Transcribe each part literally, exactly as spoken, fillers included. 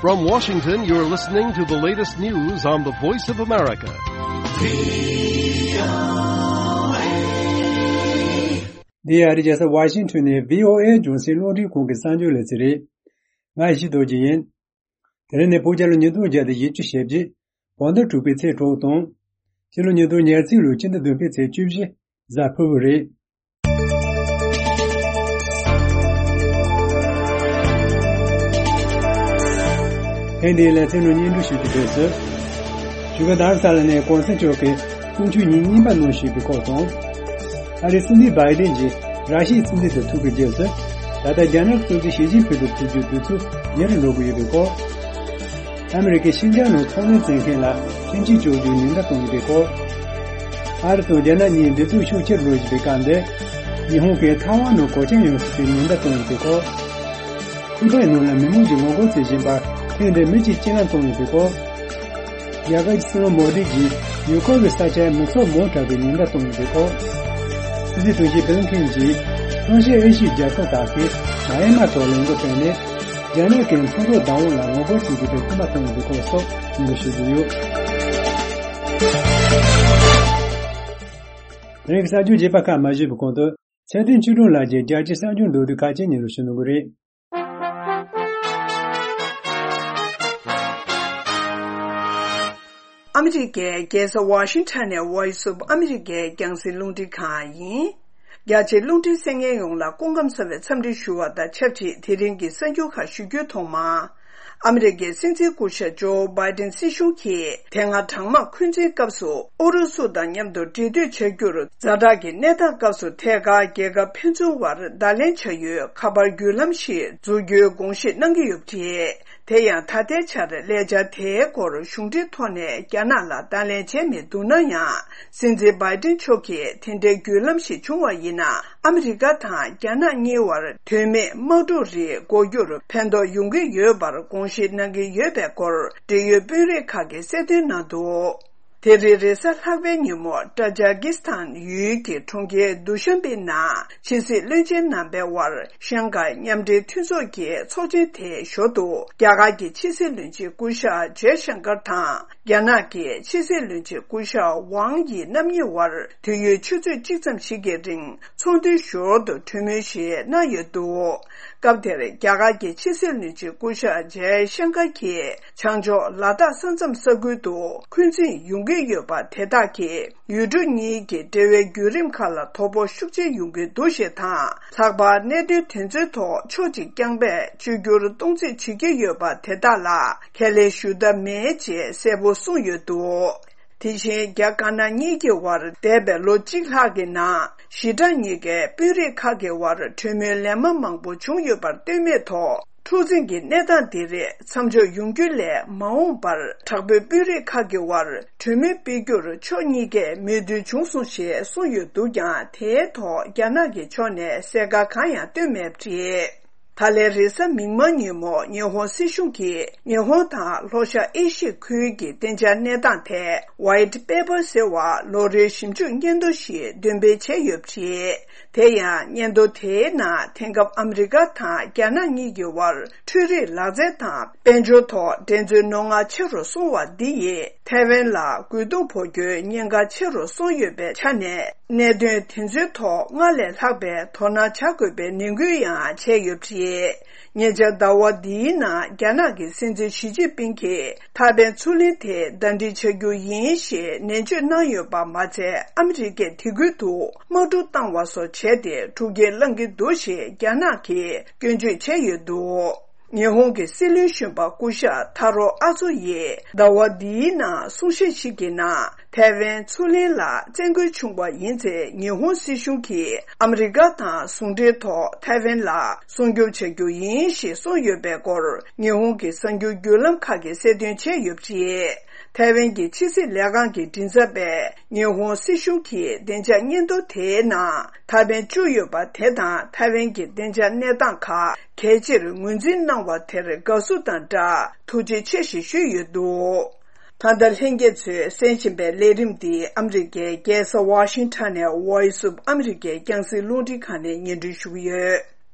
From Washington, you're listening to the latest news on the Voice of America. འདི་ཨ་རི་རྒྱལ་ས་ཝ་ཤིང་ཊོན་ནས་བྷི་ཨོ་ཨེ་རྒྱང་སྲིང་རླུང་འཕྲིན་ཁང་གི་གསར་འགྱུར་ལེ་ཚན་རེད། ང་ཡེ་ཤེས་རྡོ་རྗེ་ཡིན། དེ་རིང་ནི་བོད་རྒྱལ་ལོ་ཉིས་སྟོང་བརྒྱ་དང་བཞི་བཅུ་ཞེ་བརྒྱད། བོད་ཟླ་དྲུག་པའི་ཚེས་དྲུག་དང་། སྤྱི་ལོ་ཉིས་སྟོང་ཉེར་གཅིག་ལོའི་སྤྱི་ཟླ་བདུན་པའི་ཚེས་བཅུ་བཞི། གཟའ་ཕུར་བུ་རེད། ཐེངས་འདིའི་ལེ་ཚན་ནང་སྙན་སྒྲོན་ཞུ་རྒྱུ་དེ་ཚོ། བཞུགས་སྒར་རྡ་ས་ལ་ནས་གོང་ས་མཆོག་གིས་གསུང་ཆོས་ཉིན་གཉིས་པ་གནང་བཞིན་པའི་སྐོར་དང་། ཨ་རིའི་སྲིད་འཛིན་བྷའི་ཌེན་གྱིས་ར་ཤི་ཡའི་སྲིད་འཛིན་དང་ཐུག་པའི་རྗེས་སུ། ད་ལྟ་རྒྱ་ནག་གི་སྲིད་འཛིན་ཞི་ཅིན་ཕིང་དང་ཐུག་རྒྱུའི་དུས་ཚོད་ཉེ་རུ་འགྲོ་གི་ཡོད་པའི་སྐོར། ཨ་མི་རི་ཀས་ཤིན་ཅང་ནང་ཚོང་ལས་བྱེད་མཁན་ལ་ཁྲིམས་ཆད་གཅོད་རྒྱུའི་ཉེན་བརྡ་བཏང་ཡོད་པའི་སྐོར། ཨ་རི་དང་རྒྱ་ནག་གཉིས་འབྲེལ་མཐུད་ཤུགས་ཆེར་འགྲོ་བཞིན་པའི་སྐབས་འདིར། ཉི་ཧོང་གིས་ཐའེ་ཝན་ནང་གོད་ཆག་ཡོང་སྲིད་པའི་ཉེན་བརྡ་བཏང་ཡོད་པའི་སྐོར། ཁུལ་ཁའི་ནང་ལ་མི་མང་གིས་ངོ་རྒོལ་བྱེད་བཞིན་པར་ཐེངས་འདིར་མི་གཅིག་རྐྱེན་ལམ་བཏང་ཡོད་པའི་སྐོར། རྒྱ་གར་གྱི་སྲིད་བློན་མོ་དི་གིས་ཡུལ་སྐོར་གྱི་ས་ཆར་མི་ཚོགས་མང་དྲགས་པའི་ཉེན་བརྡ་བཏང་ཡོད་པའི་སྐོར། སྲིད་འཛིན་དོན་གཅོད་བྷི་ལིན་ཁེན་གྱིས་ལྷོ་ཤར་ཨེ་ཤི་ཡའི་རྒྱལ་ཁབ་ཁག་གིས་མཱ་ཡན་མར་ཐོག་ལས་འགུལ་སྤེལ་ནས། རྒྱ་ནག་གིས་མཚོ་འབྲུག་བདག་དབང་ལ་ངོ་རྒོལ་བྱེད་ཀྱི་ཡོད་པའི་སྐུལ་མ་བཏང་ཡོད་པའི་སྐོར་སོགས་སྙན་སྒྲོན་ཞུ་རྒྱུ་ཡོད། དེ་རིང་གི་གསར་འགྱུར་རྒྱས་པ་ཁག་མ་ཞུས་པའི་གོང་དུ། ཚེ་བརྟན་ཆོས་སྒྲོན་ལགས་ཀྱིས་རྒྱལ་སྤྱིའི་གསར་འགྱུར་མདོར་བསྡུས་ཁག་ཅིག་སྙན་སྒྲོན་ཞུ་གནང་གི་རེད། ཨ་མི་རི་ཀའི་རྒྱལ་ས་ཝ་ཤིང་ཊོན་ནས་Voice of America་རྒྱང་སྲིང་རླུང་འཕྲིན་ཁང་ཡིན། རྒྱ་ཆེའི་རླུང་འཕྲིན་གསན་མཁན་ཡོངས་ལ་སྐུ་ཁམས་བཟང་བའི་འཚམས་འདྲི་ཞུ་བ་དང་ཆབས་ཅིག་དེ་རིང་གི་གསར་འགྱུར་ཁག་ཞུ་རྒྱུའི་ཐོག་མ། ཨ་མི་རི་ཀའི་སྲིད་འཛིན་སྐུ་ཞབས་ཇོ་བྷའི་ཌེན་སྲིད་གཞུང་གིས་དེ་སྔ་གྲང་དམག་འཁོན་འཛིན་སྐབས་སུ་ཨུ་རུ་སུ་དང་མཉམ་དུ་འབྲེལ་མཐུད་བྱ་རྒྱུར་ཛ་དྲག་གི་གནས་སྟངས་སྐབས་སུ་ཐད་ཀར་རྒྱལ་ཁབ་ཕན་ཚུན་བར་བརྡ་ལན་བྱ་ཡུལ་ཁ་པར་བརྒྱུད་ལམ་ཞིག་འཛུགས་རྒྱུའི་དགོངས་བཞེས་གནང་གི་ཡོད་པ་རེད། དེ་ཡང་ད་ལྟའི་ཆར་ལས་འཆར་དེའི་སྐོར་གཞུང་འབྲེལ་ཐོག་ནས་རྒྱ་ནག་ལ་བརྡ་ལན་བྱས་མི་འདུག་ན་ཡང་། སྲིད་འཛིན་བྷའི་ཌེན་མཆོག་གིས་དེ་འདྲའི་བརྒྱུད་ལམ་ཞིག་བྱུང་བ་ཡིན་ན། ཨ་མི་རི་ཀ་དང་རྒྱ་ནག་གཉིས་བར་དོན་མེད་དམག་འཁྲུག་རིགས་འགོག་རྒྱུར་ཕན་ཐོགས་ཡོང་གི་ཡོད་པར་དགོངས་བཞེས་གནང་གི་ཡོད་པའི་སྐོར་འབྲེལ་ཡོད་དཔོན་རིགས་ཁག་གིས་གསལ་སྟོན་གནང་འདུག་དེ་རིང་རེས་གཟའ་ལྷག་པའི་ཉིན་མོ་ཏཱ་ཇཱ་ཀིས་ཐན་ཡུལ་གྱི་གྲོང་ཁྱེར་དུ་ཤམ་པི་ནང་ཕྱི་སྲིད་བློན་ཆེན་རྣམ་པའི་དབར་ཤང་ཀའི་མཉམ་འབྲེལ་མཐུན་ཚོགས་ཀྱི་ཚོགས་ཆེན་དེའི་ཞོར་དུ། རྒྱ་གར་གྱི་ཕྱི་སྲིད་བློན་ཆེན་སྐུ་ཞབས་ཇའི་ཤང་ཀར་དང་རྒྱ་ནག་གི་ཕྱི་སྲིད་བློན་ཆེན་སྐུ་ཞབས་ཝང་དབྱི་རྣམ་གཉིས་དབར་དུས་ཡུན་ཆུ་ཚོད་གཅིག་ཙམ་ཞིག་གི་རིང་ཚོགས་འདུའི་ཞོར་དུ་གྲོས་མོལ་ཞིག་གནང་ཡོད་འདུག་སྐབས་དེར་རྒྱ་གར་གྱི་ཕྱི་སྲིད་བློན་ཆེན་སྐུ་ཞབས་ཇའི་ཤང་ཀར་གྱིས། བྱང་ཕྱོགས་ལ་དྭགས་ས་མཚམས་ས་ཁུལ་དུ་འཁོན་འཛིན་ཡོང་གི་ཡོད་པ་དེ་དག་གིས་ཡུལ་གྲུ་གཉིས་ཀྱི་འབྲེལ་བའི་བརྒྱུད་རིམ་ཁག་ལ་དོ་ཕོག་ཤུགས་ཆེ་ཡོང་གི་འདུག་ཞེས་དང་། ལྷག་པར་གནད་དོན་དེ་ཚོའི་ཐོག་ཕྱོགས་གཅིག་རྐྱང་པས་བཅོས་བསྒྱུར་གཏོང་རྩིས་བྱེད་ཀྱི་ཡོད་པ་དེ་དག་ལ་ཁས་ལེན་ཞུ་ཐབས་མེད་ཅེས་གསལ་པོ་གསུངས་ཡོད་འདུག་དེ་བཞིན་རྒྱ་དཀར་ནག་གཉིས་ཀྱི་དབར་འདས་པའི་ལོ་གཅིག་ལྷག་གི་ནང་ཞི་དྲག་གཉིས་ཀའི་དཔོན་རིགས་ཁག་གི་དབར་གྲོས་མོལ་ལན་མ་མང་པོ་བྱུང་ཡོད་པར་ལྟོས་མེད་ཐོག་འཁྲུག་འཛིང་གི་གནས་སྟངས་འདི་རིགས་མཚམས་འཇོག་ཡོང་རྒྱུ་ལས་མ་འོངས་པར་དྲག་པོའི་དཔོན་རིགས་ཁག་གི་དབར་གྲོས་མོལ་སྤེལ་རྒྱུར་ཕྱོགས་གཉིས་ཀས་མོས་མཐུན་བྱུང་སོང་ཞེས་གསུངས་ཡོད་འདུག་ཀྱང་། དེའི་ཐོག་རྒྱ་ནག་གི་ཕྱོགས་ནས་གསལ་ཁ་གང་ཡང་བཏོན་མེད་པ་རེད། ད་ལན་རེས་གཟའ་མིག་དམར་ཉིན་མོ་ཉི་ཧོང་སྲིད་གཞུང་གིས་ཉི་ཧོང་དང་ལྷོ་ཤར་ཨེ་ཤི་ཡ་ཁུལ་གྱི་བདེ་འཇགས་གནས་སྟངས་ཐད་White Paper་ཟེར་བ་ལོ་རེའི་ཞིབ་འཇུག་སྙན་ཐོ་ཞིག་འདོན་སྤེལ་བྱས་ཡོད་པ་རེད། དེ་ཡང་སྙན་ཐོ་དེའི་ནང་དེང་སྐབས་ཨ་མི་རི་ཀ་དང་རྒྱ་ནག་གཉིས་ཀྱི་དབར་འཕྲུལ་རིག་ལག་རྩལ་དང་དཔལ་འབྱོར་ཐོག་འགྲན་རྩོད་རྣོ་ངར་ཆེ་རུ་སོང་བ་འདི་ཡིས་ཐའེ་ཝན་ལ་རྒོལ་རྡུང་ཕོག་རྒྱུའི་ཉེན་ཁ་ཆེ་རུ་སོང་ཡོད་པའི་ཆ་ནས། གནད་དོན་དེ་ཚོའི་ཐོག་སྔར་ལས་ལྷག་པའི་དོ་སྣང་བྱ་དགོས་པའི་ནན་སྐུལ་ཡང་བྱས་ཡོད་པ་རེད། ཉེ་ཆར་ཟླ་བ་འདིའི་ནང་རྒྱ་ནག་གི་སྲིད་འཛིན་ཞི་ཅིན་ཕིང་གིས་ཐའེ་ཝན་མཚོ་གླིང་དེ་ཟླ་སྒྲིལ་བྱ་རྒྱུ་ཡིན་ཞེས་ནན་བརྗོད་གནང་ཡོད་པ་མ་ཚད། ཨ་མི་རི་ཀས་དེ་ཁུལ་དུ་དམག་འཁྲུག་བཏང་བ་སོགས་བྱས་ཏེ་འཁྲུག་རྐྱེན་བསླང་གི་འདུག་ཞེས་རྒྱ་ནག་གིས་སྐྱོན་བརྗོད་བྱས་ཡོད་འདུག་ཉི་ཧོང་གི་སྲིད་བློན་གཞོན་པ་སྐུ་ཞབས་ཐ་རོ་ཨ་ཚོ་ཡིས་ཟླ་བ་འདིའི་ནང་གསུང་བཤད་ཞིག་གི་ནང་། ཐའེ་ཝན་མཚོ་གླིང་ལ་བཙན་རྒོལ་བྱུང་བ་ཡིན་ཚེ། ཉི་ཧོང་སྲིད་གཞུང་གིས་ཨ་མི་རི་ཀ་དང་ཟུང་འབྲེལ་ཐོག་ཐའེ་ཝན་ལ་སྲུང་སྐྱོབ་བྱ་རྒྱུ་ཡིན་ཞེས་གསུངས་ཡོད་པའི་སྐོར། ཉི་ཧོང་གི་གསར་འགྱུར་བརྒྱུད་ལམ་ཁག་གིས་གསལ་སྟོན་བྱས་ཡོད་པ་རེད། ཐའེ་ཝན་གྱི་ཕྱི་སྲིད་ལས་ཁང་གི་མགྲིན་ཚབ་པས། ཉི་ཧོང་སྲིད་གཞུང་གིས་བདེ་འཇགས་སྙན་ཐོ་དེའི་ནང་ཐའེ་ཝན་བཅུག་ཡོད་པ་དེ་དང་། ཐའེ་ཝན་གྱི་བདེ་འཇགས་གནས་སྟངས་ཁག་གལ་ཆེར་ངོས་འཛིན་གནང་བ་དེར་དགའ་བསུ་དང་སྦྲགས་ཐུགས་རྗེ་ཆེ་ཞེས་ཞུས་ཡོད་འདུག་ད་ལྟ་ལྷན་རྒྱས་ཚོས་གསན་བཞིན་པའི་ལས་རིམ་འདི་ཨ་མི་རི་ཀའི་རྒྱལ་ས་ཝ་ཤིང་ཊོན་ནས་Voice of America་རྒྱང་སྲིང་རླུང་འཕྲིན་ཁང་ནས་སྙན་སྒྲོན་ཞུ་གི་ཡོད།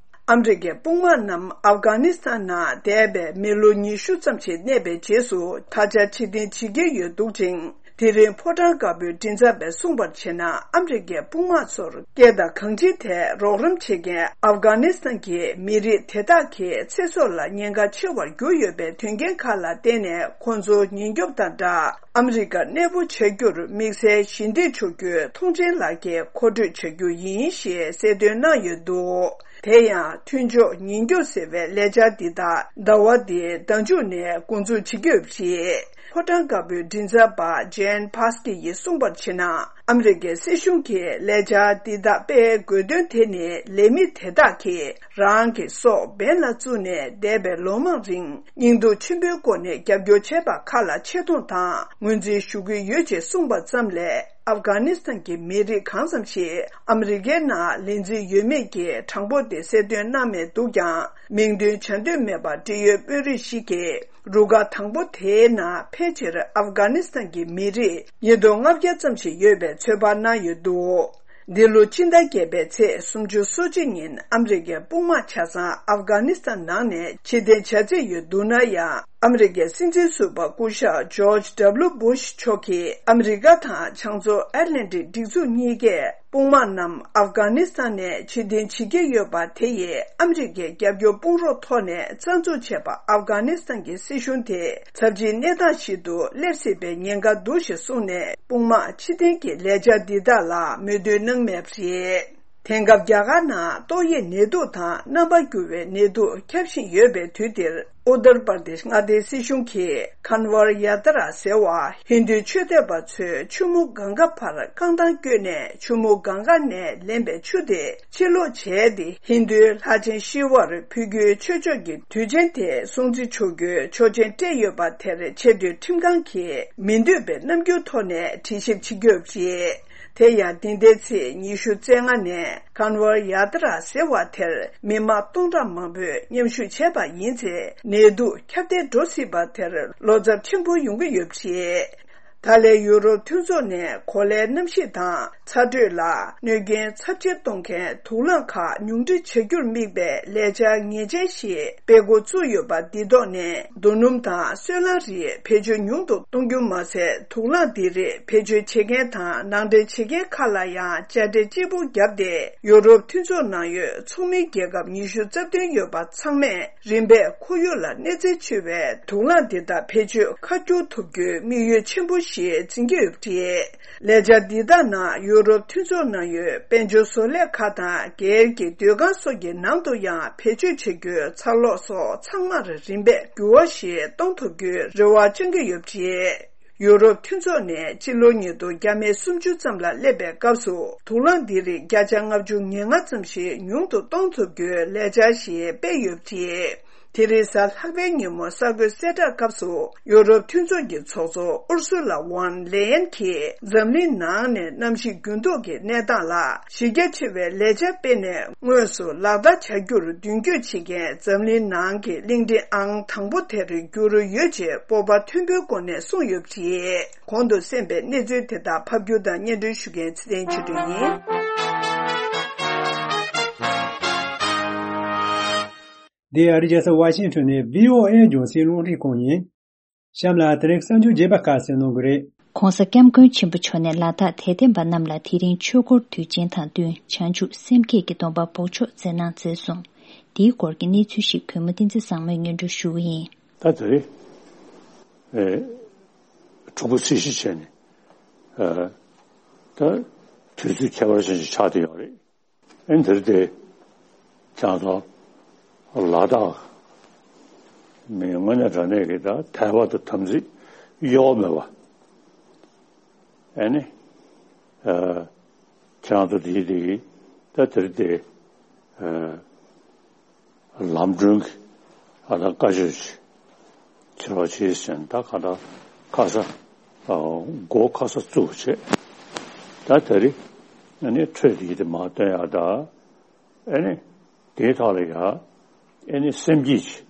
ཨ་མི་རི་ཀའི་དཔུང་དམག་རྣམས་ཨབ་གྷ་ནི་སི་ཐན་ནང་འདས་པའི་མི་ལོ་ཉི་ཤུ་ཙམ་ཞིག་གནས་པའི་རྗེས་སུ་ད་ཆ་ཕྱིར་འཐེན་བྱེད་ཀྱི་ཡོད་འདུག་ཅིང་། དེ་རིང་ཕོ་བྲང་དཀར་པོའི་མགྲིན་ཚབ་པས་གསུངས་པར་བྱས་ན། ཨ་མི་རི་ཀའི་དཔུང་དམག་ཚོར་སྐད་དང་གང་ཅིའི་ཐད་རོགས་རམ་བྱེད་མཁན་ཨབ་གྷ་ནི་སི་ཐན་གྱི་མི་རིགས་དེ་དག་གི་ཚེ་སྲོག་ལ་ཉེན་ཁ་ཆེ་བར་གྱུར་ཡོད་པའི་དོན་རྐྱེན་ཁག་ལ་བརྟེན་ནས། ཁོང་ཚོ་ཉེན་སྐྱོབ་དང་སྦྲགས་ཨ་མི་རི་ཀར་གནས་སྤོ་བྱ་རྒྱུར་དམིགས་བསལ་ཞི་བདེ་ཕྱོགས་བསྐྱོད་མཐོང་མཆན་ལག་འཁྱེར་མཁོ་སྤྲོད་བྱ་རྒྱུ་ཡིན་ཞེས་གསལ་སྟོན་གནང་ཡོད་འདུག་དེ་ཡང་མཐུན་ཕྱོགས་ཉེན་སྐྱོབ་ཟེར་བའི་ལས་འཆར་འདི་དག་ཟླ་བ་འདིའི་ཟླ་མཇུག་ནས་འགོ་འཛུགས་བྱེད་ཀྱི་ཡོད་པ་རེད། ཕོ་བྲང་དཀར་པོའི་མགྲིན་ཚབ་པ་ཇེན་ཕཱ་སི་ཀི་ཡིས་གསུངས་པར་བྱས་ན། ཨ་མི་རི་ཀའི་སྲིད་གཞུང་གིས་ལས་འཆར་འདི་དག་སྤེལ་དགོས་དོན་དེ་ནི། ལས་མི་དེ་དག་གིས་རང་གི་སྲོག་འབེན་ལ་བཙུགས་ནས་འདས་པའི་ལོ་མང་རིང་སྙིང་སྡུག་ཆེན་པོའི་སྒོ་ནས་རྒྱབ་སྐྱོར་བྱས་པ་ཁག་ལ་ཆེ་མཐོང་དང་ངོས་འཛིན་ཞུ་གི་ཡོད་ཅེས་གསུངས་པ་ཙམ་ལས། ཨབ་གྷ་ནི་སི་ཐན་གྱི་མི་རིགས་གང་ཙམ་ཞིག་ཨ་མི་རི་ཀའི་ནང་ལེན་རྩིས་ཡོད་མེད་ཀྱི་གྲངས་འབོར་དེ་གསལ་སྟོན་གནང་མེད་འདུག་ཀྱང་། མིང་འདོན་བྱ་འདོད་མེད་པ་འབྲེལ་ཡོད་དཔོན་རིགས་ཤིག་གིས། རུ་ཁག་དང་པོ་དེའི་ནང་ཕལ་ཆེར་ཨབ་གྷ་ནི་སི་ཐན་གྱི་མི་རིགས་ཉིས་སྟོང་ལྔ་བརྒྱ་ཙམ་ཞིག་ཡོད་པའི་ཚོད་དཔག་གནང་ཡོད་འདུག་འདི་ལོ་སྤྱི་ཟླ་བརྒྱད་པའི་ཚེས་སུམ་ཅུ་སོ་གཅིག་ཉིན་ཨ་མི་རི་ཀའི་དཔུང་དམག་ཆ་ཚང་ཨབ་གྷ་ནི་སི་ཐན་ནང་ནས་ཕྱིར་འཐེན་བྱ་རྩིས་ཡོད་འདུག་ན་ཡང་། ཨ་མི་རི་ཀའི་སྲིད་འཛིན་ཟུར་པ་སྐུ་ཞབས་ཇོརྗ་ཌབ་ལུ་སྦུ་ཤ་མཆོག་གིས་ཨ་མི་རི་ཀ་དང་བྱང་མཚོ་ཨེཊ་ལན་ཊིག་སྒྲིག་འཛུགས་གཉིས་ཀས། དཔུང་དམག་རྣམས་ཨབ་གྷ་ནི་སི་ཐན་ནས་ཕྱིར་འཐེན་བྱེད་ཀྱི་ཡོད་པ་དེ་ཡིས་ཨ་མི་རི་ཀའི་རྒྱབ་སྐྱོར་དཔུང་རོགས་ཐོག་ནས་རྩ་འཛུགས་བྱས་པ་ཨབ་གྷ་ནི་སི་ཐན་གྱི་སྲིད་གཞུང་དེ་ཚབས་ཆེའི་གནས་སྟངས་ཤིག་ཏུ་སླེབས་སྲིད་པའི་ཉེན་ཁ་འདུག་ཞེས་གསུངས་ནས། དཔུང་དམག་ཕྱིར་འཐེན་གྱི་ལས་འཆར་འདི་དག་ལ་མོས་མཐུན་གནང་མེད་པ་རེད། དེང་སྐབས་རྒྱ་གར་ནང་ཏོག་དབྱིབས་ནད་དུག་དང་རྣམ་པ་འགྱུར་བའི་ནད་དུག་ཁྱབ་བཞིན་ཡོད་པའི་དུས་འདིར། ཨུ་ཏར་པར་དེཤ་མངའ་སྡེའི་སྲིད་གཞུང་གིས་ཀན་ཝར་ཡ་ཏྲ་ཟེར་བ་ཧིན་རྡུའི་ཆོས་དད་པ་ཚོས་ཆུ་མོ་གངྒཱ་བར་རྐང་ཐང་བསྐྱོད་ནས། ཆུ་མོ་གངྒཱ་ནས་ལེན་པའི་ཆུ་དེ་ཕྱིར་སློག་བྱས་ཏེ། ཧིན་རྡུའི་ལྷ་ཆེན་ཤི་ཝར་ཕུལ་རྒྱུའི་ཆོས་ཕྱོགས་ཀྱི་དུས་ཆེན་དེ་སྲུང་བརྩི་ཆོག་རྒྱུའི་ཆོག་མཆན་སྤྲད་ཡོད་པ་དེར། ཆེས་མཐོའི་ཁྲིམས་ཁང་གིས་མི་འདོད་པའི་རྣམ་འགྱུར་ཐོག་ནས་དྲི་ཞིབ་བྱེད་ཀྱི་ཡོད་པ་རེད། དེ་ཡང་འདི་ཟླའི་ཚེས་ཉི་ཤུ་རྩ་ལྔ་ནས་ཀན་ཝར་ཡ་ཏྲ་ཟེར་བ་དེར་མི་མང་སྟོང་ཕྲག་མང་པོས་མཉམ་ཞུགས་བྱས་པ་ཡིན་ཚེ། ནད་དུག་ཁྱབ་གདལ་འགྲོ་སྲིད་པ་དེར་བློ་འཚབ་ཆེན་པོ་ཡོང་གི་ཡོད་པ་རེད། ད་ལན་ཡུ་རོབ་མཐུན་ཚོགས་ནས་གོ་ལའི་གནམ་གཤིས་དང་ཚ་དྲོད་ལ་གནོད་རྐྱེན་ཚབས་ཆེ་གཏོང་མཁན་དུག་རླངས་ཁག་ཉུང་འཕྲི་བྱ་རྒྱུར་དམིགས་པའི་ལས་འཆར་ངེས་ཅན་ཞིག་སྤེལ་འགོ་བཙུགས་ཡོད་པ་འདི་ཐོག་ནས། རྡོ་སྣུམ་དང་སོལ་རླངས་རིགས་བེད་སྤྱོད་ཉུང་དུ་གཏོང་རྒྱུ་མ་ཟད། དུག་རླངས་འདི་རིགས་བེད་སྤྱོད་བྱེད་མཁན་དང་ནང་འདྲེན་བྱེད་མཁན་ཁག་ལ་ཡང་དཔྱ་ཁྲལ་ལྕི་པོ་བརྒྱབ་སྟེ། ཡུ་རོབ་མཐུན་ཚོགས་ནང་ཡོད་ཚོགས་མི་རྒྱལ་ཁབ་ཉི་ཤུ་རྩ་བདུན་ཡོད་པ་ཚང་མས་རིམ་པས་ཁོར་ཡུག་ལ་གནོད་འཚེ་ཆེ་བའི་དུག་རླངས་འདི་དག་བེད་སྤྱོད་ཁ་སྐྱོར་ཐུབ་རྒྱུའི་དམིགས་ཡུལ་ཆེན་པོ་ཞིག་འཛིན་གྱི་ཡོད་པ་རེད། ལས་འཆར་འདི་དག་ནང་ཡུ་རོབ་མཐུན་ཚོགས་ནང་ཡོད་དཔལ་འབྱོར་བཟོ་ལས་ཁག་དང་། སྒེར་གྱི་སྡོད་ཁང་སོགས་ཀྱི་ནང་དུ་ཡང་བེད་སྤྱོད་བྱ་རྒྱུའི་ཚར་ལོག་སོགས་ཚང་མར་རིམ་པས་འགྱུར་བ་ཞིག་གཏོང་ཐུབ་རྒྱུའི་རེ་བ་བཅང་གི་ཡོད་པ་རེད། ཡུ་རོབ་མཐུན་ཚོགས་ནས་སྤྱི་ལོ་ཉིས་སྟོང་བརྒྱ་མེད་སུམ་ཅུ་ཙམ་ལ་སླེབས་པའི་སྐབས་སུ། དུག་རླངས་འདི་རིགས་བརྒྱ་ཆ་ལྔ་བཅུ་ང་ལྔ་ཙམ་ཞིག་ཉུང་དུ་གཏོང་ཐུབ་རྒྱུའི་ལས་འཆར་ཞིག་སྤེལ་ཡོད་པ་རེད། དེ་རིང་གཟའ་ལྷག་པའི་ཉིན་མོ་གསར་འགོད་གསལ་བསྒྲགས་སྐབས་སུ། ཡུ་རོབ་མཐུན་ཚོགས་ཀྱི་ཚོགས་གཙོ་ཨུར་སུ་ལ་ཝོན་ལེ་ཡན་གྱིས། འཛམ་གླིང་ནང་ནས་གནམ་གཤིས་འགྱུར་ལྡོག་གི་གནས་སྟངས་ལ་གཞི་རྒྱ་ཆེ་བའི་ལས་འཆར་སྤེལ་ནས། དངོས་སུ་ལག་བསྟར་བྱ་རྒྱུར་མདུན་སྐྱོད་བྱེད་མཁན་འཛམ་གླིང་ནང་གི་གླིང་ཕྲན་ཨང་དང་པོ་དེར་འགྱུར་ཡོད་ཅེས་སྤོབས་པ་མཐོན་པོའི་སྒོ་ནས་གསུངས་ཡོད་པ་རེད། གོང་དུ་གསན་པའི་གནས་ཚུལ་དེ་དག་ཕབ་སྒྱུར་དང་སྙན་སྒྲོན་ཞུ་མཁན་ཚེ་བརྟན་ཆོས་སྒྲོན་ཡིན། འདི་ཨ་རིའི་རྒྱལ་ས་ཝ་ཤིང་ཊོན་ནས་བྷི་ཨོ་ཨེ་རྒྱང་སྲིང་རླུང་འཕྲིན་ཁང་ཡིན། གཤམ་ལ་དེ་རིང་གསར་འགྱུར་རྒྱས་པ་ཁག་གསན་གནང་གི་རེད། ྋགོང་ས་ྋསྐྱབས་མགོན་ཆེན་པོ་མཆོག་ནས་ལ་དྭགས་དད་ལྡན་པ་རྣམས་ལ་དེ་རིང་ཆོས་འཁོར་དུས་ཆེན་དང་བསྟུན་བྱང་ཆུབ་སེམས་བསྐྱེད་ཀྱི་སྡོམ་པ་འབོགས་ཆོག་སྩལ་གནང་མཛད་སོང་། འདིའི་སྐོར་གྱི་གནས་ཚུལ་ཞིག་གུས་མོ་བསྟན་འཛིན་བཟང་མོས་སྙན་སྒྲོན་ཞུ་གི་ཡིན། ད་དེ་རིང་ཨེ་ཕྲུ་གུ་ཚེས་བཞི་བྱས་ནས་ཨ་ད་དུས་ཚོད་ཁྱད་པར་ཅན་ཞིག་ཆགས་བསྡད་ཡོད་རེད། ཨེ་འདིར་དེ་ཁྱེད་ཚོ་ལ་དྭགས་མི་དངོས་གནས་དྲང་གནས་ཀྱི་ད་དད་པ་དང་དམ་ཚིག་གཡོ་བ་མེད་པ། ཨེ་ནི་ཨ་ཁྱེད་ཚོ་དེའི་དེ་ད་དེར་དེ་ཨ་ལམ་གྲོན་གྱི་ཨ་ད་བཀའ་ཆོས་ཆེ་བ་བྱས་ཟིན་ད་ག་ད་ཁ་ས་ཨ་སྒོ་ཁ་ས་བཙུགས་བྱས་ད་དེ་རིང་ཨ་ནི་འཕྲོས་དེ་དེ་མ་སྟོན་ཡག་ད། ཨེ་ནི་དེའི་ཐོག་ལ་ཡ་ཨེ་ནི་སེམས་བསྐྱེད་ཅིག་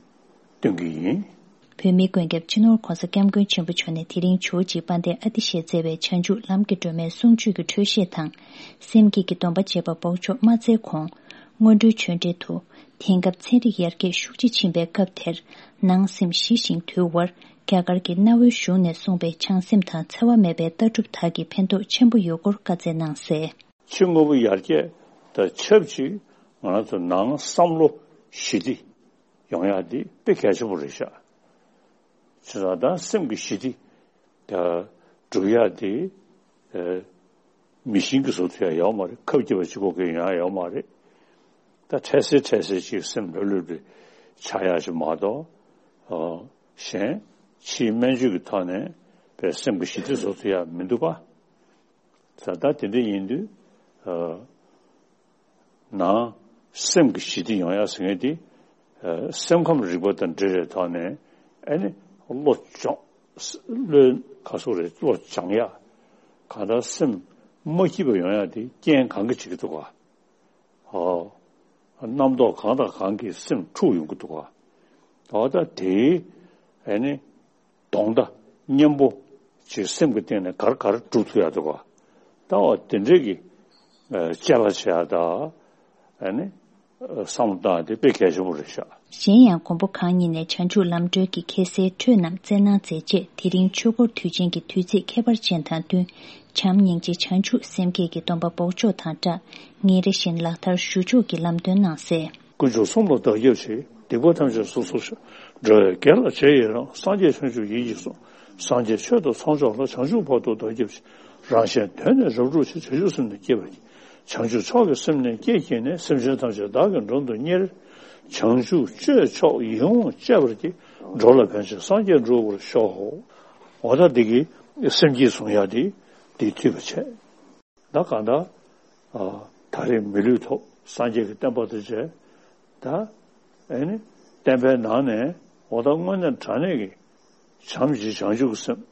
སྟོན་གྱི་ཡིན། བོད་མིའི་མགོན་སྐྱབས་སྤྱི་ནོར་༧གོང་ས་༧སྐྱབས་མགོན་ཆེན་པོ་མཆོག་ནས་དེ་རིང་ཇོ་བོ་རྗེ་དཔལ་ལྡན་ཨ་ཏི་ཤས་མཛད་པའི་བྱང་ཆུབ་ལམ་གྱི་སྒྲོན་མེའི་གསུང་ཆོས་ཀྱི་འཕྲོས་བཤད་དང་། སེམས་བསྐྱེད་ཀྱི་སྡོམ་པ་བཅས་པ་འབོགས་ཆོག་མ་སྩལ་གོང་། སྔོན་འགྲོའི་ཆོས་འབྲེལ་དུ། དེང་སྐབས་ཚན་རིག་ཡར་རྒྱས་ཤུགས་ཆེ་ཕྱིན་པའི་སྐབས་དེར། ནང་སེམས་ཞི་ཞིང་དུལ་བར་རྒྱ་གར་གྱི་གནའ་བོའི་གཞུང་ནས་གསུངས་པའི་བྱང་སེམས་དང་འཚེ་བ་མེད་པའི་ལྟ་གྲུབ་དག་གི་ཕན་ཐོགས་ཆེན་པོ་ཡོད་སྐོར་བཀའ་སྩལ་གནང་གསལ། ཕྱི་དངོས་པོ་ཡར་རྒྱས་དང་ཆབས་ཅིག་ང་རང་ཚོ་ནང་བསམ་བློ་ཞི་བདེ་ཡོང་ཡག་འདི་དཔེ་གལ་ཆེན་པོ་རེད་ཤག་བྱས་ཙང་ད་སེམས་ཀྱི་ཞི་བདེ་ད་སྒྲུབ་ཡག་དེ་ཨ་མི་ཤིན་གྱིས་བཟོ་ཐུབ་ཡག་ཡོད་མ་རེད། ཁབ་རྒྱབ་པ་གཅིག་པོ་གིས་ཡོང་ཡག་ཡོད་མ་རེད། ད་འཕྲལ་སེལ་འཕྲལ་སེལ་ཅིག་སེམས་ལྷོད་ལྷོད་པའི་ཆགས་ཡག་ཅིག་མ་གཏོགས། ཨ་གཞན་ཕྱིའི་སྨན་བཅོས་ཀྱི་ཐོག་ནས་པའི་སེམས་ཀྱི་ཞི་བདེ་བཟོ་ཐུབ་ཡག་མི་འདུག་ག་ད་ལྟ་དེ་འདྲ་ཡིན་དུས། ཨ་ནང་སེམས་ཀྱི་ཞི་བདེ་ཡོང་ཡག་ཟེར་མཁན་དེ། ཨ་སེམས་ཁམས་རིག་པ་དང་འབྲེལ་བའི་ཐོག་ནས་ཨ་ནི་བློ་སྦྱོང་། བློའི་ག་སོགས་རེད། བློ་སྦྱང་ཡག་གང་ལྟར་སེམས་མ་སྐྱིད་པ་ཡོང་ཡག་དེ་རྐྱེན་གང་གིས་བྱེད་ཀྱི་འདུག་ག་ཨོ། རྣམ་རྟོག་གང་དང་གང་གིས་སེམས་འཁྲུག་ཡོང་གི་འདུག་ག་ཨོ་ད་དེའི་ཨ་ནི། གདོང་མདའ་མཉམ་པོ་ཅིག་སེམས་ཀྱི་སྟེང་ནས་ག་རེ་ག་རེ་སྒྲུབ་ཐུབ་ཡག་འདུག་ག་ད་འོ་དེ་འདྲས་ཀྱི་ཨ་དཔྱད་པ་བྱེད་ཡག་ད་ཨ་ནི་བསམ་བློ་བཏང་ཡག་དེ་དཔེ་གལ་ཆེན་པོ་རེད་ཤག་གཞན་ཡང་མགོན་པོ་གང་ཉིད་ནས་བྱང་ཆུབ་ལམ་སྒྲོན་གྱི་ཁ་གསལ་འཕྲོས་རྣམས་སྩལ་གནང་མཛད་རྗེས། དེ་རིང་ཆོས་འཁོར་དུས་ཆེན་གྱི་དུས་ཚིགས་ཁྱད་པར་ཅན་དང་བསྟུན། བྱམས་སྙིང་རྗེ་བྱང་ཆུབ་སེམས་བསྐྱེད་ཀྱི་སྡོམ་པ་འབོགས་ཆོག་དང་སྦྲགས། ཉིན་རེ་བཞིན་ལག་བསྟར་ཞུ་ཕྱོགས་ཀྱི་ལམ་སྟོན་གནང་གསལ། དཀོན་མཆོག་གསུམ་ལ་བདག་སྐྱབས་མཆི། སྡིག་པ་ཐམས་ཅད་སོ་སོར་བཤགས། འགྲོ་བའི་དགེ་ལ་རྗེས་ཡི་རང་། སངས་རྒྱས་བྱང་ཆུབ་ཡིད་ཀྱིས་བཟུང་། སངས་རྒྱས་ཆོས་དང་ཚོགས་མཆོག་ལ། བྱང་ཆུབ་བར་དུ་བདག་སྐྱབས་མཆི། རང་གཞན་དོན་ནི་རབ་བསྒྲུབ་ཕྱིར། བྱང་ཆུབ་སེམས་ནི་བསྐྱེད་པར་བགྱི། བྱང་ཆུབ་མཆོག་གི་སེམས་ནི་བསྐྱེད་བགྱིས་ནས། སེམས་ཅན་ཐམས་ཅད་བདག་གིས་མགྲོན་དུ་གཉེར། བྱང་ཆུབ་སྤྱོད་མཆོག་ཡིད་འོང་སྤྱད་པར་བགྱི། འགྲོ་ལ་ཕན་ཕྱིར་སངས་རྒྱས་འགྲུབ་པར་ཤོག་འོ་ད་འདི་གི་སེམས་བསྐྱེད་གསུང་ཡག་འདི་འདི་ཐུབ་པ་བྱས། ད་གང་ལྟར། ཨ་ད་རེས་མི་ལུས་ཐོབ། སངས་རྒྱས་ཀྱི་བསྟན་པ་དང་མཇལ། ད་ཨེ་ནི་བསྟན་པའི་ནང་ནས་འོ་ད་དངོས་གནས་དྲང་གནས་ཀྱི་བྱམས་ཞི་བྱང་ཆུབ་ཀྱི་སེམས།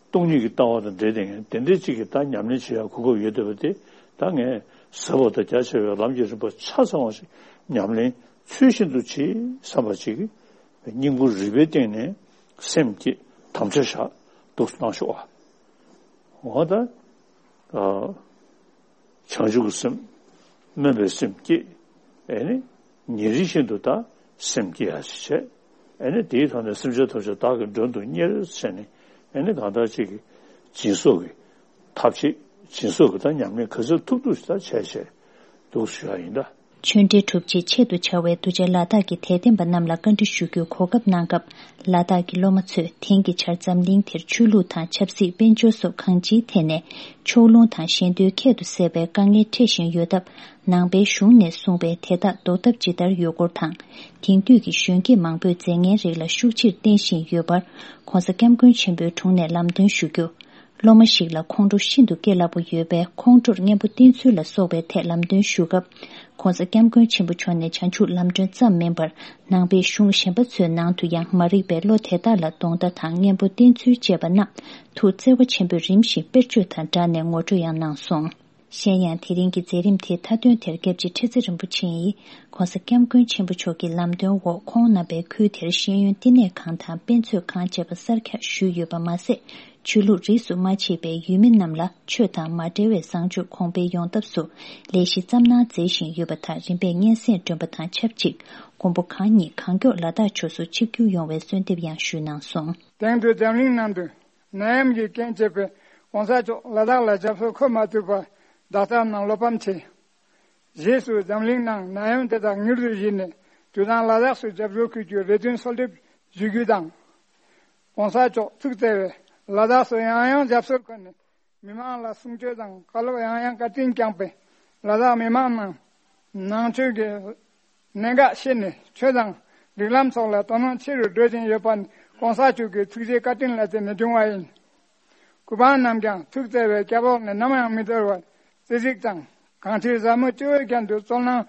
སྟོང་ཉིད་ཀྱི་ལྟ་བ་དང་འབྲེལ་ཏེ་ངས་དེ་འདྲའི་གཅིག་གི་ད་ཉམས་ལེན་བྱེད་ཡག་གོ་སྐབས་ཡོད་བསྡད་པ་དེ། ད་ངས་ཟབ་པ་དང་རྒྱ་ཆེ་བའི་ལམ་གྱི་རིམ་པ་ཆ་ཚང་བ་ཞིག་ཉམས་ལེན་ཚུལ་བཞིན་དུ་བྱེད་བསམ་པ་ཅིག་སྙིང་ཁུང་རུས་པའི་གཏིང་ནས་སེམས་བསྐྱེད་དམ་བཅའ་བཞག་འདུག་གནང་ཤོག་ཨ། འོ་ད། ཨ། བྱང་ཆུབ་ཀྱི་སེམས། སྨོན་པའི་སེམས་བསྐྱེད། ཨེ་ནི། ཉིན་རེ་བཞིན་དུ་ད་སེམས་བསྐྱེད་ཡག་ཞིག་བྱས། ཨེ་ནི་དེའི་ཐོག་ནས་སེམས་ཅན་ཐམས་ཅད་བདག་གིས་མགྲོན་དུ་གཉེར་བྱས་ནས། ཨེ་ནི་གང་ལྟར་ཅིག་གི་སྦྱིན་སོགས་ཀྱི་ཐབས་ཤེས། སྦྱིན་སོགས་ཀྱི་ད་ཉམས་ལེན་ག་ཚོད་ཐུབ་ཐུབ་ཞིག་ད་བྱས་བྱས་འདུག་ཞུ་ཡག་ཡིན་ད། ཆོས་འབྲེལ་གྲུབ་རྗེས་ཆེད་དུ་བཅར་བའི་གདུལ་བྱ་ལ་དྭགས་ཀྱི་དད་ལྡན་པ་རྣམས་ལ་བཀའ་འདྲི་ཞུ་རྒྱུའི་གོ་སྐབས་གནང་སྐབས། ལ་དྭགས་ཀྱི་སློབ་མ་ཚོས་དེང་གི་ཆར་འཛམ་གླིང་འདིར་ཆོས་ལུགས་དང་ཆབ་སྲིད་དཔལ་འབྱོར་སོགས་གང་ཅིའི་ཐད་ནས་ཕྱོགས་ལྷུང་དང་ཞན་ཏོའི་ཁྱད་དུ་བསད་པའི་དཀའ་ངལ་འཕྲད་བཞིན་ཡོད་སྟབས། ནང་པའི་གཞུང་ནས་གསུངས་པའི་དེ་དག་ཟློག་ཐབས་ཇི་ལྟར་ཡོད་སྐོར་དང་། དེང་དུས་ཀྱི་གཞོན་སྐྱེས་མང་པོས་རྫས་ངན་རིགས་ལ་ཤུགས་ཆེར་བརྟེན་བཞིན་ཡོད་པར། ྋགོང་ས་ྋསྐྱབས་མགོན་ཆེན་པོའི་དྲུང་ནས་ལམ་སྟོན་ཞུ་རྒྱུ། སློབ་མ་ཞིག་ལ་ཁོང་ཁྲོ་ཤིན་ཏུ་སྐྱེ་སླ་པོ་ཡོད་པས། ཁོང་ཁྲོར་གཉེན་པོ་བསྟེན་ཚུལ་ལ་སོགས་པའི་ཐད་ལམ་སྟོན་ཞུ་སྐབས། ྋགོང་ས་ྋསྐྱབས་མགོན་ཆེན་པོ་མཆོག་ནས་བྱང་ཆུབ་ལམ་སྒྲོན་ཙམ་མིན་པར། ནང་པའི་གཞུང་གཞན་པ་ཚོའི་ནང་དུ་ཡང་མ་རིག་པའི་བློ་དེ་དག་ལ་གདོང་ལྟ་དང་གཉེན་པོ་བསྟེན་ཚུལ་བཅས་པ་རྣམས་ཐུགས་བརྩེ་བ་ཆེན་པོས་རིམ་བཞིན་དཔེར་བརྗོད་དང་སྦྲགས་ནས་ངོ་སྤྲོད་ཡང་གནང་སོང་། གཞན་ཡང་། དེ་རིང་གི་མཛད་རིམ་དེའི་མཐའ་དོན་དེར་སྐྱབས་རྗེ་ཁྲི་ཙེ་རིན་པོ་ཆེ་ཡིས། ྋགོང་ས་ྋསྐྱབས་མགོན་ཆེན་པོ་མཆོག་གི་ལམ་སྟོན་འོག་ཁོང་རྣམ་པས་ཁུལ་དེར་ཤེས་ཡོན་བསྟི་གནས་ཁང་དང་དཔེ་མཛོད་ཁང་བཅས་པ་གསར་རྒྱག་ཞུས་ཡོད་པ་མ་ཟད། ཆོས་ལུགས་རིས་སུ་མ་ཆད་པའི་ཡུལ་མི་རྣམས་ལ་ཆོས་དང་མ་འབྲེལ་བའི་བཟང་སྤྱོད་གོང་འཕེལ་ཡོང་ཐབས་སུ་ལས་གཞི་བརྩམས་གནང་མཛད་བཞིན་ཡོད་པ་དང་། རིམ་པས་སྙན་སེང་སྒྲོན་པ་དང་ཆབས་ཅིག་མགོན་པོ་གང་ཉིད་གང་མགྱོགས་ལ་དྭགས་ཕྱོགས་སུ་ཆིབས་བསྒྱུར་ཡོང་བའི་གསོལ་འདེབས་ཡང་ཞུས་གནང་སོང་། དེང་དུས་འཛམ་གླིང་ནང་དུ་ནད་ཡམས་ཀྱི་རྐྱེན་བྱས་པའི་ྋགོང་ས་མཆོག་ལ་དྭགས་ལ་སྐྱབས་སུ་འཁོད་མ་ཐུབ་པར་བདག་ལྟ་རྣམས་བློ་ཕམ་ཆེ། རྗེས་སུ་འཛམ་གླིང་ནང་ནད་ཡམས་དེ་དག་མྱུར་དུ་ཞི་ནས་དུས་དང་ལ་དྭགས་སུ་སྐྱབས་སུ་འཁོད་རྒྱུའི་རེ་འདུན་གསོལ་འདེབས་ཞུ་རྒྱུ་དང་། ྋགོང་ས་མཆོག་ཐུགས་བརྩེ་བས་ལ་དྭགས་སུ་ཡང་ཡང་སྐྱབས་སུ་འཁོད་ནས་མི་མང་ལ་གསུང་ཆོས་དང་བཀའ་སློབ་ཡང་ཡང་བཀའ་དྲིན་བསྐྱངས་པས། ལ་དྭགས་མི་མང་རྣམས་ནང་ཆོས་ཀྱི་གནད་འགག་ཤེས་ནས་ཆོས་དང་རིགས་ལམ་སོགས་ལ་དོ་སྣང་ཆེ་རུ་འགྲོ་བཞིན་ཡོད་པ་ནི་ྋགོང་ས་མཆོག་གི་ཐུགས་རྗེ་བཀའ་དྲིན་ལ་བརྟེན་ནས་བྱུང་བ་ཡིན། གུས་པ་རྣམས་ཀྱང་ཐུགས་བརྩེ་བའི་སྐྱབས་འོག་ནས་ནམ་ཡང་མི་འདོར་བར་བརྩེ་གཟིགས་དང་གང་ཁྲེལ་ཟབ་མོ་སྤྱི་བོའི་རྒྱན་དུ་སྩོལ་གནང་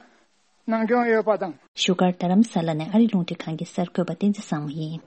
གནང་སྐྱོང་ཡོད་པ་དང་། བཞུགས་སྒར་རྡ་རམ་ས་ལ་ནས་ཨ་རི་རླུང་འཕྲིན་ཁང་གི་གསར་འགོད་པ་བསྟན་འཛིན་བཟང་མོ་ཡིན།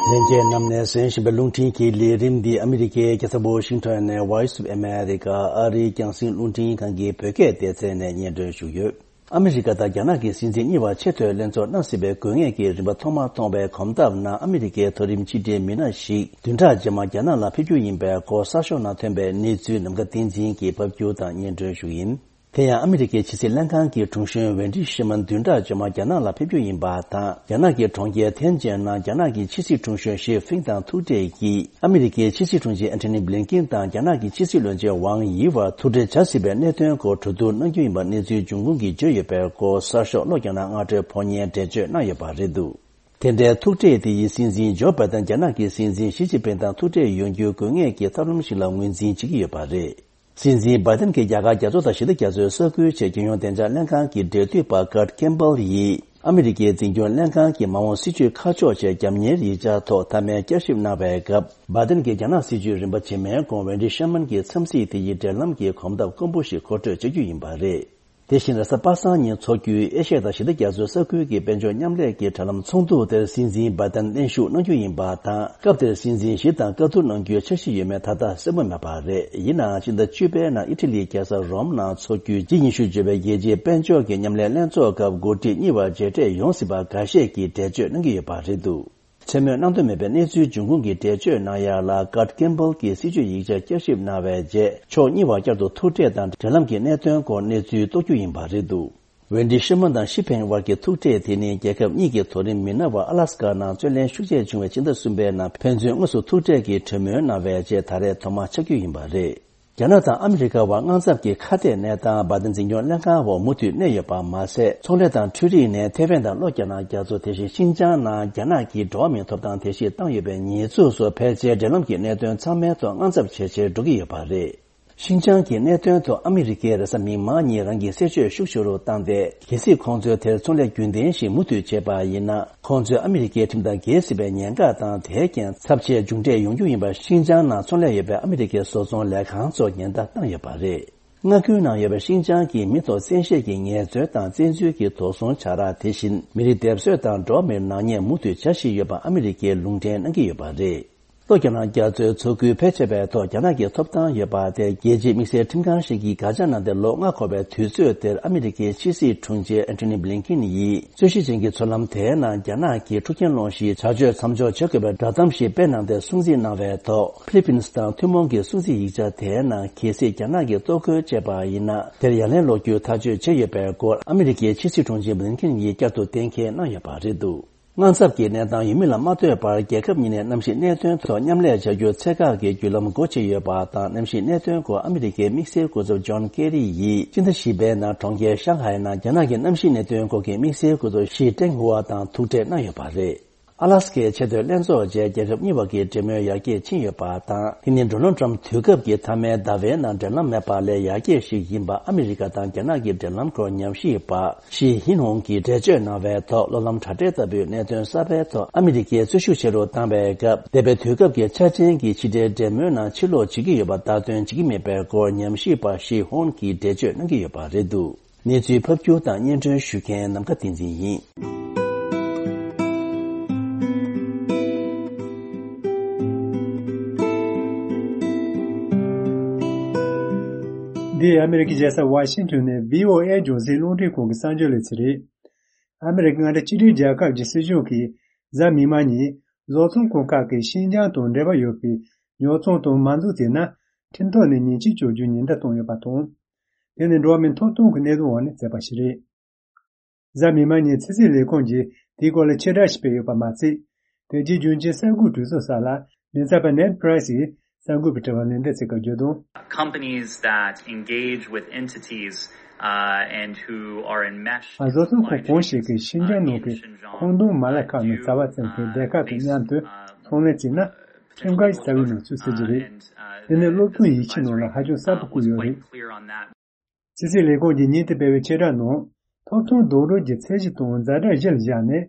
ལྷན་རྒྱས་རྣམས་ནས་གསན་བཞིན་པའི་རླུང་འཕྲིན་གྱི་ལས་རིམ་འདི་ཨ་མི་རི་ཀའི་རྒྱལ་ས་ཝ་ཤིང་ཊོན་ནས་Voice of America ཨ་རིའི་རྒྱང་སྲིང་རླུང་འཕྲིན་ཁང་གི་བོད་སྐད་སྡེ་ཚན་ནས་སྙན་སྒྲོན་ཞུས་ཡོད། ཨ་མི་རི་ཀ་དང་རྒྱ་ནག་གི་སྲིད་འཛིན་གཉིས་བར་ཆེས་མཐོའི་ལྷན་ཚོགས་གནང་སྲིད་པའི་དགོས་ངེས་ཀྱི་རིམ་པ་ཐོག་མ་མཐོང་བའི་གོམ་སྟབས་ནང་ཨ་མི་རི་ཀའི་མཐོ་རིམ་ཕྱི་འབྲེལ་མི་སྣ་ཞིག་བདུན་ཕྲག་རྗེས་མ་རྒྱ་ནག་ལ་ཕེབས་རྒྱུ་ཡིན་པའི་སྐོར་གསར་ཤོག་ནང་ཐོན་པའི་གནས་ཚུལ་ནམ་མཁའ་བསྟན་འཛིན་གྱིས་ཕབ་སྒྱུར་དང་སྙན་སྒྲོན་ཞུ་ཡིན། དེ་ཡང་ཨ་མི་རི་ཀའི་ཕྱི་སྲིད་ལྷན་ཁང་གི་དྲུང་གཞོན་ཝེན་ཌི་ཤེར་མན་བདུན་ཕྲག་རྗེས་མ་རྒྱ་ནག་ལ་ཕེབས་རྒྱུ་ཡིན་པ་དང་རྒྱ་ནག་གི་གྲོང་ཁྱེར་ཐེན་ཅིན་ནང་རྒྱ་ནག་གི་ཕྱི་སྲིད་དྲུང་གཞོན་ཞི་ཧྥིང་དང་ཐུག་འཕྲད་ཀྱིས་ཨ་མི་རི་ཀའི་ཕྱི་སྲིད་དྲུང་ཆེ་ཨན་ཐོ་ནི་བྷི་ལིན་ཀིན་དང་རྒྱ་ནག་གི་ཕྱི་སྲིད་བློན་ཆེན་ཝང་ཡི་བར་ཐུག་འཕྲད་བྱ་སྲིད་པའི་གནད་དོན་སྐོར་གྲོས་བསྡུར་གནང་རྒྱུ་ཡིན་པ་གནས་ཚུལ་འབྱུང་ཁུངས་ཀྱིས་བརྗོད་ཡོད་པའི་སྐོར་གསར་ཤོག་ལྷོ་རྒྱ་ནག་སྔ་དྲོའི་ཕོ་ཉའི་འགྲེལ་བརྗོད་གནང་ཡོད་པ་རེད་འདུག་དེ་འདྲའི་ཐུག་འཕྲད་དེ་ཡིས་སྲིད་འཛིན་ཇོ་བྷའི་ཏན་རྒྱ་ནག་གི་སྲིད་འཛིན་ཞི་ཅིན་ཕིང་དང་ཐུག་འཕྲད་ཡོང་རྒྱུའི་དགོས་ངེས་ཀྱི་ཐབས་ལམ་ཞིག་ལ་ངོས་འཛིན་བྱེད་ཀྱི་ཡོད་པ་རེད། སྲིད་འཛིན་བྷའི་ཏན་གྱིས་རྒྱ་གར་རྒྱ་མཚོ་དང་ཞི་བདེ་རྒྱ་མཚོའི་ས་ཁུལ་ཆེད་རྒྱལ་ཡོངས་བདེ་འཇགས་ལྷན་ཁང་གི་འབྲེལ་མཐུད་པ་ཀར་ཀེམ་པལ་ཡིས་ཨ་མི་རི་ཀའི་འཛིན་སྐྱོང་ལྷན་ཁང་གི་མ་འོངས་སྲིད་བྱུས་ཁ་ཕྱོགས་ཆེད་རྒྱབ་གཉེར་ཡིག་ཆ་ཐོག་མཐའ་མའི་བསྐྱར་ཞིབ་གནང་བའི་སྐབས། བྷའི་ཏན་གྱིས་རྒྱ་ནག་སྲིད་བྱུས་རིམ་པ་རྗེས་མའི་གོང་ཝེན་ཌི་ཤེར་མན་གྱི་འཚམས་གཟིགས་དེ་ཡི་འབྲེལ་ལམ་གྱི་གོམ་སྟབས་དཀོན་པོ་ཞིག་མཁོ་སྤྲོད་བྱ་རྒྱུ་ཡིན་པ་རེད། དེ་བཞིན་རེས་གཟའ་པ་སངས་ཉིན་འཚོགས་རྒྱུའི་ཨེ་ཤ་ཡ་དང་ཞི་བདེ་རྒྱ་མཚོའི་ས་ཁུལ་གྱི་དཔལ་འབྱོར་མཉམ་ལས་ཀྱི་དྲ་ལམ་ཚོགས་འདུ་དེར་སྲིད་འཛིན་བྷའི་ཏན་གླེང་ཞུགས་གནང་རྒྱུ་ཡིན་པ་དང་། སྐབས་དེར་སྲིད་འཛིན་ཞི་དང་བཀའ་བསྡུར་གནང་རྒྱུའི་འཆར་གཞི་ཡོད་མེད་ད་ལྟ་གསལ་པོ་མེད་པ་རེད། ཡིན་ནའང་ཕྱི་ཟླ་བཅུ་པའི་ནང་ཨི་ཊ་ལིའི་རྒྱལ་ས་རོམ་ནང་འཚོགས་རྒྱུའི་ཇི་ཉི་ཤུ་བརྗོད་པའི་རྒྱལ་སྤྱིའི་དཔལ་འབྱོར་གྱི་མཉམ་ལས་ལྷན་ཚོགས་སྐབས་འགོ་ཁྲིད་གཉིས་བར་མཇལ་འཕྲད་ཡོང་སྲིད་པ་འགའ་ཤས་ཀྱིས་འགྲེལ་བརྗོད་གནང་གི་ཡོད་པ་རེད་འདུག་མཚན་སྨོས་གནང་འདོད་མེད་པའི་གནས་ཚུལ་འབྱུང་ཁུངས་ཀྱིས་འགྲེལ་བརྗོད་གནང་ཡག་ལ་ཀར་ཀེམ་པལ་གྱིས་སྲིད་བྱུས་ཡིག་ཆ་བསྐྱར་ཞིབ་གནང་བའི་རྗེས། ཕྱོགས་གཉིས་བར་བསྐྱར་དུ་ཐུག་འཕྲད་དང་འབྲེལ་ལམ་གྱི་གནད་དོན་སྐོར་གནས་ཚུལ་རྟོགས་རྒྱུ་ཡིན་པ་རེད་འདུག་ཝེན་ཌི་ཤེར་མན་དང་ཞི་ཕིང་བར་གྱི་ཐུག་འཕྲད་དེ་ནི་རྒྱལ་ཁབ་གཉིས་ཀྱི་མཐོ་རིམ་མི་སྣ་བར་ཨ་ལ་སི་ཀ་ནང་རྩོད་གླེང་ཤུགས་ཆེ་བྱུང་བའི་ཕྱི་ཟླ་གསུམ་པའི་ནང་ཕན་ཚུན་དངོས་སུ་ཐུག་འཕྲད་ཀྱི་གྲོས་མོལ་གནང་བའི་རྗེས་ད་རེས་ཐོག་མ་ཆགས་རྒྱུ་ཡིན་པ་རེད། རྒྱ་ནག་དང་ཨ་མི་རི་ཀ་བར་དངངས་འཚབ་ཀྱི་ཁ་གཏད་གནས་སྟངས་བྷའི་ཏན་འཛིན་སྐྱོང་ལྷན་ཁང་འོག་མུ་མཐུད་གནས་ཡོད་པ་མ་ཟད། ཚོང་ལས་དང་འཕྲུལ་རིག་ནས་ཐེ་ཝན་དང་ལྷོ་རྒྱ་ནག་རྒྱ་མཚོ། དེ་བཞིན་ཤིན་ཅང་ནང་རྒྱ་ནག་གིས་འགྲོ་བ་མིའི་ཐོབ་ཐང་བརྡལ་བཤིག་བཏང་ཡོད་པའི་ཉེས་འཛུགས་སོགས་ཕལ་ཆེར་འབྲེལ་ལམ་གྱི་གནད་དོན་ཚང་མའི་ཐོག་དངངས་འཚབ་ཇེ་ཆེར་འགྲོ་གི་ཡོད་པ་རེད། ཤིན་ཅང་གི་གནད་དོན་ཐོག་ཨ་མི་རི་ཀས་རེས་གཟའ་མིག་དམར་ཉིན་རང་གི་གསལ་བརྗོད་ཤུགས་ཆེ་རུ་བཏང་སྟེ། གལ་སྲིད་ཁོང་ཚོས་དེར་ཚོང་ལས་རྒྱུན་ལྡན་ཞིག་མུ་མཐུད་བྱས་པ་ཡིན་ན། ཁོང་ཚོས་ཨ་མི་རི་ཀའི་ཁྲིམས་དང་འགལ་སྲིད་པའི་ཉེན་ཁ་དང་། དེའི་རྐྱེན་ཚབས་ཆེའི་མཇུག་འབྲས་ཡོང་རྒྱུ་ཡིན་པ། ཤིན་ཅང་ནང་ཚོང་ལས་ཡོད་པའི་ཨ་མི་རི་ཀའི་བཟོ་ཚོང་ལས་ཁང་ཚོར་ཉེན་བརྡ་བཏང་ཡོད་པ་རེད། མངའ་ཁུལ་ནང་ཡོད་པའི་ཤིན་ཅང་གི་མི་ཐོག་བཙན་ཤེད་ཀྱི་ངལ་རྩོལ་དང་བཙན་འཛུལ་གྱི་དོགས་ཟོན་བྱ་ར། དེ་བཞིན་མི་རིགས་སྡེབ་གསོད་དང་འགྲོ་བ་མིར་ནག་ཉེས་མུ་མཐུད་བྱ་བཞིན་ཡོད་པ་ཨ་མི་རི་ཀས་ལུང་འདྲེན་གནང་གི་ཡོད་པ་རེད། ལྷོ་རྒྱ་ནག་རྒྱ་མཚོའི་མཚོ་ཁུལ་ཕལ་ཆེ་བའི་ཐོག་རྒྱ་ནག་གི་ཐོབ་ཐང་ཡོད་པ་དེ་རྒྱལ་སྤྱིའི་དམིགས་བསལ་ཁྲིམས་ཁང་ཞིག་གིས་དགག་བྱ་གནང་སྟེ། ལོ་ལྔ་འཁོར་བའི་དུས་ཚོད་དེར་ཨ་མི་རི་ཀའི་ཕྱི་སྲིད་དྲུང་ཆེ་ཨན་ཐོ་ནི་བྷི་ལིན་ཀིན་ཡིས་རྩོད་གཞི་ཅན་གྱི་མཚོ་ལམ་དེའི་ནང་རྒྱ་ནག་གིས་འཁྲུག་རྐྱེན་སློང་གཞིའི་བྱ་སྤྱོད་མཚམས་འཇོག་བྱེད་དགོས་པའི་བསྒྲགས་གཏམ་ཞིག་སྤེལ་གནང་སྟེ། སྲུང་བརྩི་གནང་བའི་ཐོག་ཕི་ལི་པིན་དང་ཐུན་མོང་གི་སྲུང་བརྩི་ཡིག་ཆ་དེའི་ནང་གལ་སྲིད་རྒྱ་ནག་གིས་གཏོར་རྒོལ་བྱས་པ་ཡིན་ན། དེར་ཡ་ལན་སློག་རྒྱུའི་ཐག་གཅོད་བྱས་ཡོད་པའི་སྐོར་ཨ་མི་རི་ཀའི་ཕྱི་སྲིད་དྲུང་ཆེ་བྷི་ལིན་ཀིན་ཡིས་བསྐྱར་དུ་གཏན་འཁེལ་གནང་ཡོད་པ་རེད་འདུག་དངངས་འཚབ་ཀྱི་གནས་སྟངས་ཡོད་མིན་ལ་མ་ལྟོས་པར། རྒྱལ་ཁབ་གཉིས་ནས་གནམ་གཤིས་གནད་དོན་ཐོག་མཉམ་ལས་བྱ་རྒྱུར་ཚད་བཀག་གི་བརྒྱུད་ལམ་སྒོ་ཕྱེ་ཡོད་པ་དང་། གནམ་གཤིས་གནད་དོན་སྐོར་ཨ་མི་རི་ཀའི་དམིགས་བསལ་སྐུ་ཚབ་ཇོན་ཀེ་རི་ཡིས་སྤྱི་ཟླ་བཞི་པའི་ནང་གྲོང་ཁྱེར་ཤང་ཧའེ་ནང་རྒྱ་ནག་གི་གནམ་གཤིས་གནད་དོན་སྐོར་གྱི་དམིགས་བསལ་སྐུ་ཚབ་ཞི་ཀྲེང་ཧུའ་དང་ཐུག་འཕྲད་གནང་ཡོད་པ་རེད། ཨ་ལ་སི་ཀའི་ཆེས་མཐོའི་ལྷན་ཚོགས་རྗེས་རྒྱལ་ཁབ་གཉིས་བར་གྱི་འབྲེལ་མོལ་ཡར་རྒྱས་ཕྱིན་ཡོད་པ་དང་། དེ་ནི་ཌོ་ནལ་ཊམ་དུས་སྐབས་ཀྱི་མཐའ་མའི་ཟླ་བའི་ནང་འབྲེལ་ལམ་མེད་པ་ལས་ཡར་རྒྱས་ཤིག་ཡིན་པ། ཨ་མི་རི་ཀ་དང་རྒྱ་ནག་གི་འབྲེལ་ལམ་སྐོར་ཉམས་ཞིབ་པ་ཞི་ཧིན་ཧོང་གིས་འགྲེལ་བརྗོད་གནང་བའི་ཐོག་སློབ་ལམ་དྲ་སྦྲེལ་ལྟ་བུའི་གནད་དོན་གསར་པའི་ཐོག་ཨ་མི་རི་ཀས་རྩོད་ཤུགས་ཆེ་རུ་བཏང་བའི་སྐབས། འདས་པའི་དུས་སྐབས་ཀྱི་འཆར་ཅན་གྱི་ཕྱི་འབྲེལ་འབྲེལ་མོལ་ནང་ཕྱིར་ལོག་བྱེད་ཀྱི་ཡོད་པ་ལྟར་དོན་བྱེད་ཀྱི་མེད་པའི་སྐོར་ཉམས་ཞིབ་པ་ཞི་ཧོང་གིས་འགྲེལ་བརྗོད་གནང་གི་ཡོད་པ་རེད་འདུག་གནས་ཚུལ་ཕབ་སྒྱུར་དང་སྙན་སྒྲོན་ཞུ་མཁན་ནམ་མཁའ་བསྟན་འཛིན་ཡིན། འདི་ཨ་མི་རི་ཀའི་རྒྱལ་ས་ཝ་ཤིང་ཊོན་ནས་བྷི་ཨོ་ཨེ་རྒྱང་སྲིང་རླུང་འཕྲིན་ཁང་གི་གསར་འགྱུར་ལེ་ཚན་རེད། ཨ་མི་རི་ཀ་མངའ་སྡེ་གཅིག་སྒྲིལ་རྒྱལ་ཁབ་ཀྱི་སྲིད་གཞུང་གིས་གཟའ་མིག་དམར་ཉིན་བཟོ་ཚོང་ཁང་ཁག་གིས་ཤིན་ཅང་དང་འབྲེལ་བ་ཡོད་པའི་ཉོ་ཚོང་དང་མ་འཛུགས་བྱས་ན། ཁྲིམས་ཐོག་ནས་ཉེས་ཆད་གཅོད་རྒྱུའི་ཉེན་བརྡ་བཏང་ཡོད་པ་དང་། དེ་ནི་འགྲོ་བ་མིའི་ཐོབ་ཐང་གི་གནད་དོན་འོག་ནས་བཙུགས་པ་ཞིག་རེད། གཟའ་མིག་དམར་ཉིན་ཕྱི་སྲིད་ལས་ཁུངས་ཀྱིས་དེའི་སྐོར་ལ་ཕྱིར་བསྒྲགས་ཤིག་སྤེལ་ཡོད་པ་མ་ཚད། དེ་རྗེས་རྒྱུན་ཆེན་གསར་འགོད་གྲོས་ཚོགས་སར་ལ་མགྲིན་ཚབ་པ་ནེད་པྲེ་སི་ཡིས་གསར་འགོད་པའི་དྲི་བར་ལན་འདེབས་བྱེད་སྐབས་བརྗོད་དོན། Companies that engage with entities, uh, and who are enmeshed, བཟོ་ཚོང་ཁང་གང་ཞིག་གིས་ཤིན་ཅང་ནང་གི་ཁང་སྟོང་མ་ལག་ཁག་ནང་རྩ་བ་བཙུགས་པའི་སྡེ་ཁག་དང་མཉམ་དུ་ཚོང་ལས་བྱས་ན། ཁྲིམས་འགལ་གྱི་རྩ་བའི་ནང་ཚུད་སྲིད་ཀྱི་རེད། དེ་ནི་སློབ་སྟོན་ཡིག་ཆའི་ནང་ལ་ཧ་ཅང་གསལ་པོ་བཀོད་ཡོད་རེད། ཕྱི་སྲིད་ལས་ཁུངས་ཀྱིས་ཉིན་དེ་སྤེལ་བའི་ཕྱིར་བསྒྲགས་ནང་། ཐོབ་ཐང་རྡོག་རོལ་གྱི་ཚད་གཞི་དང་ཛ་དྲག་གཞིར་བཞག་ནས།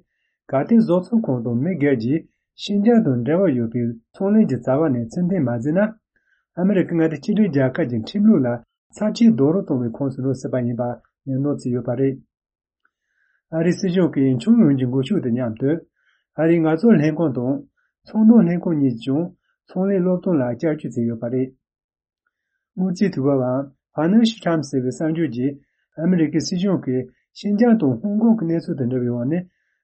གལ་ཏེ་བཟོ་ཚོང་ཁང་དང་མི་སྒེར་གྱིས་ཤིན་ཅང་དང་འབྲེལ་བ་ཡོད་པའི་ཚོང་ལས་ཀྱི་རྩ་བ་ནས་ཚུལ་མཐུན་མ་བྱས་ན། ཨ་མི་རི་ཀ་མངའ་སྡེ་གཅིག་སྒྲིལ་རྒྱལ་ཁབ་ཀྱི་ཁྲིམས་ལུགས་ལ་ཚབས་ཆེའི་རྡོག་རོལ་གཏོང་བའི་ཁོངས་སུ་འགྲོ་སྲིད་པ་ཡིན་པ་ནན་སྣང་བྱས་ཡོད་པ་རེད། ཨ་རིའི་སྲིད་གཞུང་གིས་ཁྱོན་ཡོངས་ཀྱི་འགུལ་ཤུགས་དང་མཉམ་དུ། ཨ་རིའི་ངལ་རྩོལ་ལྷན་ཁང་དང་ཚོང་དོན་ལྷན་ཁང་གཉིས་ཀྱིས་ཀྱང་ཚོང་ལས་སློབ་སྟོན་ལ་བསྐྱར་བཅོས་བྱས་ཡོད་པ་རེད། དངུལ་རྩིས་དྲི་བ་པ་Financial Times ཟེར་བའི་གསར་འགྱུར་གྱིས། ཨ་མི་རི་ཀའི་སྲིད་གཞུང་གིས་ ཤིན་ཅང་དང་ཧོང་ཀོང་གི་གནས་ཚུལ་དང་འབྲེལ་བའི་འོག་ནས།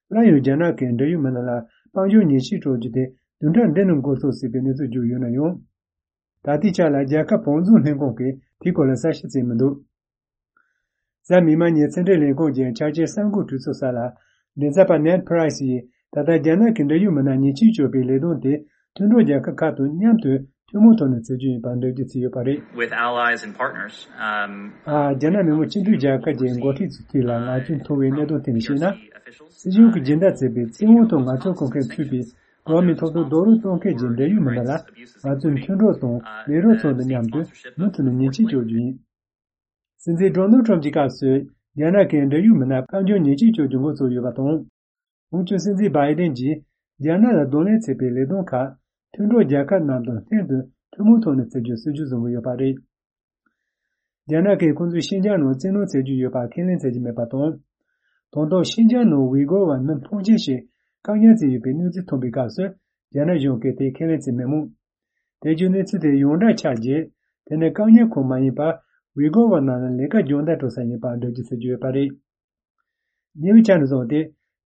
སླར་ཡང་རྒྱ་ནག་གིས་འབྲེལ་ཡོད་མི་སྣ་ལ་དཔལ་འབྱོར་ཉེས་ཆད་གཅོད་རྒྱུ་དེ་བདུན་ཕྲག་འདི་ནང་འགོ་ཚུགས་སྲིད་པའི་གནས་ཚུལ་བརྗོད་ཡོད་ན་ཡང་། ད་ལྟའི་ཆ་ལ་རྒྱལ་ཁབ་བང་མཛོད་ལྷན་ཁང་གིས་དེའི་སྐོར་ལ་གསལ་བཤད་བྱས་མི་འདུག་གཟའ་མིག་དམར་ཉིན་ཕྱི་འབྲེལ་ལས་ཁུངས་ཀྱི་ཕྱག་ཆེན་གསར་འགོད་གྲོས་ཚོགས་སར་ལ། མགྲིན་ཚབ་པ་Ned Price ཡིས་ད་ལྟ་རྒྱ་ནག་གི་འབྲེལ་ཡོད་མི་སྣ་ཉེས་ཆད་གཅོད་པའི་ལས་དོན་དེ་མཐུན་གྲོགས་རྒྱལ་ཁབ་ཁག་དང་མཉམ་དུ་ཐུན་མོང་ཐོག་ནས་བྱེད་རྒྱུ་ཡིན་པར་འགྲེལ་བརྗོད་བྱས་ཡོད་པ་རེད། With allies and partners, um, ཨ། རྒྱ་ནག་མི་དམངས་སྤྱི་མཐུན་རྒྱལ་ཁབ་ཀྱི་འགོ་ཁྲིད་ཚོའི་ཐད་ལ་ལག་ཁྱེར་མཐོང་བའི་གནད་དོན་ཐད་ནས་བཤད་ན། སྲིད་གཞུང་གི་སྦྱིན་བདག་བྱས་པའི་བཙན་དབང་ཐོག་ངལ་རྩོལ་གཏོང་མཁན་ཚུད་པའི་འགྲོ་བ་མིའི་ཐོབ་ཐང་རྡོག་རོལ་གཏོང་མཁན་གྱི་འབྲེལ་ཡོད་མི་སྣ་ལ། ང་ཚོའི་མཐུན་གྲོགས་དང་ལས་རོགས་ཚོ་དང་མཉམ་དུ་མུ་མཐུད་ནས་ཉེས་ཆད་གཅོད་རྒྱུ་ཡིན། སྲིད་འཛིན་ཌོ་ནལ་ཊམ་གྱི་སྐབས་སུ་རྒྱ་ནག་གིས་འབྲེལ་ཡོད་མི་སྣར་དཔལ་འབྱོར་ཉེས་ཆད་གཅོད་རྒྱུ་འགོ་བཙུགས་ཡོད་པ་དང་། འོན་ཀྱང་སྲིད་འཛིན་བྷའི་ཌེན་གྱིས་རྒྱ་ནག་ལ་གདོང་ལེན་བྱེད་པའི་ལས་དོན་ཁག་མཐུན་གྲོགས་རྒྱལ་ཁབ་རྣམས་དང་ལྷན་དུ་ཐུན་མོང་ཐོག་ནས་བྱེད་རྒྱུའི་སྲིད་ཇུས་བཟུང་གི་ཡོད་པ་རེད། རྒྱ་ནག་གིས་ཁོང་ཚོས་ཤིན་ཅང་ནང་བཙན་གནོན་བྱེད་ཀྱི་ཡོད་པ་ཁས་ལེན་བྱེད་ཀྱི་མེད་པ་དང་། དང་ཐོག་ཤིན་ཅང་ནང་ཝི་གོར་བ་མི་ཕོན་ཆེན་ཞིག་བཀག་ཉར་བྱས་ཡོད་པའི་གནས་ཚུལ་ཐོན་པའི་སྐབས་སུ་རྒྱ་ནག་གཞུང་གིས་དེ་ཁས་ལེན་བྱས་མེད་མོད། དེ་བརྒྱུད་གནས་ཚུལ་དེ་ཡོངས་གྲགས་ཆགས་རྗེས། དེ་ནི་བཀག་ཉར་ཁང་མ་ཡིན་པར་ཝི་གོར་བ་རྣམས་ལ་ལས་ཀ་སྦྱོང་བརྡར་སྤྲོད་ས་ཡིན་པར་འགྲེལ་བརྗོད་བྱེད་ཀྱི་ཡོད་པ་རེད། ཉེ་བའི་ཆར་ནས་བཟུང་སྟེ།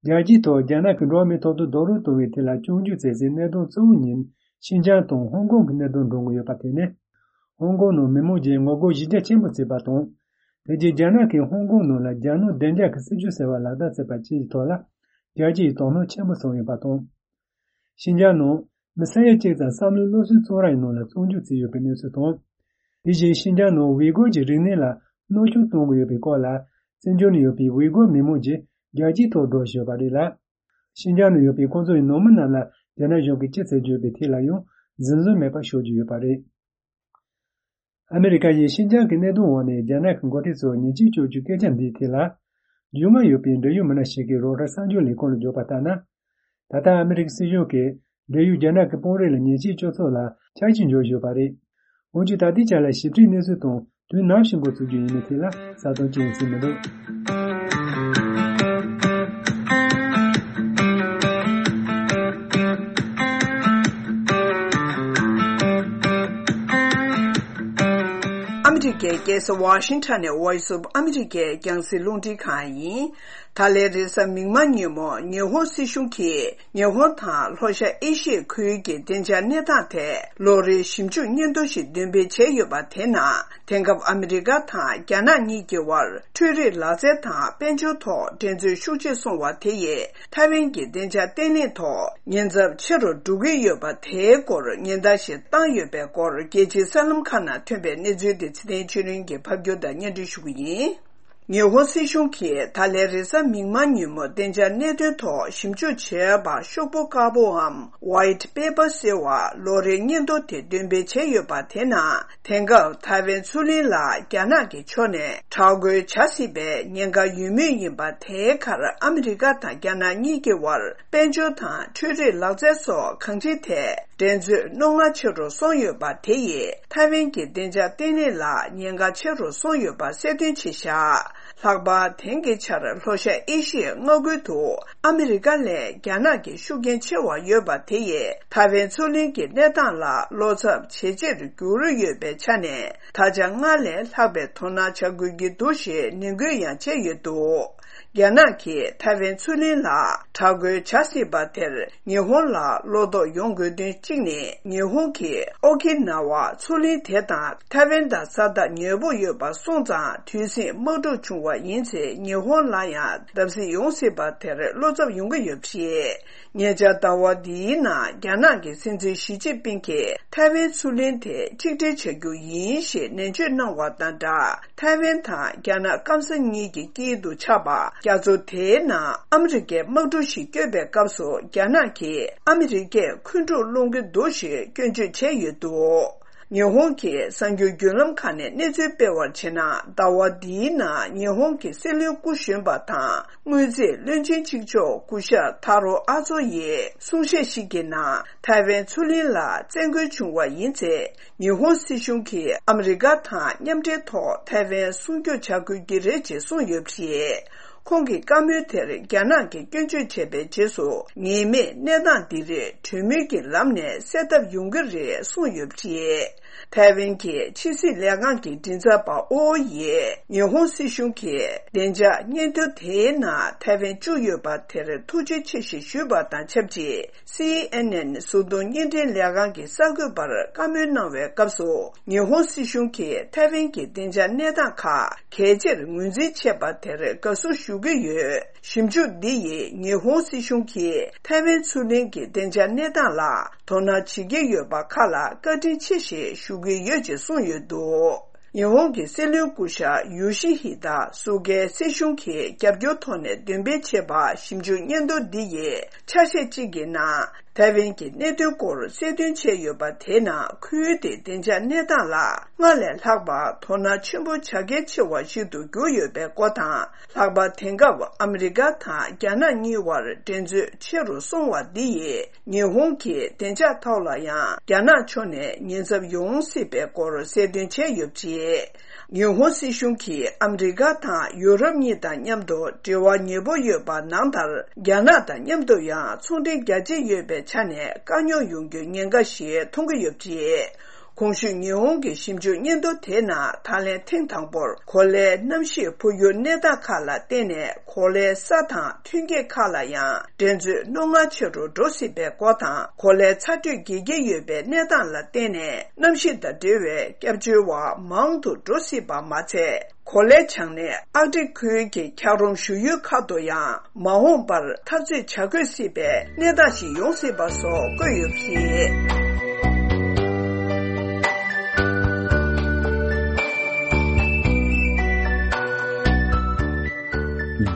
རྒྱལ་སྤྱིའི་ཐོག་རྒྱ་ནག་གི་འགྲོ་བ་མིའི་ཐོབ་ཐང་རྡོག་རོལ་གཏོང་བའི་ཐད་ལ་སྐྱོན་བརྗོད་མཛད་སའི་གནད་དོན་གཙོ་བོ་ཉིད་ཤིན་ཅང་དང་ཧོང་ཀོང་གི་གནད་དོན་འགྲོ་གི་ཡོད་པ་དེ་ནི། ཧོང་ཀོང་ནང་མི་མང་གིས་ངོ་རྒོལ་གཞི་རྒྱ་ཆེན་པོ་བྱས་པ་དང་། དེ་རྗེས་རྒྱ་ནག་གིས་ཧོང་ཀོང་ནང་ལ་རྒྱ་ནག་བདེ་འཇགས་ཀྱི་སྲིད་ཇུས་ཟེར་བ་ལག་བསྟར་བྱས་པ་བཅས་ཀྱི་ཐོག་ལ། རྒྱལ་སྤྱི་ཡི་དོ་སྣང་ཆེན་པོ་བྱུང་ཡོད་པ་དང་། ཤིན་ཅང་ནང་མི་ས་ཡ་གཅིག་ཙམ་བསམ་བློའི་སློབ་གསོའི་བཙོན་རའི་ནང་ལ་བཙོན་འཇུག་བྱས་ཡོད་པའི་གནས་ཚུལ་དང་། དེ་བཞིན་ཤིན་ཅང་ནང་ཝི་གོར་གྱི་རིག་གནས་ལ་གནོད་སྐྱོན་གཏོང་གི་ཡོད་པའི་སྐོར་ལ། བཙན་བྱོལ་ནང་ཡོད་པའི་ཝི་གོར་མི་མང་གིས་རྒྱལ་སྤྱིའི་ཐོག་སྒྲོག་བཞིན་ཡོད་པ་རེད་ལ། ཤིན་ཅང་ནང་ཡོད་པའི་ཁོང་ཚོའི་ནང་མི་རྣམས་ལ་རྒྱ་ནག་གཞུང་གིས་ཅི་བྱེད་ཀྱི་ཡོད་པའི་ཐད་ལ་ཡང་འཛེམ་ཟོན་མེད་པར་ཤོད་ཀྱི་ཡོད་པ་རེད། ཨ་མི་རི་ཀ་ཡིས་ཤིན་ཅང་གི་གནད་དོན་འོག་ནས་རྒྱ་ནག་གི་འགོ་ཁྲིད་ཚོར་ཉེས་ཆད་གཅོད་རྒྱུའི་སྐད་ཆ་འདིའི་ཐད་ལ། རྒྱུས་མངའ་ཡོད་པའི་འབྲེལ་ཡོད་མི་སྣ་ཞིག་གིས་རོའི་ཊར་གསར་འགྱུར་ལས་ཁུངས་ལ་བརྗོད་པ་ལྟར་ན། ད་ལྟ་ཨ་མི་རི་ཀའི་སྲིད་གཞུང་གིས་འབྲེལ་ཡོད་རྒྱ་ནག་གི་དཔོན་རིགས་ལ་ཉེས་ཆད་གཅོད་ཚུལ་ལ་འཆར་གཞི་འཇོག་བཞིན་ཡོད་པ་རེད། འོན་ཀྱང་ད་ལྟའི་ཆ་ལ་ཞིབ་ཕྲའི་གནས་ཚུལ་དང་དུས་ནམ་ཞིག་འགོ་ཚུགས་རྒྱུ་ཡིན་མིན་ཐད་ལ་གསལ་སྟོན་ཅི་ཡང་བྱས་མི་འདུག་ཨ་མི་རི་ཀའི་རྒྱལ་ས་ཝ་ཤིང་ཊོན་ནས་Voice of America རྒྱང་སྲིང་རླུང་འཕྲིན་ཁང་ཡིན། ད་ལན་རེས་གཟའ་མིག་དམར་ཉིན་མོ་ཉི་ཧོང་སྲིད་གཞུང་གིས་ཉི་ཧོང་དང་ལྷོ་ཤར་ཨེ་ཤི་ཡའི་ཁུལ་གྱི་བདེ་འཇགས་གནས་སྟངས་ཐད་ལོ་རེའི་ཞིབ་འཇུག་སྙན་ཐོ་ཞིག་འདོན་སྤེལ་བྱས་ཡོད་པ་དེ་ནང་། དེང་སྐབས་ཨ་མི་རི་ཀ་དང་རྒྱ་ནག་གཉིས་ཀྱི་དབར་འཕྲུལ་རིག་ལག་རྩལ་དང་དཔལ་འབྱོར་ཐོག་འགྲན་རྩོད་ཤུགས་ཆེ་སོང་བ་དེ་ཡིས་ཐའེ་ཝན་གྱི་བདེ་འཇགས་བརྟན་ལྷིང་ཐོག་ཉེན་ཚབས་ཆེ་རུ་འགྲོ་གི་ཡོད་པ་དེའི་སྐོར་ཉེན་བརྡ་ཞིག་བཏང་ཡོད་པའི་སྐོར་རྒྱལ་སྤྱིའི་གསར་ལམ་ཁག་ནང་ཐོན་པའི་གནས་ཚུལ་དེ་ཚེ་བརྟན་ཆོས་གླིང་གིས་ཕབ་སྒྱུར་དང་སྙན་སྒྲོན་ཞུ་གི་ཡིན། ཉི་ཧོང་སྲིད་གཞུང་གིས་ད་ལན་རེས་གཟའ་མིག་དམར་ཉིན་མོ་བདེ་འཇགས་གནད་དོན་ཐོག་ཞིབ་འཇུག་བྱས་པ་ཤོག་བུ་དཀར་པོའམ་White Paper ཟེར་བ་ལོ་རེའི་སྙན་ཐོ་དེ་འདོན་སྤེལ་བྱས་ཡོད་པ་དེ་ནང་། དེང་སྐབས་ཐའེ་ཝན་མཚོ་གླིང་ལ་རྒྱ་ནག་གི་ཕྱོགས་ནས་དྲག་རྒོལ་བྱ་སྲིད་པའི་ཉེན་ཁ་ཡོད་མུས་ཡིན་པ་དེའི་ཁར་ཨ་མི་རི་ཀ་དང་རྒྱ་ནག་གཉིས་ཀྱི་དབར་དཔལ་འབྱོར་དང་འཕྲུལ་རིག་ལག་རྩལ་སོགས་གང་ཅིའི་ཐད་འགྲན་རྩོད་རྣོ་ངར་ཆེ་རུ་སོང་ཡོད་པ་དེ་ཡིས་ཐའེ་ཝན་གྱི་བདེ་འཇགས་བརྟན་ལྷིང་ལ་ཉེན་ཁ་ཆེ་རུ་སོང་ཡོད་པ་གསལ་སྟོན་བྱས་བཞག་ལྷག་པར་དེང་གི་ཆར་ལྷོ་ཤར་ཨེ་ཤི་ཡའི་མངའ་ཁུལ་དུ་ཨ་མི་རི་ཀ་ལས་རྒྱ་ནག་གི་ཤུགས་རྐྱེན་ཆེ་བ་ཡོད་པ་དེ་ཡིས་ཐའེ་ཝན་མཚོ་གླིང་གི་གནས་སྟངས་ལ་བློ་འཚབ་ཇེ་ཆེར་གྱུར་ཡོད་པའི་ཆ་ནས། ད་ཆ་སྔར་ལས་ལྷག་པའི་དོ་སྣང་བྱ་དགོས་ཀྱི་འདུག་ཞེས་ནན་སྐུལ་ཡང་བྱས་ཡོད་འདུག་རྒྱ་ནག་གིས་ཐའེ་ཝན་མཚོ་གླིང་ལ་དྲག་རྒོལ་བྱ་སྲིད་པ་དེར་ཉི་ཧོང་ལ་བློ་དོགས་ཡོང་དགོས་དོན་གཅིག་ནི། ཉི་ཧོང་གིས་ཨོ་ཁི་ན་ཝ་མཚོ་གླིང་དེ་དང་ཐའེ་ཝན་དང་ས་ཐག་ཉེ་པོ་ཡོད་པ་སོང་ཙང་དུས་ཟིང་དམག་འཁྲུག་བྱུང་བ་ཡིན་ཚེ་ཉི་ཧོང་ལ་ཡང་བརྡབ་གསིག་ཡོང་སྲིད་པ་དེར་བློ་འཚབ་ཡོང་གི་ཡོད་པ་རེད། ཉེ་ཆར་ཟླ་བ་འདིའི་ནང་རྒྱ་ནག་གི་སྲིད་འཛིན་ཞི་ཅིན་ཕིང་གིས་ཐའེ་ཝན་མཚོ་གླིང་དེ་གཅིག་སྒྲིལ་བྱ་རྒྱུ་ཡིན་ཞེས་ནན་བརྗོད་གནང་བ་དང་སྦྲགས། ཐའེ་ཝན་དང་རྒྱ་ནག་སྐམ་ས་གཉིས་ཀྱི་དཀྱིལ་དུ་ཆགས་པ་རྒྱ་མཚོ་དེའི་ནང་ཨ་མི་རི་ཀས་དམག་གྲུ་ཞིག་བསྐྱོད་པའི་སྐབས་སུ་རྒྱ་ནག་གིས་ཨ་མི་རི་ཀས་འཁོན་འཁྲུག་སློང་གི་འདུག་ཞེས་སྐྱོན་བརྗོད་བྱས་ཡོད་འདུག་ཉི་ཧོང་གི་གསར་འགྱུར་བརྒྱུད་ལམ་ཁག་ནས་གནས་ཚུལ་སྤེལ་བར་བྱས་ན། ཟླ་བ་འདིའི་ནང་ཉི་ཧོང་གི་སྲིད་བློན་སྐུ་གཞོན་པ་དང་། དངུལ་རྩིས་བློན་ཆེན་གཅིག་ལྕོགས་སྐུ་ཞབས་ཐ་རོ་ཨ་ཚོ་ཡིས་གསུང་བཤད་ཞིག་གི་ནང་། ཐའེ་ཝན་མཚོ་གླིང་ལ་བཙན་རྒོལ་བྱུང་བ་ཡིན་ཚེ། ཉི་ཧོང་སྲིད་གཞུང་གིས་ཨ་མི་རི་ཀ་དང་མཉམ་འབྲེལ་ཐོག་ཐའེ་ཝན་སྲུང་སྐྱོབ་བྱ་དགོས་ཀྱི་རེད་ཅེས་གསུངས་ཡོད་པ་རེད། ཁོང་གི་བཀའ་མོལ་དེར་རྒྱ་ནག་གིས་སྐྱོན་བརྗོད་བྱས་པའི་རྗེས་སུ། ངེས་མེད་གནས་སྟངས་འདི་རིགས་གྲོས་མོལ་གྱི་ལམ་ནས་སེལ་ཐབས་ཡོང་གི་རེད་གསུངས་ཡོད་པ་རེད། ཐའེ་ཝན་གྱི་ཕྱི་སྲིད་ལས་ཁང་གི་མགྲིན་ཚབ་པ་ཨོ་ཡིས་ཉི་ཧོང་སྲིད་གཞུང་གིས་བདེ་འཇགས་སྙན་ཐོ་དེའི་ནང་ཐའེ་ཝན་བཅུག་ཡོད་པ་དེར་ཐུགས་རྗེ་ཆེ་ཞེས་ཞུས་པ་དང་ཆབས་ཅིག། སི་ཨེན་ཨེན་གཟུགས་མཐོང་བརྙན་འཕྲིན་ལས་ཁང་གི་གསར་འགོད་པར་བཀའ་མོལ་གནང་བའི་སྐབས་སུ། ཉི་ཧོང་སྲིད་གཞུང་གིས་ཐའེ་ཝན་གྱི་བདེ་འཇགས་གནས་སྟངས་ཁག་གལ་ཆེར་ངོས་འཛིན་བྱས་པ་དེར་དགའ་བསུ་ཞུ་གི་ཡོད། ཞིབ་འཇུག་འདི་ཡིས་ཉི་ཧོང་སྲིད་གཞུང་གིས་ཐའེ་ཝན་མཚོ་གླིང་གི་བདེ་འཇགས་གནས་སྟངས་ལ་དོ་སྣང་བྱེད་ཀྱི་ཡོད་པ་ཁག་ལ་བཀའ་དྲིན་ཆེ་ཞེས་ཞུ་གི་ཡོད་ཅེས་གསུངས་ཡོད་འདུག། ཉི་ཧོང་གི་སྲིད་བློན་སྐུ་ཞབས་ཡོ་ཤི་ཧི་ད་སུ་གའི་སྲིད་གཞུང་གིས་རྒྱབ་སྐྱོར་ཐོག་ནས་འདོན་སྤེལ་བྱས་པ་ཞིབ་འཇུག་སྙན་ཐོ་འདི་ཡི་ཆ་ཤས་གཅིག་གི་ནང་། ཐའེ་ཝན་གྱི་གནད་དོན་སྐོར་གསལ་སྟོན་བྱས་ཡོད་པ་དེའི་ནང་ཁུལ་དེའི་བདེ་འཇགས་གནས་སྟངས་ལ་སྔར་ལས་ལྷག་པར་དོ་སྣང་ཆེན་པོ་བྱ་གལ་ཆེ་བ་ཞིག་ཏུ་གྱུར་ཡོད་པའི་སྐོར་དང་། ལྷག་པར་དེང་སྐབས་ཨ་མི་རི་ཀ་དང་རྒྱ་ནག་གཉིས་བར་འགྲན་རྩོད་ཆེ་རུ་སོང་བ་འདི་ཡིས་ཉི་ཧོང་གི་བདེ་འཇགས་ཐོག་ལ་ཡང་རྒྱ་ནག་ཕྱོགས་ནས་ཉེན་ཚབས་ཡོང་སྲིད་པའི་སྐོར་གསལ་སྟོན་བྱས་ཡོད་པ་རེད། ཉི་ཧོང་སྲིད་གཞུང་གིས་ཨ་མི་རི་ཀ་དང་ཡུ་རོབ་གཉིས་དང་མཉམ་དུ་འབྲེལ་བ་ཉེ་པོ་ཡོད་པ་ནང་ལྟར། རྒྱ་ནག་དང་མཉམ་དུ་ཡང་ཚོང་འབྲེལ་རྒྱ་ཆེ་ཡོད་པའི་ཆ་ནས་དཀའ་རྙོག་ཡོང་རྒྱུའི་ཉེན་ཁ་ཞིག་མཐོང་གི་ཡོད་པ་རེད། གོང་ཞུས་ཉི་ཧོང་གི་ཞིབ་འཇུག་སྙན་ཐོ་དེའི་ནང་ད་ལན་ཐེངས་དང་པོར་གོ་ལའི་གནམ་གཤིས་འཕོ་འགྱུར་གནས་སྟངས་ཁག་ལ་བརྟེན་ནས་གོ་ལའི་ས་དང་ཐོན་སྐྱེད་ཁག་ལ་ཡང་འགྲན་རྩོད་རྣོ་ངར་ཆེ་རུ་འགྲོ་སྲིད་པའི་སྐོར་དང་། གོ་ལའི་ཚ་དྲོད་རྒྱས་ཀྱི་ཡོད་པའི་གནས་སྟངས་ལ་བརྟེན་ནས་གནམ་གཤིས་དང་འབྲེལ་བའི་སྐྱབས་བཅོལ་བ་མང་དུ་འགྲོ་སྲིད་པ་མ་ཚད། གོ་ལའི་བྱང་སྣེ་ཨར་ཀ་ཊིག་ཁུལ་གྱི་འཁྱགས་རོམ་བཞུར་ཡུལ་ཁག་ཏུ་ཡང་མ་འོངས་པར་འཐབ་རྩོད་བྱ་དགོས་སྲིད་པའི་གནས་སྟངས་ཤིག་ཡོང་སྲིད་པ་སོགས་བཀོད་ཡོད་པ་རེད།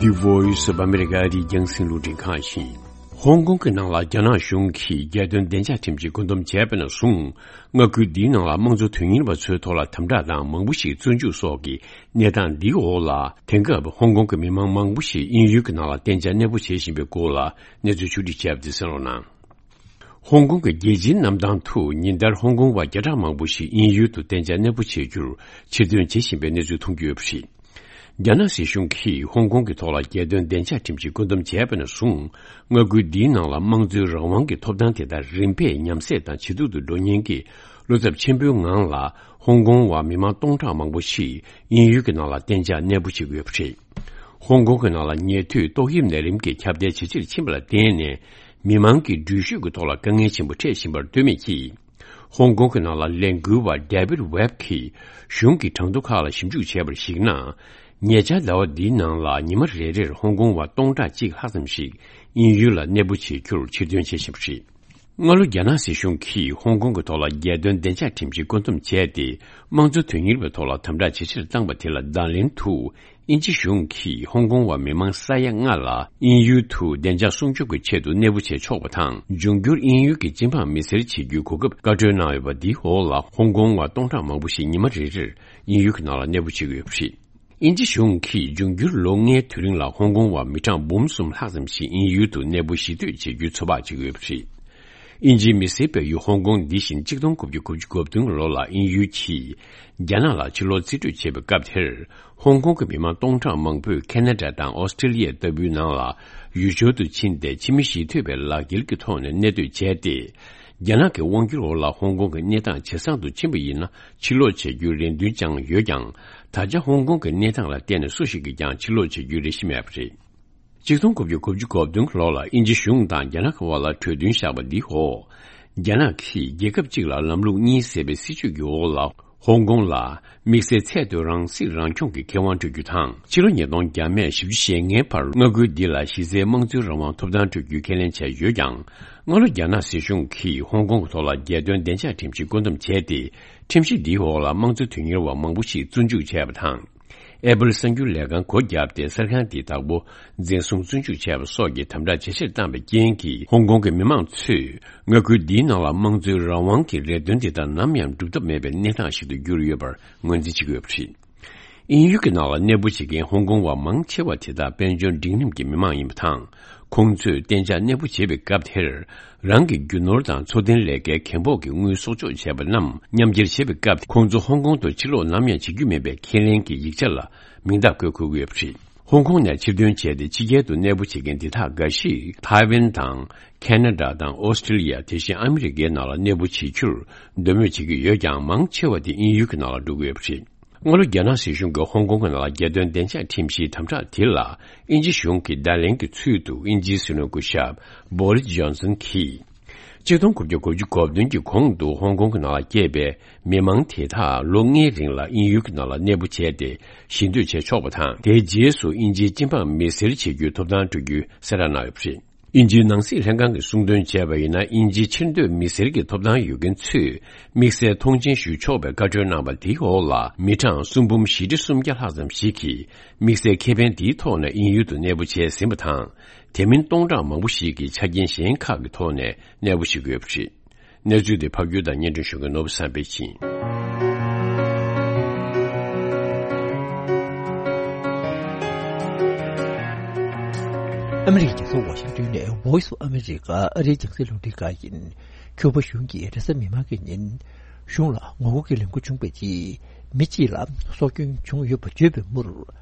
The Voice of America ཨ་རིའི་རྒྱང་སྲིང་རླུང་འཕྲིན་ཁང་ཡིན། ཧོང་ཀོང་གི་ནང་ལ་རྒྱ་ནག་གཞུང་གིས་རྒྱལ་དོན་བདེ་འཇགས་ཁྲིམས་ཀྱི་བཀོད་འདོམས་བྱས་པ་ནས་བཟུང་། མངའ་ཁུལ་འདིའི་ནང་ལ་དམངས་གཙོ་དོན་གཉེར་བ་ཚོའི་ཐོག་ལ་དམ་དྲག་དང་མང་པོ་ཞིག་བཙོན་འཇུག་སོགས་ཀྱི་གནས་སྟངས་འདིའི་འོག་ལ། དེང་སྐབས་ཧོང་ཀོང་གི་མི་མང་མང་པོ་ཞིག་དབྱིན་ཡུལ་གྱི་ནང་ལ་གཏན་འཇགས་གནས་སྤོ་བྱེད་བཞིན་པའི་སྐོར་ལ་གནས་ཚུལ་ཕྱོགས་སྒྲིག་བྱས་པ་དེ་གསན་རོགས་གནང་། ཧོང་ཀོང་གི་རྒྱལ་སྤྱིའི་གནམ་ཐང་དུ་ཉིན་ལྟར་ཧོང་ཀོང་བ་བརྒྱ་ཕྲག་མང་པོ་ཞིག་དབྱིན་ཡུལ་དུ་གཏན་འཇགས་གནས་སྤོ་བྱེད་རྒྱུར་ཕྱིར་ཐོན་བྱེད་བཞིན་པའི་གནས་ཚུལ་མཐོང་རྒྱུ་ཡོད་པ་རེད། རྒྱ་ནག་སྲིད་གཞུང་གིས་ཧོང་ཀོང་གི་ཐོག་ལ་རྒྱལ་དོན་བདེ་འཇགས་ཁྲིམས་ཀྱི་བཀོད་འདོམས་བྱས་པ་ནས་བཟུང་། མངའ་ཁུལ་འདིའི་ནང་ལ་དམངས་གཙོའི་རང་དབང་གི་ཐོབ་ཐང་དེ་དག་རིམ་པས་ཉམས་སད་དང་ཇེ་སྡུག་ཏུ་འགྲོ་ཉེན་གྱི་བློ་འཚབ་ཆེན་པོའི་ངང་ལ། ཧོང་ཀོང་བ་མི་མང་སྟོང་ཕྲག་མང་པོ་ཞིག་དབྱིན་ཡུལ་གྱི་ནང་ལ་གཏན་འཇགས་གནས་སྤོ་བྱེད་ཀྱི་ཡོད་པ་རེད། ཧོང་ཀོང་གི་ནང་ལ་ཉེ་དུས་ཏོག་དབྱིབས་ནད་རིམས་ཀྱི་ཁྱབ་གདལ་ཇེ་ཆེར་ཕྱིན་པ་ལ་བརྟེན་ནས། མི་མང་གི་འགྲུལ་བཞུད་ཀྱི་ཐོག་ལ་དཀའ་ངལ་ཆེན་པོ་འཕྲད་བཞིན་པར་ལྟོས་མེད་ཀྱིས། ཧོང་ཀོང་གི་ནང་ལ་ལས་འགུལ་བ་David Webb གིས་གཞུང་གི་གྲངས་ཐོ་ཁག་ལ་ཞིབ་འཇུག་བྱས་པར་གཞིགས་ན། ཉེ་ཆར་ཟླ་བ་འདིའི་ནང་ལ་ཉི་མ་རེ་རེར་ཧོང་ཀོང་བ་སྟོང་ཕྲག་གཅིག་ལྷག་ཙམ་ཞིག་དབྱིན་ཡུལ་ལ་གནས་སྤོ་བྱེད་རྒྱུར་ཕྱིར་ཐོན་བྱེད་བཞིན་པ་རེད། སྔ་ལོ་རྒྱ་ནག་སྲིད་གཞུང་གིས་ཧོང་ཀོང་གི་ཐོག་ལ་རྒྱལ་དོན་བདེ་འཇགས་ཁྲིམས་ཀྱི་བཀོད་འདོམས་བྱས་ཏེ། དམངས་གཙོ་དོན་གཉེར་བའི་ཐོག་ལ་དམ་དྲག་ཇེ་ཆེར་བཏང་བ་དེ་ལ་བརྡ་ལན་དུ། དབྱིན་ཇི་གཞུང་གིས་ཧོང་ཀོང་བ་མི་མང་ས་ཡ་ལྔ་ལ་དབྱིན་ཡུལ་དུ་བདེ་འཇགས་སྲུང་སྐྱོབ་ཀྱི་ཆེད་དུ་གནས་སྤོ་བྱས་ཆོག་པ་དང་། འབྱུང་འགྱུར་དབྱིན་ཡུལ་གྱི་སྤྱི་འབངས་མི་སེར་བྱེད་རྒྱུའི་གོ་སྐབས་བཀའ་འཁྲོལ་གནང་ཡོད་པ་འདིའི་འོག་ལ། ཧོང་ཀོང་བ་སྟོང་ཕྲག་མང་པོ་ཞིག་ཉི་མ་རེ་རེར་དབྱིན་ཡུལ་གྱི་ནང་ལ་གནས་སྤོ་བྱེད་ཀྱི་ཡོད་པ་རེད། དབྱིན་ཇི་གཞུང་གིས་འབྱུང་འགྱུར་ལོ་ལྔའི་དུས་རིང་ལ་ཧོང་ཀོང་བ་མི་གྲངས་འབུམ་གསུམ་ལྷག་ཙམ་ཞིག་དབྱིན་ཡུལ་དུ་གནས་སྤོ་གཞིས་སྡོད་བྱེད་རྒྱུའི་ཚོད་དཔག་བྱེད་ཀྱི་ཡོད་པ་རེད། དབྱིན་ཇིའི་མི་སེར་སྤེལ་ཡུལ་ཧོང་ཀོང་འདི་བཞིན་གཅིག་སྟོང་དགུ་བརྒྱ་དགུ་བཅུ་གོ་བདུན་ལོ་ལ་དབྱིན་ཡུལ་གྱིས་རྒྱ་ནག་ལ་ཕྱིར་ལོག་རྩིས་སྤྲོད་བྱས་པའི་སྐབས་དེར། ཧོང་ཀོང་གི་མི་མང་སྟོང་ཕྲག་མང་པོས་ཁེ་ན་ཌ་དང་ཨོ་སི་ཀྲི་ལི་ཡ་ལྟ་བུའི་ནང་ལ་ཡུལ་སྦྱོར་དུ་ཕྱིན་ཏེ། ཕྱི་མི་གཞིས་སྡོད་པའི་ལག་འཁྱེར་གྱི་ཐོག་ནས་གནས་སྡོད་བྱས་ཏེ། རྒྱ་ནག་གི་དབང་སྒྱུར་འོག་ལ་ཧོང་ཀོང་གི་གནས་སྟངས་ཇེ་བཟང་དུ་ཕྱིན་པ་ཡིན་ན། ཕྱིར་ལོག་བྱེད་རྒྱུའི་རེ་འདུན་བཅངས་ཡོད་ཀྱང་། ད་ཆ་ཧོང་ཀོང་གི་གནས་སྟངས་ལ་བལྟས་ནས་སུ་ཞིག་གིས་ཀྱང་ཕྱིར་ལོག་བྱེད་རྒྱུའི་རེ་ཞིག་མེད་པ་རེད། གཅིག་སྟོང་དགུ་བརྒྱ་དགུ་བཅུ་གོ་བདུན་ལོ་ལ་དབྱིན་ཇི་གཞུང་དང་རྒྱ་ནག་གི་དབར་ལ་གྲོས་མཐུན་བཞག་པ་འདིའི་འོག་རྒྱ་ནག་གིས་རྒྱལ་ཁབ་གཅིག་ལ་ལམ་ལུགས་གཉིས་ཟེར་བའི་སྲིད་བྱུས་ཀྱི་འོག་ལ། ཧོང་ཀོང་ལ་དམིགས་བསལ་ཚད་མཐོའི་རང་སྲིད་རང་སྐྱོང་གི་ཁེ་དབང་སྤྲོད་རྒྱུ་དང་། ཕྱི་ལོ་ཉིས་སྟོང་བརྒྱ་མེད་བཞི་བཅུ་ཞེ་ལྔའི་བར་མངའ་ཁུལ་འདི་ལ་གཞི་རྩའི་དམངས་གཙོའི་རང་དབང་ཐོབ་ཐང་སྤྲོད་རྒྱུའི་ཁས་ལེན་བྱས་ཡོད་ཀྱང་། སྔ་ལོ་རྒྱ་ནག་སྲིད་གཞུང་གིས་ཧོང་ཀོང་གི་ཐོག་ལ་རྒྱལ་དོན་བདེ་འཇགས་ཁྲིམས་ཀྱི་བཀོད་འདོམས་བྱས་ཏེ། ཁྲིམས་གཞི་འདིའི་འོག་ལ་དམངས་གཙོ་དོན་གཉེར་བ་མང་པོ་ཞིག་བཙོན་འཇུག་བྱས་པ་དང་། ཨེ་པལ་གསར་འགྱུར་ལས་ཁང་སྒོ་བརྒྱབ་སྟེ། གསར་ཁང་འདིའི་བདག་པོ་འཛིན་བཟུང་བཙོན་འཇུག་བྱས་པ་སོགས་ཀྱི་དམ་དྲག་ཇེ་ཆེར་བཏང་བའི་རྐྱེན་གྱིས། ཧོང་ཀོང་གི་མི་མང་ཚོས་མངའ་ཁུལ་འདིའི་ནང་ལ་དམངས་གཙོའི་རང་དབང་གི་རེ་འདུན་དེ་དག་ནམ་ཡང་འགྲུབ་ཐབས་མེད་པའི་གནས་སྟངས་ཤིག་ཏུ་གྱུར་ཡོད་པར་ངོས་འཛིན་བྱེད་ཀྱི་ཡོད་པ་རེད། དབྱིན་ཡུལ་གྱི་ནང་ལ་གནས་སྤོ་བྱེད་མཁན་ཧོང་ཀོང་བ་མང་ཆེ་བ་དེ་དག་དཔལ་འབྱོར་འབྲིང་རིམ་གྱི་མི་མང་ཡིན་པ་དང་། ཁོང་ཚོས་གཏན་འཇགས་གནས་སྤོ་བྱེད་པའི་སྐབས་དེར། རང་གི་རྒྱུ་ནོར་དང་འཚོ་རྟེན་ལས་ཀའི་རྒན་ཕོགས་ཀྱི་དངུལ་གསོག་འཇོག་བྱས་པ་རྣམས་མཉམ་འཁྱེར་བྱེད་པའི་སྐབས། ཁོང་ཚོ་ཧོང་ཀོང་དུ་ཕྱིར་ལོག་ནམ་ཡང་བྱེད་རྒྱུ་མེད་པའི་ཁས་ལེན་གྱི་ཡིག་ཆ་ལ་མིང་རྟགས་བཀོད་དགོས་ཀྱི་ཡོད་པ་རེད། ཧོང་ཀོང་ནས་ཕྱིར་ཐོན་བྱས་ཏེ་ཕྱི་རྒྱལ་དུ་གནས་སྤོ་བྱེད་མཁན་འདི་དག་འགའ་ཞིག་ཐའེ་ཝན་དང་། ཁེ་ན་ཌ་དང་ཨོ་སི་ཀྲི་ལི་ཡ། དེ་བཞིན་ཨ་མི་རི་ཀའི་ནང་ལ་གནས་སྤོ་བྱེད་རྒྱུར་འདོད་མོས་བྱེད་ཀྱི་ཡོད་ཀྱང་། མང་ཆེ་བ་དེ་དབྱིན་ཡུལ་གྱི་ནང་ལ་འགྲོ་གི་ཡོད་པ་རེད། སྔ་ལོ་རྒྱ་ནག་སྲིད་གཞུང་གིས་ཧོང་ཀོང་གི་ནང་ལ་རྒྱལ་དོན་བདེ་འཇགས་ཁྲིམས་གཞིའི་དམ་དྲག་དེ་ལ་དབྱིན་ཇི་གཞུང་གི་བརྡ་ལན་གྱི་ཚུལ་དུ། དབྱིན་ཇིའི་སྲིད་བློན་སྐུ་ཞབས་བོ་རིས་ཇོན་སན་གྱིས། ཆིག་སྟོང་དགུ་བརྒྱ་དགུ་བཅུ་གོ་བདུན་གྱི་གོང་དུ་ཧོང་ཀོང་གི་ནང་ལ་སྐྱེས་པའི་མི་མང་དེ་དག་ལོ་ལྔའི་རིང་ལ་དབྱིན་ཡུལ་གྱི་ནང་ལ་གནས་སྤོ་བྱས་ཏེ་ཞི་འདོད་བྱེད་ཆོག་པ་དང་། དེའི་རྗེས་སུ་དབྱིན་ཇིའི་སྤྱི་འབངས་མི་སེར་བྱེད་རྒྱུའི་ཐོབ་ཐང་སྤྲོད་རྒྱུ་གསལ་བསྒྲགས་གནང་ཡོད་པ་རེད། དབྱིན་ཇིའི་ནང་སྲིད་ལྷན་ཁང་གིས་གསུངས་དོན་བྱས་པ་ཡིན་ན། དབྱིན་ཇིའི་ཕྱིར་སྡོད་མི་སེར་གྱི་ཐོབ་ཐང་ཡོད་མཁན་ཚོས་དམིགས་བསལ་མཐོང་ཆེན་ཞུ་ཆོག་པའི་བཀའ་འཁྲོལ་གནང་བ་དེའི་འོག་ལ། མི་གྲངས་སུམ་འབུམ་བཞི་ཁྲི་སུམ་བརྒྱ་ལྷག་ཙམ་ཞིག་གིས་དམིགས་བསལ་ཁེ་ཕན་དེའི་ཐོག་ནས་དབྱིན་ཡུལ་དུ་གནས་སྤོ་བྱས་ཟིན་པ་དང་། དེ་མིན་སྟོང་ཕྲག་མང་པོ་ཞིག་གིས་ཆ་རྐྱེན་གཞན་ཁག་གི་ཐོག་ནས་གནས་སྤོ་བྱེད་ཀྱི་ཡོད་པ་རེད། གནས་ཚུལ་དེ་ཕབ་སྒྱུར་དང་སྙན་སྒྲོན་ཞུ་མཁན་ནོར་བུ་བསམ་འཕེལ་ཡིན། ཨ་མི་རི་ཀའི་རྒྱལ་ས་ཝ་ཤིང་ཏོན་ནས་Voice of America ཨ་རིའི་རྒྱང་སྲིང་རླུང་འཕྲིན་ཁང་ཡིན། ཁྱུ་པ་གཞུང་གིས་རེས་གཟའ་མིག་དམར་གྱི་ཉིན་གཞུང་ལ་ངོ་རྒོལ་གྱི་ལས་འགུལ་བྱུང་བའི་རྗེས། མི་གཅིག་ལ་སྲོག་སྐྱོན་བྱུང་ཡོད་པ་བརྗོད་པའི་མུར།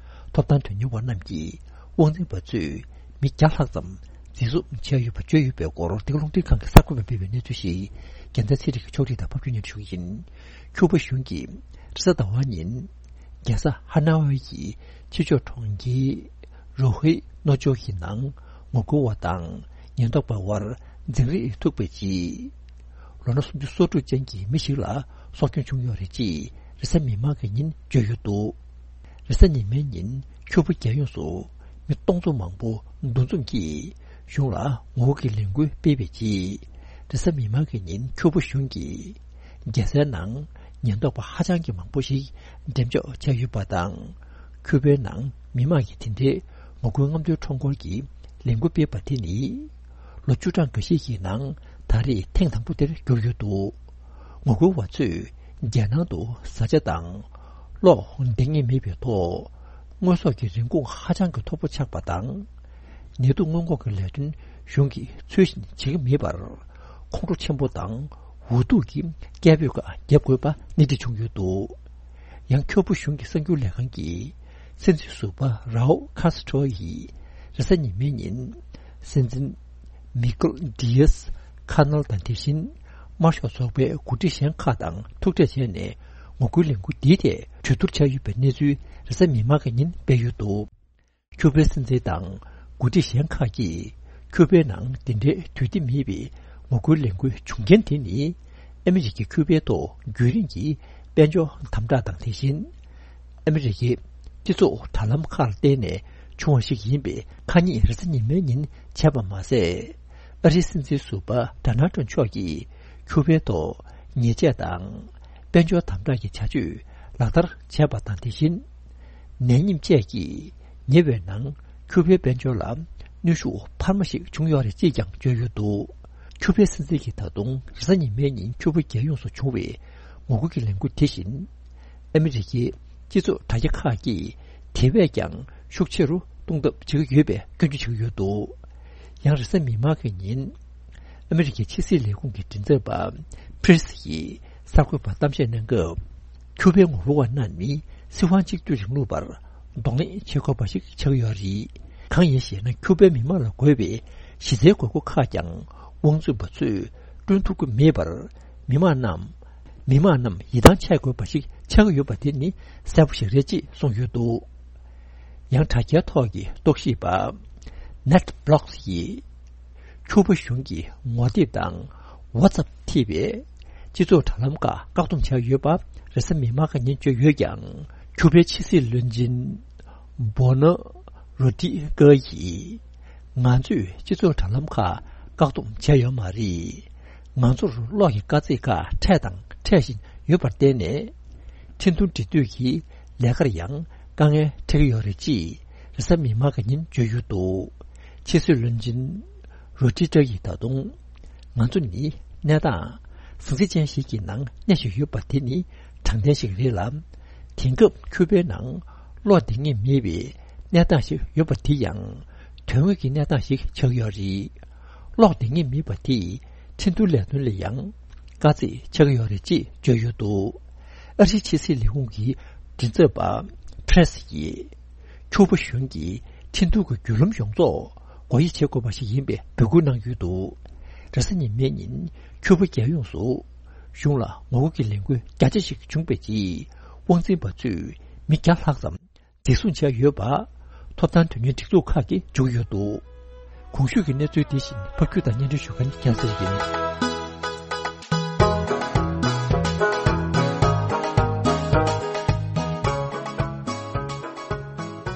ཐོབ་ཐང་དོན་གཉེར་བ་རྣམས་ཀྱིས་དབང་འཛིན་པ་ཚོས་མི་བརྒྱ་ལྷག་ཙམ་འཛིན་བཟུང་བྱས་ཡོད་པ་བརྗོད་ཡོད་པའི་སྐོར། འདི་ག་རླུང་འཕྲིན་ཁང་གི་གསར་འགོད་པས་སྤེལ་བའི་གནས་ཚུལ་ཞིག་རྒྱལ་མཚན་ཚེ་རིང་གིས་ཕྱོགས་སྒྲིག་དང་ཕབ་སྒྱུར་སྙན་སྒྲོན་ཞུ་གི་ཡིན། ཁྱུ་པ་གཞུང་གིས་རེས་གཟའ་ཟླ་བ་ཉིན། རྒྱལ་ས་ཧ་ནོ་ཝེ་ཡི་ཕྱི་ཕྱོགས་གྲོང་ཁྱེར་རོ་ཧི་ནོ་ཅོ་ཡི་ནང་ངོ་རྒོལ་བ་དང་ཉེན་རྟོག་པ་དབར་འཛིང་རེས་ཐུག་པའི་རྗེས། ལོ་ན་སུམ་ཅུ་སོ་དྲུག་ཅན་གྱི་མི་ཞིག་ལ་སྲོག་སྐྱོན་བྱུང་ཡོད་རེད་ཅེས་རེས་གཟའ་མིག་དམར་གྱི་ཉིན་བརྗོད་ཡོད་འདུག་རེས་གཟའ་ཉི་མའི་ཉིན་ཁྱུ་པ་རྒྱལ་ཡོངས་སུ་མི་སྟོང་ཚོ་མང་པོ་འདུ་འཛོམས་ཀྱིས་གཞུང་ལ་ངོ་རྒོལ་གྱི་ལས་འགུལ་སྤེལ་བའི་རྗེས། རེས་གཟའ་མིག་དམར་གྱི་ཉིན་ཁྱུ་པ་གཞུང་གིས་རྒྱལ་སའི་ནང་ཉེན་རྟོག་པ་ཧ་ཅང་གི་མང་པོ་ཞིག་འགྲེམས་འཇོག་བྱས་ཡོད་པ་དང་། ཁྱུ་པའི་ནང་མི་མང་གིས་དེ་འདྲའི་ངོ་རྒོལ་རྔམ་སྟོན་ཁྲོམ་སྐོར་གྱི་ལས་འགུལ་སྤེལ་བ་དེ་ནི་ལོ་བཅུ་གྲངས་འགའ་ཤས་ཀྱི་ནང་ད་རེས་ཐེངས་དང་པོ་དེར་གྱུར་ཡོད་འདུག་ངོ་རྒོལ་བ་ཚོས་རྒྱལ་ནང་དུ་བཟའ་བཅའ་དང་གློག་འདང་ངེས་མེད་པའི་ཐོག་དངོས་ཟོག་གི་རིན་གོང་ཧ་ཅང་གི་མཐོ་པོ་ཆགས་པ་དང་། ནད་དུག་སྔོན་འགོག་གི་ལས་དོན་གཞུང་གིས་ཚུལ་བཞིན་བྱེད་ཀྱི་མེད་པར། ཁོང་ཁྲོ་ཆེན་པོ་དང་འུ་ཐུག་གི་སྐད་འབོད་ཁག་བརྒྱབ་དགོས་པ་སྣེ་ཁྲིད་བྱུང་ཡོད་འདུག་ཡང་ཁྱུ་པ་གཞུང་གི་གསར་འགྱུར་ལས་ཁང་གི་སྲིད་འཛིན་ཟུར་པ་རའོ་ཁ་སི་ཐྲོ་ཡིས་རེས་གཟའ་ཉི་མའི་ཉིན་སྲིད་འཛིན་མི་ཀེལ་ཌི་ཡས་ཁ་ནལ་དང་། དེ་བཞིན་དམར་ཤོག་ཚོགས་པའི་འགོ་ཁྲིད་གཞན་ཁག་དང་ཐུག་འཕྲད་བྱས་ནས་ངོ་རྒོལ་ལས་འགུལ་འདིའི་ཐད་གྲོས་བསྡུར་བྱས་ཡོད་པའི་གནས་ཚུལ་རེས་གཟའ་མིག་དམར་གྱི་ཉིན་སྤེལ་ཡོད་འདུག་ཁྱུ་པའི་སྲིད་འཛིན་དང་འགོ་ཁྲིད་གཞན་ཁག་གིས་ཁྱུ་པའི་ནང་འདི་འདྲའི་དུས་བདེ་མེད་པའི་ངོ་རྒོལ་ལས་འགུལ་བྱུང་རྐྱེན་དེ་ནི། ཨ་མི་རི་ཀའི་ཁྱུ་པའི་ཐོག་རྒྱུན་རིང་གི་དཔལ་འབྱོར་དམ་དྲག་དང་། དེ་བཞིན་ཨ་མི་རི་ཀའི་སྤྱི་ཚོགས་དྲ་ལམ་ཁག་ལ་བརྟེན་ནས་བྱུང་བ་ཞིག་ཡིན་པའི་ཁ་ཉིན་རེས་གཟའ་ཉི་མའི་ཉིན་བྱས་པ་མ་ཟད། ཨ་རིའི་སྲིད་འཛིན་ཟུར་པ་ཌོ་ནལ་ཊམ་མཆོག་གིས་ཁྱུ་པའི་ཐོག་ཉེས་ཆད་དང་དཔལ་འབྱོར་དམ་དྲག་གི་བྱ་སྤྱོད་ལག་བསྟར་བྱས་པ་དང་། དེ་བཞིན་ནད་ཉེན་བཅས་ཀྱིས་ཉེ་བའི་ནང་ཁྱུ་པའི་དཔལ་འབྱོར་ལ་གནོན་ཤུགས་འཕར་མ་ཞིག་བྱུང་ཡོད་རེད་ཅེས་ཀྱང་བརྗོད་ཡོད་འདུག་ཁྱུ་པའི་སྲིད་འཛིན་གྱིས་ད་དུང་རེས་གཟའ་ཉི་མའི་ཉིན་ཁྱུ་པ་རྒྱལ་ཡོངས་སུ་བྱུང་བའི་ངོ་རྒོལ་གྱི་ལས་འགུལ་དེ་བཞིན། ཨ་མི་རི་ཀའི་སྤྱི་ཚོགས་དྲ་རྒྱ་ཁག་གིས་དེ་བས་ཀྱང་ཤུགས་ཆེ་རུ་གཏོང་ཐབས་བྱེད་ཀྱི་ཡོད་པའི་སྐྱོན་བརྗོད་བྱེད་ཀྱི་ཡོད་འདུག་ཡང་རེས་གཟའ་མིག་དམར་གྱི་ཉིན། ཨ་མི་རི་ཀའི་ཕྱི་སྲིད་ལས་ཁུངས་ཀྱི་མགྲིན་ཚབ་པ་ཕི་རི་སི་ཡིས་གསར་འགོད་པར་གཏམ་བཤད་གནང་སྐབས། ཁྱུ་པའི་ངོ་རྒོལ་བ་རྣམས་ནི་སྲིད་དབང་གཅིག་སྡུད་རིང་ལུགས་པར་གདོང་ལེན་བྱེད་དགོས་པ་ཞིག་ཆགས་ཡོད་རེད། གང་ཡིན་ཞེ་ན། ཁྱུ་པའི་མི་མང་ལ་དགོས་པའི་གཞི་རྩའི་དགོས་མཁོ་ཁག་ཀྱང་དབང་འཛིན་པ་ཚོས་བསྐྲུན་ཐུབ་ཀྱི་མེད་པར། མི་མང་རྣམས། མི་མང་རྣམས་ཡིད་ཐང་ཆད་དགོས་པ་ཞིག་ཆགས་ཀྱི་ཡོད་པ་དེ་ནི་གསལ་པོ་ཞིག་རེད་ཅེས་གསུངས་ཡོད་འདུག་ཡང་དྲ་རྒྱའི་ཐོག་གི་རྟོག་ཞིབ་པ་ནེཊ་བྷི་ལོག་སི་ཡིས། ཁྱུ་པ་གཞུང་གིས་ངོ་དེབ་དང་ཝ་ཙབ་ཐེ་བའི་སྤྱི་ཚོགས་དྲ་ལམ་ཁག་བཀག་སྡོམ་བྱས་ཡོད་པ་རེས་གཟའ་མིག་དམར་གྱི་ཉིན་བརྗོད་ཡོད་ཀྱང་། ཁྱུ་པའི་ཕྱི་སྲིད་བློན་ཆེན་བྷོ་ནོ་རོ་ཏི་ཀོ་ཡིས། ང་ཚོས་སྤྱི་ཚོགས་དྲ་ལམ་ཁག་བཀག་སྡོམ་བྱས་ཡོད་མ་རེད། ང་ཚོར་གློག་གི་དཀའ་ཚེགས་ཁག་འཕྲད་དང་འཕྲད་བཞིན་ཡོད་པར་བརྟེན་ནས། འཕྲིན་ཐུང་འབྲི་འདོད་ཀྱི་ལས་ཀར་ཡང་དཀའ་ངལ་འཕྲད་ཀྱི་ཡོད་རེད་ཅེས་རེས་གཟའ་མིག་དམར་གྱི་ཉིན་བརྗོད་ཡོད་འདུག་ཕྱི་སྲིད་བློན་ཆེན་རོ་ཏི་ཀོ་ཡིས་ད་དུང་། ང་ཚོ་ནི་གནས་སྟངས་ཟང་ཟིང་ཅན་ཞིག་གི་ནང་གནས་བཞིན་ཡོད་པ་དེ་ནི་དྲང་བདེན་ཞིག་རེད་ལ། དེང་སྐབས་ཁྱུ་པའི་ནང་གློག་འདང་ངེས་མེད་པའི་གནས་སྟངས་ཤིག་ཡོད་པ་དེ་ཡང་དོན་དངོས་ཀྱི་གནས་སྟངས་ཤིག་ཆགས་ཡོད་རེད། གློག་འདང་ངེས་མེད་པ་དེས་འཕྲིན་ཐུང་ལས་དོན་ལ་ཡང་དཀའ་ཚེགས་ཆགས་ཀྱི་ཡོད་རེད་ཅེས་བརྗོད་ཡོད་འདུག་ཨ་རིའི་ཕྱི་སྲིད་ལས་ཁུངས་ཀྱི་མགྲིན་ཚབ་པ་ཕི་རི་སི་ཡིས། ཁྱུ་པ་གཞུང་གིས་ཁྲིན་ཏུའུ་གི་བརྒྱུད་ལམ་ཡོངས་རྫོགས་སྒོ་དབྱེ་བྱེད་དགོས་པ་ཞིག་ཡིན་པའི་འབོད་སྐུལ་གནང་ཡོད་འདུག། རེས་གཟའ་ཉི་མའི་ཉིན་ཁྱུ་པ་རྒྱལ་ཡོངས་སུ་གཞུང་ལ་ངོ་རྒོལ་གྱི་ལས་འགུལ་རྒྱ་ཆེ་ཞིག་བྱུང་བའི་རྗེས། དབང་འཛིན་པ་ཚོས་མི་བརྒྱ་ལྷག་ཙམ་འཛིན་བཟུང་བྱས་ཡོད་པ་ཐོབ་ཐང་དོན་གཉེར་སྒྲིག་འཛུགས་ཁག་གིས་བརྗོད་ཡོད་འདུག། གོང་ཞུས་ཀྱི་གནས་ཚུལ་འདི་བཞིན་ཕབ་སྒྱུར་དང་སྙན་སྒྲོན་ཞུ་མཁན་རྒྱལ་མཚན་ཡིན།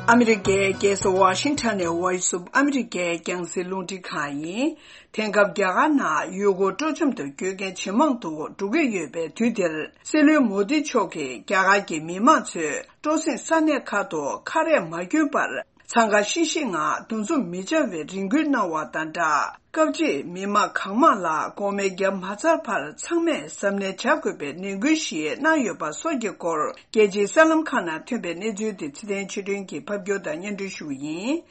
ཨ་མི་རི་ཀའི་རྒྱལ་ས་ཝ་ཤིང་ཊོན་ནས་Voice of America རྒྱང་སྲིང་རླུང་འཕྲིན་ཁང་ཡིན། དེང་སྐབས་རྒྱ་གར་ནང་ཡུལ་སྐོར་སྤྲོ་འཆམ་དུ་སྐྱོད་མཁན་ཇེ་མང་དུ་འགྲོ་གི་ཡོད་པའི་དུས་འདིར། སྲིད་བློན་མོ་དི་མཆོག་གིས་རྒྱ་གར་གྱི་མི་མང་ཚོས་སྤྲོ་གསེང་ས་གནས་ཁག་ཏུ་ཁ་རས་མ་གྱོན་པར་འཚང་ཁ་ཤིག་ཤིག་ངང་འདུ་འཛོམས་མི་བྱ་བའི་རེ་སྐུལ་གནང་བ་དང་སྦྲགས། སྐབས་གཅིག་མི་མང་གང་མང་ལ་འགོག་སྨན་བརྒྱབ་མ་ཚར་བར་ཚང་མས་གཟབ་ནན་བྱ་དགོས་པའི་ནན་སྐུལ་ཞིག་གནང་ཡོད་པ་སོགས་ཀྱི་སྐོར། རྒྱལ་སྤྱིའི་གསར་ལམ་ཁག་ནང་ཐོན་པའི་གནས་ཚུལ་དེ་ཚེ་བརྟན་ཆོས་སྒྲོན་གྱིས་ཕབ་སྒྱུར་དང་སྙན་སྒྲོན་ཞུ་བ་ཡིན།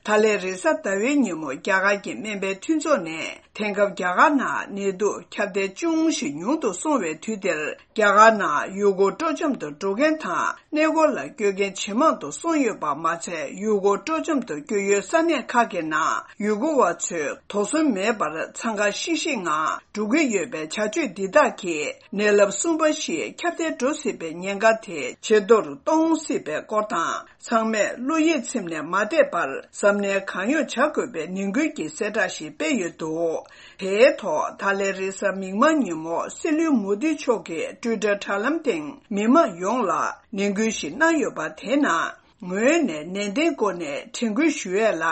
ད་ལན་རེས་གཟའ་ཟླ་བའི་ཉིན་མོ་རྒྱ་གར་གྱི་སྨན་པའི་མཐུན་ཚོགས་ནས། དེང་སྐབས་རྒྱ་གར་ནང་ནད་དུག་ཁྱབ་གདལ་ཅུང་ཞིག་ཉུང་དུ་སོང་བའི་དུས་འདིར། རྒྱ་གར་ནང་ཡུལ་སྐོར་སྤྲོ་འཆམ་དུ་འགྲོ་མཁན་དང་གནས་སྐོར་ལ་སྐྱོད་མཁན་ཇེ་མང་དུ་སོང་ཡོད་པ་མ་ཚད། ཡུལ་སྐོར་སྤྲོ་འཆམ་དུ་སྐྱོད་ཡུལ་ས་གནས་ཁག་གི་ནང་ཡུལ་སྐོར་བ་ཚོས་དོགས་ཟོན་མེད་པར་འཚང་ཁ་ཤིག་ཤིག་ངང་འགྲོ་གི་ཡོད་པའི་བྱ་སྤྱོད་འདི་དག་གིས་ནད་རླབས་གསུམ་པ་ཞིག་ཁྱབ་གདལ་འགྲོ་སྲིད་པའི་ཉེན་ཁ་དེ་ཇེ་མཐོར་གཏོང་སྲིད་པའི་སྐོར་དང་། ཚང་མས་བློ་ཡིད་ཚིམ་ནས་མ་བསྡད་པར་གཟབ་ནན་གང་ཡོང་བྱ་དགོས་པའི་ནན་སྐུལ་གྱི་གསལ་བསྒྲགས་ཤིག་སྤེལ་ཡོད་འདུག། དེའི་ཐོག་ད་ལན་རེས་གཟའ་མིག་དམར་ཉིན་མོ་སྲིད་བློན་མོ་དི་མཆོག་གིས་ཊུའི་ཊར་དྲ་ལམ་སྟེང་མི་མང་ཡོངས་ལ་ནན་སྐུལ་ཞིག་གནང་ཡོད་པ་དེའི་ནང་། ངོས་ནས་ནན་ཏན་སྒོ་ནས་དྲན་སྐུལ་ཞུ་ཡས་ལ།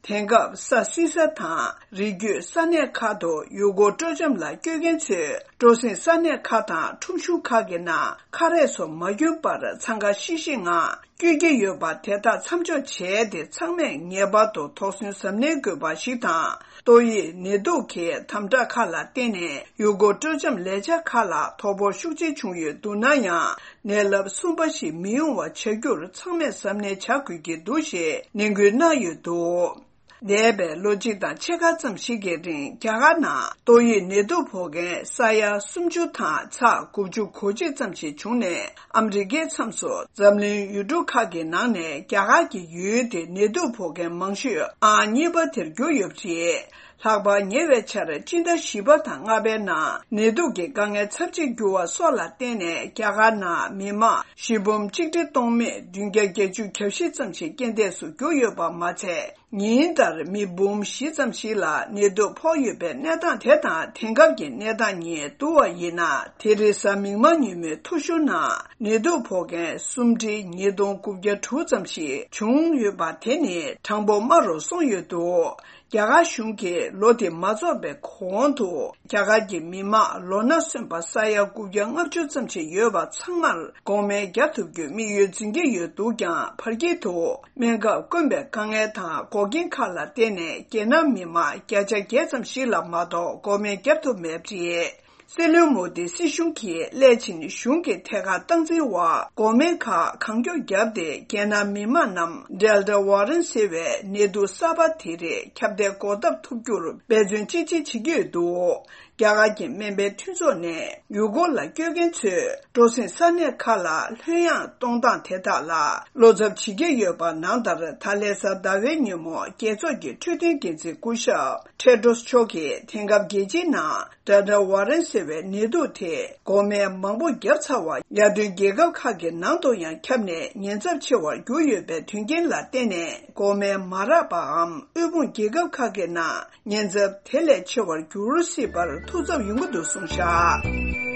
དེང་སྐབས་ས་བསིལ་ས་དང་། རི་རྒྱུད་ས་གནས་ཁག་ཏུ་ཡུལ་སྐོར་སྤྲོ་འཆམ་ལ་སྐྱོད་མཁན་ཚོས་སྤྲོ་གསེང་ས་གནས་ཁག་དང་ཁྲོམ་གཞུང་ཁག་གི་ནང་ཁ་རས་སོགས་མ་གྱོན་པར་འཚང་ཁ་ཤིག་ཤིག་ངང་སྐྱོད་ཀྱི་ཡོད་པ་དེ་དག་མཚམས་འཇོག་བྱས་ཏེ། ཚང་མས་ངེས་པར་དུ་དོགས་ཟོན་གཟབ་ནན་དགོས་པ་ཞིག་དང་། ཏོག་དབྱིབས་ནད་དུག་གི་དམ་དྲག་ཁག་ལ་བརྟེན་ནས་ཡུལ་སྐོར་སྤྲོ་འཆམ་ལས་འཆར་ཁག་ལ་དོ་ཕོག་ཤུགས་ཆེ་བྱུང་ཡོད་འདུག་ན་ཡང་། ནད་རླབས་གསུམ་པ་ཞིག་མི་ཡོང་བ་བྱ་རྒྱུར་ཚང་མས་གཟབ་ནན་བྱ་དགོས་ཀྱི་འདུག་ཞེས་ནན་སྐུལ་གནང་ཡོད་འདུག། འདས་པའི་ལོ་གཅིག་དང་ཕྱེད་ཀ་ཙམ་ཞིག་གི་རིང་རྒྱ་གར་ནང་ཏོག་དབྱིབས་ནད་དུག་ཕོག་མཁན་ས་ཡ་སུམ་ཅུ་དང་ཚེག་དགུ་བཅུ་གོ་གཅིག་ཙམ་ཞིག་བྱུང་ནས། ཨ་མི་རི་ཀའི་མཚམས་སུ་འཛམ་གླིང་ཡུལ་གྲུ་ཁག་གི་ནང་ནས་རྒྱ་གར་གྱི་ཡུལ་དེ་ནད་དུག་ཕོག་མཁན་མང་ཤོས་ཨང་གཉིས་པ་དེར་གྱུར་ཡོད་པ་རེད། ལྷག་པར་ཉེ་བའི་ཆར་སྤྱི་ཟླ་བཞི་པ་དང་ལྔ་པའི་ནང་ནད་དུག་གི་དཀའ་ངལ་ཚབས་ཆེ་གྱུར་བ་སོགས་ལ་བརྟེན་ནས། རྒྱ་གར་ནང་མི་མང་བཞི་འབུམ་གཅིག་ཁྲི་སྟོང་མེད་བདུན་བརྒྱ་བརྒྱད་ཅུ་གྱ་བཞི་ཙམ་ཞིག་རྐྱེན་འདས་སུ་གྱུར་ཡོད་པ་མ་ཚད། ཉིན་ལྟར་མི་འབུམ་བཞི་ཙམ་ཞིག་ལ་ནད་དུག་ཕོག་ཡོད་པའི་གནས་སྟངས་དེ་དང་། དེང་སྐབས་ཀྱི་གནས་སྟངས་གཉིས་བསྡུར་བ་ཡིན་ན། དེ་རིང་གཟའ་མིག་དམར་ཉིན་མོའི་ཐོ་གཞུང་ནང་ནད་དུག་ཕོག་མཁན་སུམ་ཁྲི་ཉིས་སྟོང་དགུ་བརྒྱ་དྲུག་ཙམ་ཞིག་བྱུང་ཡོད་པ་དེ་ནི་གྲངས་འབོར་དམའ་རུ་སོང་ཡོད་འདུག། རྒྱ་གར་གཞུང་གིས་ལོ་དེ་མ་རྫོགས་པའི་གོང་དུ། རྒྱ་གར་གྱི་མི་མང་ལོ་ན་སོན་པ་ས་ཡ་དགུ་བརྒྱ་ལྔ་བཅུ་ཙམ་ཞིག་ཡོད་པ་ཚང་མར་འགོག་སྨན་བརྒྱབ་ཐུབ་རྒྱུའི་དམིགས་ཡུལ་འཛིན་གྱི་ཡོད་འདུག་ཀྱང་། བར་དཀྱིལ་དུ་སྨན་ཁབ་དཀོན་པའི་དཀའ་ངལ་དང་འགོག་རྐྱེན་ཁག་ལ་བརྟེན་ནས། རྒྱལ་ནང་མི་མང་བརྒྱ་ཆ་བརྒྱད་ཙམ་ཞིག་ལ་མ་གཏོགས་འགོག་སྨན་བརྒྱབ་ཐུབ་མེད་པ་རེད། སྲིད་བློན་མོ་དི་སྲིད་གཞུང་གིས་སླད་ཕྱིན་གཞུང་གི་ཐད་ཀར་སྟངས་འཛིན་འོག་འགོག་སྨན་ཁག་གང་མགྱོགས་བརྒྱབ་སྟེ། རྒྱལ་ནང་མི་མང་རྣམས་ཌེལ་ཊ་ཝེ་རི་ཡན་ཊི་ཟེར་བའི་ནད་དུག་གསར་པ་དེ་རིགས་ཁྱབ་གདལ་འགོག་ཐབས་ཐུབ་རྒྱུར་འབད་བརྩོན་ཅི་ཆེ་བྱེད་ཀྱི་ཡོད་འདུག། རྒྱ་གར་གྱི་སྨན་པའི་མཐུན་ཚོགས་ནས་ཡུལ་སྐོར་ལ་སྐྱོད་མཁན་ཚོས་སྤྲོ་གསེང་ས་གནས་ཁག་ལ་ལྷོད་ཡངས་གཏོང་སྟངས་དེ་དག་ལ་བློ་འཚབ་བྱེད་ཀྱི་ཡོད་པ་ནང་ལྟར། ད་ལན་གཟའ་ཟླ་བའི་ཉིན་མོ་རྒྱལ་ཚོགས་ཀྱི་འཕྲོད་བསྟེན་འགན་འཛིན་སྐུ་ཞབས་ཊེ་ཌོས་མཆོག་གིས། དེང་སྐབས་རྒྱལ་སྤྱིའི་ནང་ཌེལ་ཊ་ཝེ་རི་ཡན་ཊི་ཟེར་བའི་ནད་དུག་དེ་འགོག་སྨན་མང་པོ་བརྒྱབ་ཚར་བ། ཡར་ཐོན་རྒྱལ་ཁབ་ཁག་གི་ནང་དུ་ཡང་ཁྱབ་ནས་ཉེན་ཚབས་ཆེ་བར་གྱུར་ཡོད་པའི་དོན་རྐྱེན་ལ་བརྟེན་ནས། འགོག་སྨན་མ་རག་པའམ་དབུལ་ཕོངས་རྒྱལ་ཁབ་ཁག་གི་ནང་ཉེན་ཚབས་དེ་ལས་ཆེ་བར་འགྱུར་སྲིད་པར་ཐུགས་འཚབ་ཡོང་གི་འདུག་གསུངས་བཞག།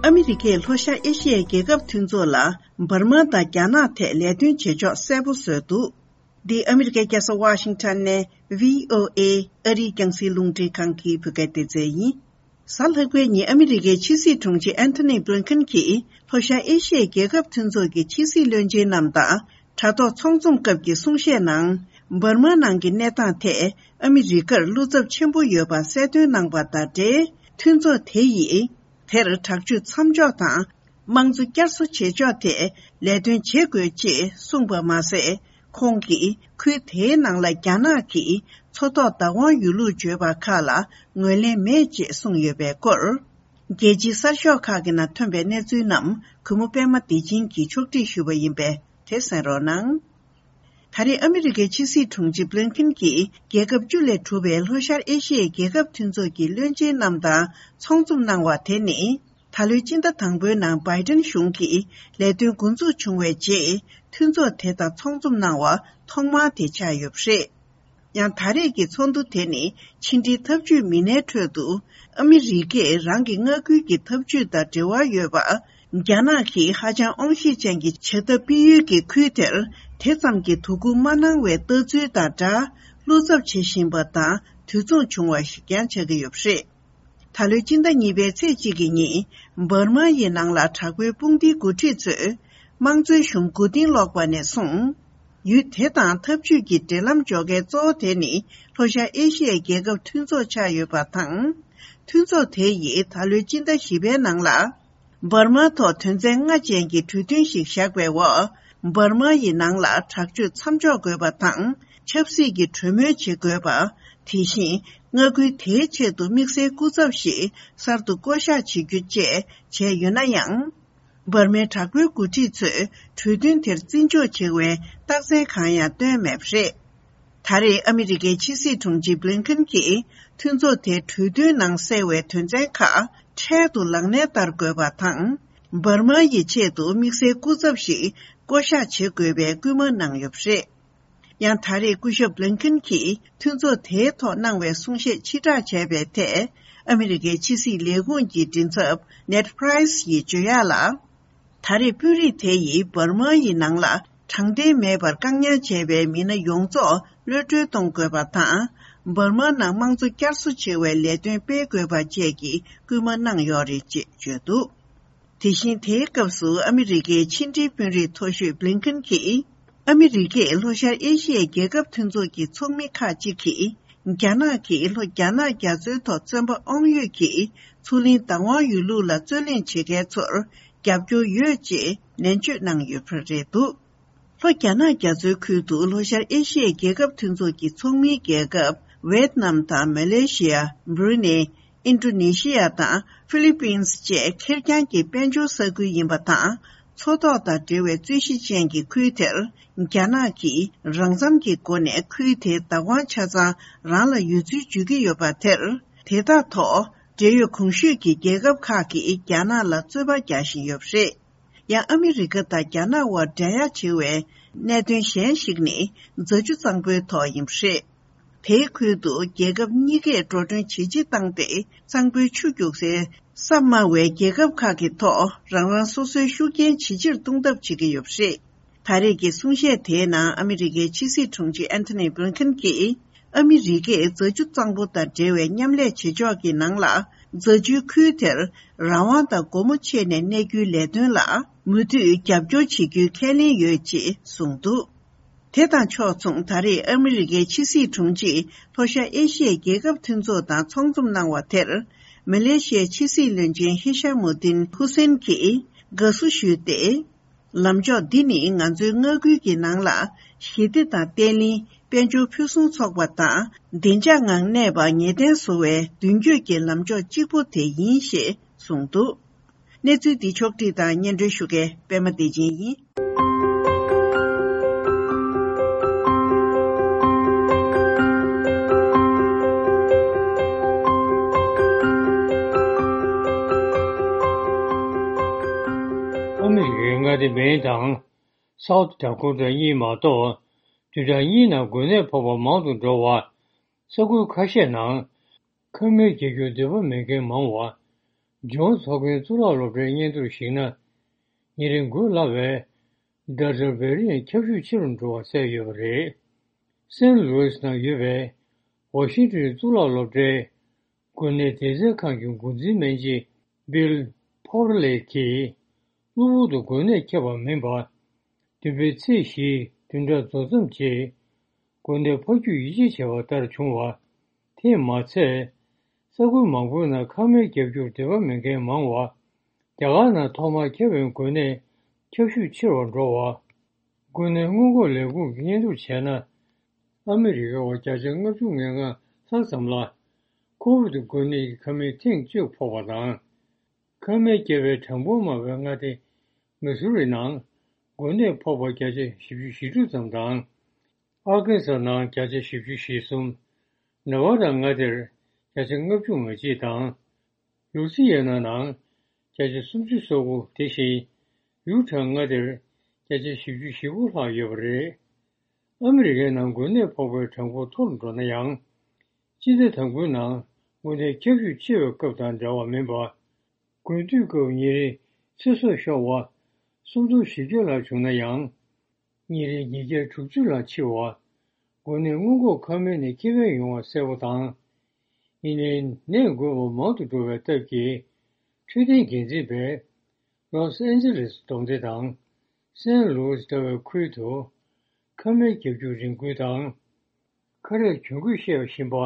ཨ་མི་རི་ཀས་ལྷོ་ཤར་ཨེ་ཤི་ཡའི་རྒྱལ་ཁབ་མཐུན་ཚོགས་ལ་འབར་མ་དང་རྒྱ་ནག་ཐད་ལས་དོན་བྱེད་ཕྱོགས་གསལ་པོ་བཟོས་འདུག། འདི་ཨ་མི་རི་ཀའི་རྒྱལ་ས་ཝ་ཤིང་ཊོན་ནས་བྷི་ཨོ་ཨེ་ཨ་རིའི་རྒྱང་སྲིང་རླུང་འཕྲིན་ཁང་གི་བོད་སྐད་སྡེ་ཚན་ཡིན། གཟའ་ལྷག་པའི་ཉིན་ཨ་མི་རི་ཀའི་ཕྱི་སྲིད་དྲུང་ཆེ་ཨན་ཐོ་ནི་བྷི་ལིན་ཁན་གྱིས་ལྷོ་ཤར་ཨེ་ཤི་ཡའི་རྒྱལ་ཁབ་མཐུན་ཚོགས་ཀྱི་ཕྱི་སྲིད་བློན་ཆེན་རྣམས་དང་དྲ་ཐོག་ཚོགས་འཛོམས་སྐབས་ཀྱི་གསུང་བཤད་ནང་། འབར་མ་ནང་གི་གནས་སྟངས་ཐད་ཨ་མི་རི་ཀར་བློ་འཚབ་ཆེན་པོ་ཡོད་པ་གསལ་སྟོན་གནང་པ་དང་འབྲེལ། མཐུན་ཚོགས་དེ་ཡིས་དེར་དྲག་སྤྱོད་མཚམས་འཇོག་དང་། དམངས་གཙོ་བསྐྱར་གསོ་བྱེད་ཕྱོགས་ཐད་ལས་དོན་བྱེད་དགོས་ཅེས་གསུངས་པ་མ་ཟད། ཁོང་གིས་ཁུལ་དེའི་ནང་ལ་རྒྱ་ནག་གིས་ མཚོ་ཐོག་བདག་དབང་ཡོད་ལུགས་བརྗོད་པ་ཁག་ལ་ངོས་ལེན་མེད་ཅེས་གསུངས་ཡོད་པའི་སྐོར། རྒྱལ་སྤྱིའི་གསར་ཤོག་ཁག་གི་ནང་ཐོན་པའི་གནས་ཚུལ་རྣམས་གུས་མོ་པད་མ་བདེ་ཆེན་གྱིས་ཕྱོགས་སྒྲིག་ཞུས་པ་ཡིན་པས་དེ་གསན་རོགས་གནང་། ད་རེས་ཨ་མི་རི་ཀའི་ཕྱི་སྲིད་དྲུང་ཆེ་བྷི་ལིན་ཁིན་གྱིས་རྒྱལ་ཁབ་བཅུ་ལས་གྲུབ་པའི་ལྷོ་ཤར་ཨེ་ཤི་ཡའི་རྒྱལ་ཁབ་མཐུན་ཚོགས་ཀྱི་བློན་ཆེན་རྣམས་དང་ཚོགས་འཛོམས་གནང་བ་དེ་ནི། ད་ལོའི་སྤྱི་ཟླ་དང་པོའི་ནང་བྷའི་ཏིན་གཞུང་གིས་ལས་དོན་འགོ་འཛུགས་བྱུང་བའི་རྗེས། མཐུན་ཚོགས་དེ་དང་ཚོགས་འཛོམས་གནང་བ་ཐོག་མ་དེ་ཆགས་ཡོད་པ་རེད། ཡང་ད་རེས་ཀྱི་ཚོགས་འདུ་དེ་ནི་ཕྱི་འབྲེལ་འཐབ་ཇུས་མི་སྣའི་ཁྲོད་དུ། ཨ་མི་རི་ཀས་རང་གི་མངའ་ཁུལ་གྱི་འཐབ་ཇུས་དང་འབྲེལ་བ་ཡོད་པ། རྒྱ་ནག་གིས་ཧ་ཅང་དབང་ཤེད་ཅན་གྱི་བྱ་ཐབས་སྤེལ་ཡུལ་གྱི་ཁུལ་དེར་དེ་ཙམ་གྱི་དོ་ཁུར་མ་གནང་བའི་ལྟ་ཚུལ་དང་སྦྲགས། བློ་འཚབ་བྱེད་བཞིན་པ་དང་དུས་མཚུངས་བྱུང་བ་ཞིག་ཀྱང་ཆགས་ཀྱི་ཡོད་པ་རེད། ད་ལོའི་སྤྱི་ཟླ་གཉིས་པའི་ཚེས་གཅིག་གི་ཉིན། འབར་མ་ཡི་ནང་ལ་དྲག་པོའི་དཔུང་སྡེའི་འགོ་ཁྲིད་ཚོས། དམངས་གཙོའི་གཞུང་མགོ་རྟིང་སློག་པ་ནས་བཟུང་། ཡུལ་དེ་དང་འཐབ་ཇུས་ཀྱི་འབྲེལ་ལམ་འཇོག་མཁན་གཙོ་བོ་དེ་ནི། ལྷོ་ཤར་ཨེ་ཤི་ཡའི་རྒྱལ་ཁབ་མཐུན་ཚོགས་ཆགས་ཡོད་པ་དང་། མཐུན་ཚོགས་དེ་ཡིས་ད་ལོའི་སྤྱི་ཟླ་བཞི་པའི་ནང་ལ། འབར་མ་ཐོག་དོན་ཚན་ལྔ་ཅན་གྱི་གྲོས་མཐུན་ཞིག་བཞག་པའི་འོག་འབར་མ་ཡི་ནང་ལ་དྲག་སྤྱོད་མཚམས་འཇོག་དགོས་པ་དང་། ཆབ་སྲིད་ཀྱི་གྲོས་མོལ་བྱེད་དགོས་པ། དེ་བཞིན། མངའ་ཁུལ་དེའི་ཆེད་དུ་དམིགས་བསལ་སྐུ་ཚབ་ཞིག་གསར་དུ་བསྐོ་གཞག་བྱེད་རྒྱུ་བཅས་བྱས་ཡོད་ན་ཡང་། འབར་མའི་དྲག་པོའི་འགོ་ཁྲིད་ཚོས་གྲོས་མཐུན་དེར་བརྩི་འཇོག་བྱེད་པའི་རྟགས་མཚན་གང་ཡང་བཏོན་མེད་པ་རེད། ད་རེས་ཨ་མི་རི་ཀའི་ཕྱི་སྲིད་དྲུང་ཆེ་བྷི་ལིན་ཁིན་གྱིས་མཐུན་ཚོགས་དེའི་གྲོས་མཐུན་ནང་གསལ་བའི་དོན་ཚན་ཁག་འཕྲལ་དུ་ལག་ལེན་བསྟར་དགོས་པ་དང་། འབར་མ་ཡི་ཆེད་དུ་དམིགས་བསལ་སྐུ་ཚབ་ཞིག་བསྐོ་གཞག་བྱེད་དགོས་པའི་སྐུལ་མ་གནང་ཡོད་པ་རེད། ཡང་ད་རེས་སྐུ་ཞབས་བྷི་ལིན་ཁིན་གྱིས་མཐུན་ཚོགས་དེའི་ཐོག་གནང་བའི་གསུང་བཤད་ཕྱིར་བསྒྲགས་བྱས་པའི་ཐད། ཨ་མི་རི་ཀའི་ཕྱི་སྲིད་ལས་ཁུངས་ཀྱི་མགྲིན་ཚབ་ནེད་པྲའི་སི་ཡིས་བརྗོད་ཡག་ལ། ད་རེས་དཔོན་རིགས་དེ་ཡིས་འབར་མ་ཡི་ནང་ལ་དྲང་བདེན་མེད་པར་བཀག་ཉར་བྱས་པའི་མི་སྣ་ཡོངས་རྫོགས་གློད་གྲོལ་གཏོང་དགོས་པ་དང་། འབར་མ་ནང་དམངས་གཙོ་བསྐྱར་གསོ་བྱེད་པའི་ལས་དོན་སྤེལ་དགོས་པ་བཅས་ཀྱི་སྐུལ་མ་གནང་ཡོད་རེད་ཅེས་བརྗོད་འདུག་དེ་བཞིན་དེའི་སྐབས་སུ་ཨ་མི་རི་ཀའི་ཕྱི་འབྲེལ་དཔོན་རིགས་མཐོ་ཤོས་བྷི་ལིན་ཁིན་གྱིས། ཨ་མི་རི་ཀས་ལྷོ་ཤར་ཨེ་ཤི་ཡའི་རྒྱལ་ཁབ་མཐུན་ཚོགས་ཀྱི་ཚོགས་མི་ཁག་ཅིག་གིས། རྒྱ་ནག་གིས་ལྷོ་རྒྱ་ནག་རྒྱ་མཚོའི་ཐོག་བཙོན་པ་དབང་ཡོད་ཀྱི་མཚོ་གླིང་བདག་དབང་ཡོད་ལུགས་ལ་རྩོད་གླེང་བྱེད་མཁན་ཚོར་རྒྱབ་སྐྱོར་ཡོད་ཅེས་ནན་བརྗོད་གནང་ཡོད་པ་རེད་འདུག་ལྷོ་རྒྱ་ནག་རྒྱ་མཚོའི་ཁུལ་དུ་ལྷོ་ཤར་ཨེ་ཤི་ཡའི་རྒྱལ་ཁབ་མཐུན་ཚོགས་ཀྱི་ཚོགས་མིའི་རྒྱལ་ཁབ་ཝེད་ནམ་དང་མ་ལེ་ཤི་ཡ། འབྲུ་ནེ། ཨིན་ཌོ་ནེ་ཤི་ཡ་དང་ཧྥི་ལི་པིན་སི་བཅས་ཁེར་རྐྱང་གི་དཔལ་འབྱོར་ས་ཁུལ་ཡིན་པ་དང་། མཚོ་ཐོག་དང་འབྲེལ་བའི་རྩོད་གཞི་ཅན་གྱི་ཁུལ་དེར། རྒྱ་ནག་གིས་རང་འཚམ་གྱི་སྒོ་ནས་ཁུལ་དེའི་བདག་དབང་ཆ་ཚང་རང་ལ་ཡོད་ཚུལ་བརྗོད་ཀྱི་ཡོད་པ་དེར། དེ་དག་ཐོག་འབྲེལ་ཡོད་གོང་ཞུས་ཀྱི་རྒྱལ་ཁབ་ཁག་གིས་རྒྱ་ནག་ལ་རྩོད་པ་རྒྱག་བཞིན་ཡོད་པ་རེད། ཡང་ཨ་མི་རི་ཀ་དང་རྒྱ་ནག་དབར་འགྲན་ཡ་ཆེ་བའི་གནད་དོན་གཞན་ཞིག་ནི་རྫ་ཆུ་གཙང་པོའི་ཐོག་ཡིན་པ་རེད། དེའི་ཁུལ་དུ་རྒྱལ་ཁབ་གཉིས་ཀས་འགྲོ་གྲོན་ཇེ་ཆེ་བཏང་སྟེ། གཙང་པོའི་ཆུ་རྒྱུག་སའི་ས་དམའ་བའི་རྒྱལ་ཁབ་ཁག་གི་ཐོག་རང་རང་སོ་སོའི་ཤུགས་རྐྱེན་ཇེ་ཆེར་གཏོང་ཐབས་བྱེད་ཀྱི་ཡོད་པ་རེད། ད་རེས་ཀྱི་གསུང་བཤད་དེའི་ནང་ཨ་མི་རི་ཀའི་ཕྱི་སྲིད་དྲུང་ཆེ་ཨན་ཐོ་ནི་བྷི་ལིན་ཁིན་གྱིས། ཨ་མི་རི་ཀས་རྫ་ཆུ་གཙང་པོ་དང་འབྲེལ་བའི་མཉམ་ལས་བྱེད་ཕྱོགས་ཀྱི་ནང་ལ། རྫ་ཆུའི་ཁུལ་དེར་རང་དབང་དང་སྒོ་མོ་ཕྱེ་ནས་གནས་རྒྱུའི་ལས་དོན་ལ་མུ་མཐུད་རྒྱབ་སྐྱོར་བྱེད་རྒྱུའི་ཁས་ལེན་ཡོད་ཅེས་གསུངས་འདུག་དེ་དང་ཕྱོགས་མཚུངས། ད་རེས་ཨ་མི་རི་ཀའི་ཕྱི་སྲིད་དྲུང་ཆེས་ལྷོ་ཤར་ཨེ་ཤི་ཡའི་རྒྱལ་ཁབ་མཐུན་ཚོགས་དང་ཚོགས་འཛོམས་གནང་བ་དེར། མ་ལེ་ཤི་ཡའི་ཕྱི་སྲིད་བློན་ཆེན་ཧི་ཤ་མུ་དིན་ཧུ་སེན་གྱིས་དགའ་བསུ་ཞུས་ཏེ། ལམ་ཕྱོགས་འདི་ནི་ང་ཚོའི་མངའ་ཁུལ་གྱི་ནང་ལ་ཞི་བདེ་དང་བརྟན་ལྷིང་། དཔལ་འབྱོར་ཕུན་སུམ་ཚོགས་པ་དང་བདེ་འཇགས་ངང་གནས་པ་ངེས་གཏན་བཟོ་བའི་མདུན་སྐྱོད་ཀྱི་ལམ་ཕྱོགས་གཅིག་པུ་དེ་ཡིན་ཞེས་གསུངས་འདུག་གནས་ཚུལ་འདི་ཕྱོགས་བསྒྲིགས་དང་སྙན་སྒྲོན་ཞུ་མཁན་པད་མ་བདེ་ཆེན་ཡིན། ཨ་མི་རི་ཀའི་མངའ་སྡེ་མེན་དང་སའུ་ཐི་ཌ་ཀོ་ཊ་གཉིས་མ་གཏོགས། བདུན་ཕྲག་གཉིས་ནང་འགོས་ནད་ཕོག་པ་མང་དུ་འགྲོ་བ། ས་ཁུལ་ཁ་ཤས་ནང་ཁང་མིག་རྒྱག་རྒྱུར་འདོད་པ་མེད་མཁན་མང་བ། ཇོན་ཚོགས་མཁན་གཙུག་ལག་སློབ་གྲྭའི་སྙན་ཐོར་གཞིགས་ན། ཉིན་རེ་འགོས་སླ་བའི་ཌེལ་ཊ་བྷེ་རི་ཡན་ཁྱབ་ཤུགས་ཆེ་རུ་འགྲོ་བ་གསལ་ཡོད་པ་རེད། སེན་ལུའིས་ནང་ཡོད་པའི་ཝ་ཤིང་ཏོན་གཙུག་ལག་སློབ་གྲྭའི་འགོས་ནད་དྲག་སྐྱེད་ཁང་གི་འགོ་འཛིན་སྨན་སྦྱིན་བྷིལ་ཕོར་ལེ་གིས། གློ་བུར་དུ་འགོས་ནད་ཁྱབ་པ་མིན་པར། བདུན་པའི་ཚེས་བཞིའི་བདུན་ཕྲག་རྫོགས་མཚམས་རྗེས། འགོས་ནད་ཕར་རྒྱུག་ཡིད་ཆེས་བྱས་པ་ལྟར་བྱུང་བ། དེས་མ་ཚད། ས་ཁུལ་མང་པོའི་ནང་ཁང་མིག་རྒྱག་རྒྱུར་འདོད་པ་མེད་མཁན་མང་བ། རྒྱ་གར་ནང་ཐོག་མར་ཁྱབ་པའི་འགོས་ནད་ཁྱབ་ཤུགས་ཆེ་རུ་འགྲོ་བ། འགོས་ནད་སྔོན་འགོག་ལས་ཁུངས་ཀྱིས་སྙན་ཐོ་བྱས་ན། ཨ་མི་རི་ཀའི་བརྒྱ་ཆ་ལྔ་བཅུ་ང་ལྔ་ལྷག་ཙམ་ལ་ཁོ་བིད་འགོས་ནད་ཀྱི་ཁ་མིག་ཐེངས་གཅིག་ཕོག་པ་དང་། ཁ་མིག་བརྒྱབ་པའི་གྲངས་འབོར་དམའ་བའི་མངའ་སྡེ་མི་སུ་རི་ནང་འགོས་ནད་ཕོག་པ་བརྒྱ་ཆ་བཞི་བཅུ་ཞེ་དྲུག་ཙམ་དང་། ཨར་ཀན་སཱ་ནང་བརྒྱ་ཆ་བཞི་བཅུ་ཞེ་གསུམ། ནེ་ཝ་ཌ་མངའ་སྡེར་བརྒྱ་ཆ་ལྔ་བཅུ་ང་གཅིག་དང་། ལུའུ་སི་ཡ་ན་ནང་བརྒྱ་ཆ་སུམ་ཅུ་སོ་དགུ། དེ་བཞིན་ཡུ་ཊ་མངའ་སྡེར་བརྒྱ་ཆ་བཞི་བཅུ་ཞེ་དགུ་ལྷག་ཡོད་པ་རེད། ཨ་མི་རི་ཀའི་ནང་འགོས་ནད་ཕོག་པའི་གྲངས་འབོར་མཐོ་རུ་འགྲོ་ན་ཡང་། སྤྱི་ཟླ་དང་པོའི་ནང་འགོས་ནད་ཁྱབ་ཤུགས་ཆེ་བའི་སྐབས་དང་འདྲ་བ་མིན་པ། དགུན་དུས་སྐབས་ཉིན་རེའི་ཚེ་སྲོག་ཤོར་བ་སུམ་སྟོང་བཞི་བརྒྱ་ལྷག་བྱུང་ན་ཡང་། ཉིན་རེའི་ཉིས་བརྒྱ་དྲུག་ཅུ་ལྷག་འཆི་བ། འགོས་ནད་སྔོན་འགོག་ཁང་མིག་ནས་ཁེ་ཕན་ཡོང་བ་གསལ་པོ་དང་། ཡིན་ནའི་ནད་འགོས་པ་མང་དུ་འགྲོ་བའི་སྟབས་ཀྱིས། འཕྲོད་བསྟེན་འགན་འཛིན་པས་ལོས་ཨན་ཇེ་ལེས་སྡོམ་སྡེ་དང་སན་ལུའུ་སི་ལྟ་བུའི་ཁུལ་དུ་ཁ་མིག་བརྒྱབ་རྒྱུ་རིན་བསྐུལ་དང་། ཁ་རས་གྱོན་དགོས་བཤད་བཞིན་པ།